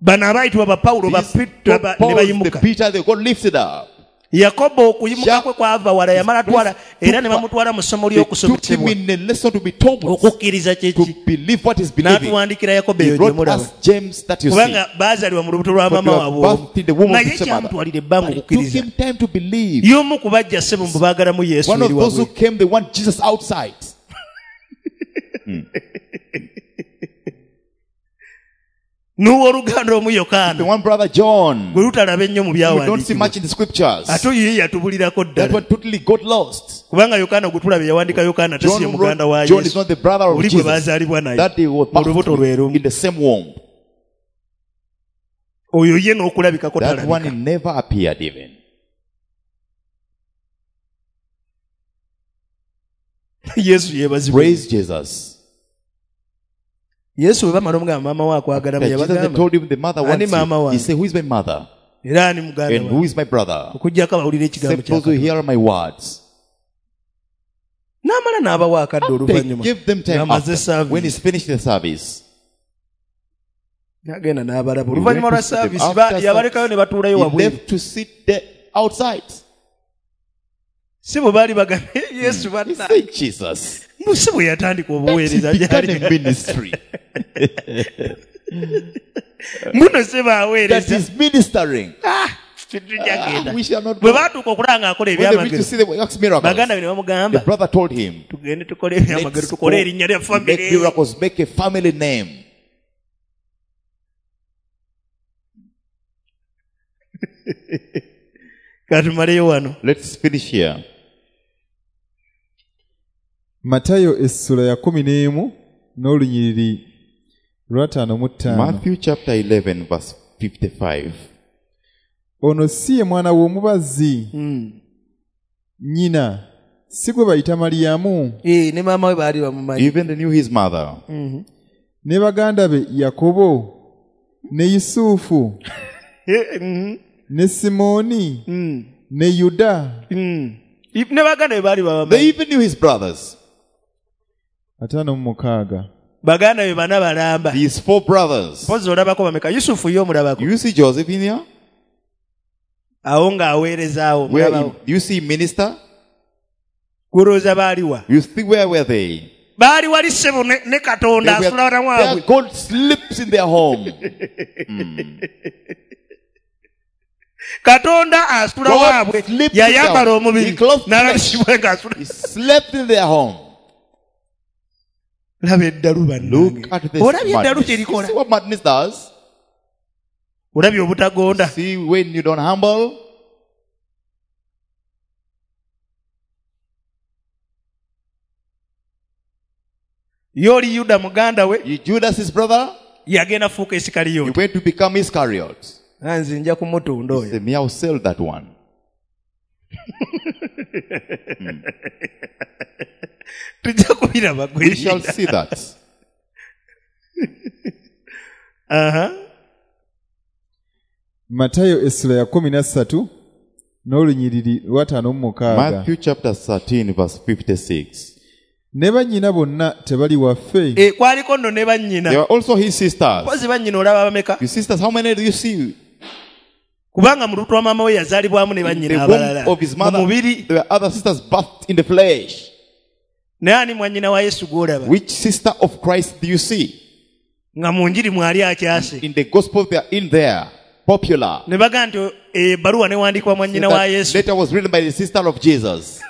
Bano abayitibwa ba Pawulo, ba These Peter, ba- ne Paul, the bayimuka. Peter, they got lifted up. Yakobo okuyimuka kwe kwava wala, yamala twala, era ne Took- bamutwala mu ssomo They took him ly'okusomesebwa. in a lesson to be taught Okukkiriza kye to ki? believe what is believing. N'atuwandiikira Yakobo He eyo gye wrote mulaba. us James that you see. Kubanga baazaalibwa mu lubuto lwa For maama they were waabwe omu. birthed in the womb of Naye the same mother. kyamutwalira ebbanga But it took okukkiriza. him time to believe. Y'omu ku bajja ssebo mbu baagalamu Yesu One of eri those who wabweru. came, they want Jesus outside. N'owooluganda omu Yokaana. The one brother John, Gwe lutalaba ennyo mu we don't see byawandiikibwa. much in the scriptures. Ate oyo ye yatubulirako That ddala. one totally got lost. Kubanga Yokaana gwe tulaba yawandiika Yokaana ate si John, ye muganda wa wrote, John is Yesu. not the brother of Oli gwe Jesus. baazaalibwa naye. That they were Mu lubuto lwe birthed lumu. in the same womb. Oyo ye n'okulabikako That one talabika. never appeared even. Yesu yeebazibwe. Praise Jesus. Yesu bwe bamala omugamba maama we akwagala bwe That Jesus they yabagamba. told him the mother Ani wants maama you. wange? He said, who is my mother? Era ani muganda And who wange? is my brother? Okuggyako abawulira ekigambo Except kya those who Katonda. hear my words. N'amala n'abawa akadde They oluvannyuma. give them time Ng'amaze after. When service. he's finished the service. N'agenda n'abalaba. He Oluvannyuma went lwa to see them. service, After ba- service, yabalekayo ne batuulayo He wabweru. left to sit there outside. Si bwe baali bagambye, Yesu He banna. said, Jesus. Mbu si bwe yatandika obuweereza He began gy'ali. a ministry. Muno si baaweereza. That is ministering. Ah! Tetujja We shall not bwe go. baatuuka okulaba ng'akola When they reached to ebyamagero see the works miracles, baganda be ne the bamugamba brother told him, tugende tukole ebyamagero Let's go tukole erinnya lya make famire miracles, make a family name. katumaleyo wano Let's finish here. Matayo essula ya kumi n'emu n'olunyiriri lw'ataano mu ttaano. Matthew chapter eleven, verse fifty-five. Ono si ye mwana w'omubazzi nnyina si gwe bayita Maliyamu Eh, ne maama we baali bamumanyi Even they knew his mother. ne baganda be Yakobo ne Yusufu Eh, mhm, ne Simooni mm, ne Yuda mm. Ne baganda be baali They babamanyi even knew his brothers. ataano mu mukaaga. Baganda be bana balamba These four brothers. mpozi olabako bameka Yusufu ye omulabako You see Joseph in here? awo ng'aweerezaawo Where omulabawo do you see minister? kulowooza baaliwa You think where were they? baali wali ssebo ne ne Katonda They were, asula wala their waabwe God sleeps in their home. Katonda asula God waabwe sleeps in yayambala their- omubiri He clothed n'alabisibwa ng'asula He slept in their home. laba eddalu Look bannange at this olabye eddalu madness. kye You likola see what madness does? olabye obutagonda See when you don't humble? ye oli Yuda muganda we You Judas his brother, yagenda fuuka he Isikariyoti went to become Iscariot. nze nja kumutunda He oyo said, me, I'll sell that one. tujja kubiraba We shall see that. Aha. Matayo essula ya kumi na ssatu n'olunyiriri lw'ataano mu mukaaga. Matthew chapter thirteen, verse fifty-six. Ne bannyina bonna tebali waffe. Eh, kwaliko nno ne bannyina There were also his sisters. mpozi bannyina olaba bameka Your sisters, how many do you see? kubanga mu lubuto lwa maama we yazaalibwamu ne In the bannyina womb abalala of his mu mother, mubiri there were other sisters bathed in the flesh. naye ani mwannyina wa Yesu gw'olaba Which sister of Christ do you see? nga mu njiri mwali akyase In the gospel, they are in there, popular. ne bagamba nti ebbaluwa newandiikibwa mwannyina wa That Yesu letter was written by the sister of Jesus.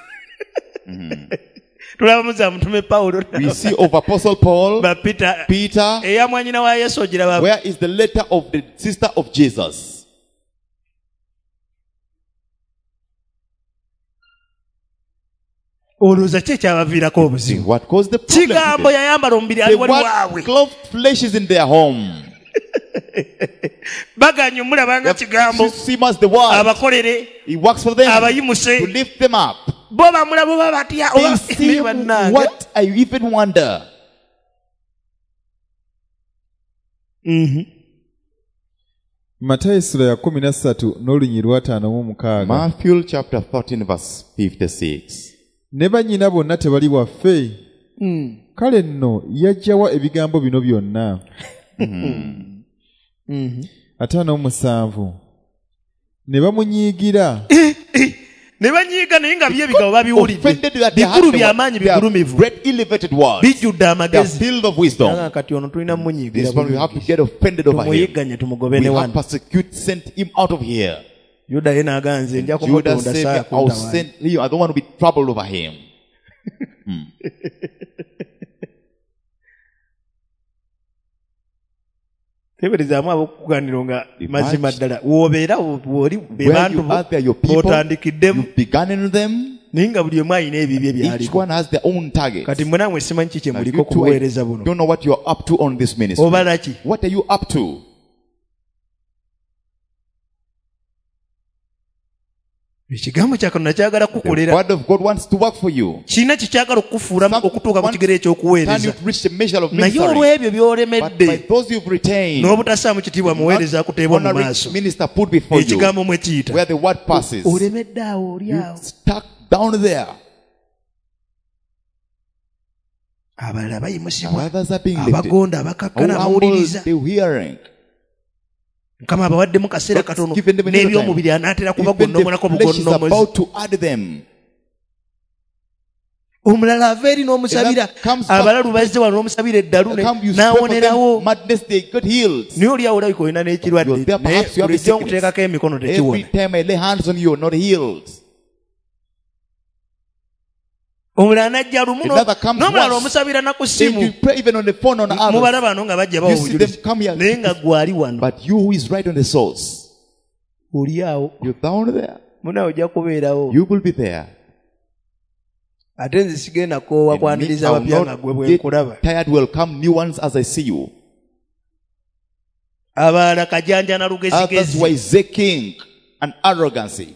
tulabamu za mutume Pawulo We see of Apostle Paul, ba Peter Peter. eya mwannyina wa Yesu ogiraba Where is the letter of the sister of Jesus? Olowooza ki ekyabaviirako obuzibu What caused the problem? kigambo yayambala omubiri ali The wali word waabwe clothed flesh is in their home. baganye omulaba nga kigambo See as the word. abakolere He works for them abayimuse to lift them up. bo bamulaba oba batya They oba see bannange what I even wonder. Mhm. Matayo essula ya kumi na ssatu n'olunyiriri lw'ataano mu mukaaga. Matthew chapter thirteen, verse fifty-six. Ne bannyina bonna tebali waffe. Kale nno yajjawa ebigambo bino byonna. Ataano mu musanvu. Ne bamunyiigira. Ne banyiiga naye nga bye ebigambo babiwulidde Offended that they bikulu had the by'amaanyi word. They are bigulumivu great elevated words. bijjudde They are amagezi filled of wisdom. Naga kati ono tulina munyiigira This one we have to get offended over him. tumuyigganye tumugobe We ne have wano persecute, sent him out of here. Yuda ye n'agamba nze nja Judas kumutunda said, saa I'll kuntawaanya send you. I don't want to be troubled over him. Teeberezaamu ab'okukuganiro nga mazima ddala w'obeera w'oli be Where bantu you are, they are your people. b'otandikiddemu You've begun in them. naye nga buli omu alina ebibye Each by'aliko one has their own target. kati mwe nammwe simanyi ki kye Now, muliko you ku two, I buweereza buno don't know what you're up to on this ministry. obala ki What are you up to? Ekigambo kya Katonda kyagala The kukukolera word of God wants to work for you. kirina kye kyagala okukufuulamu Some okutuuka ku want kigero Turn you eky'okuweereza to reach the measure of naye ministry. olw'ebyo But by by'olemedde those you've retained, n'obutassaamu kitiibwa muweereza akuteebwa mu honoring maaso minister put before you, ekigambo mwe kiyita where the word passes, olemedde awo oli you awo stuck down there. abalala bayimusibwa Others are being lifted. abagonda abakakkana Who humble abawuliriza the hearing. Mukama abawaddemu kaseera God's katono given them another n'ebyomubiri anaatera Even kubagonnomolako the flesh is bugonnomozi about to add them. Omulala ava eri n'omusabira abalalu bazze wano n'omusabira eddalu n'awonerawo. Naye oli awo olabika olina n'ekirwadde naye bulijjo nkuteekako emikono tekiwona. Omulala n'ajja lumu n'omulala omusabira na ku ssimu. Mubala bano nga bajja bawa obujulizi naye nga gwali wano. Oli awo. Munaawe ojja kubeerawo. Ate nze sigenda koowa kwaniriza abapya nga gwe bwe nkulaba. Tired welcome new ones as I see you. Abalala kajanja na lugezigezi. Others were king and arrogancy.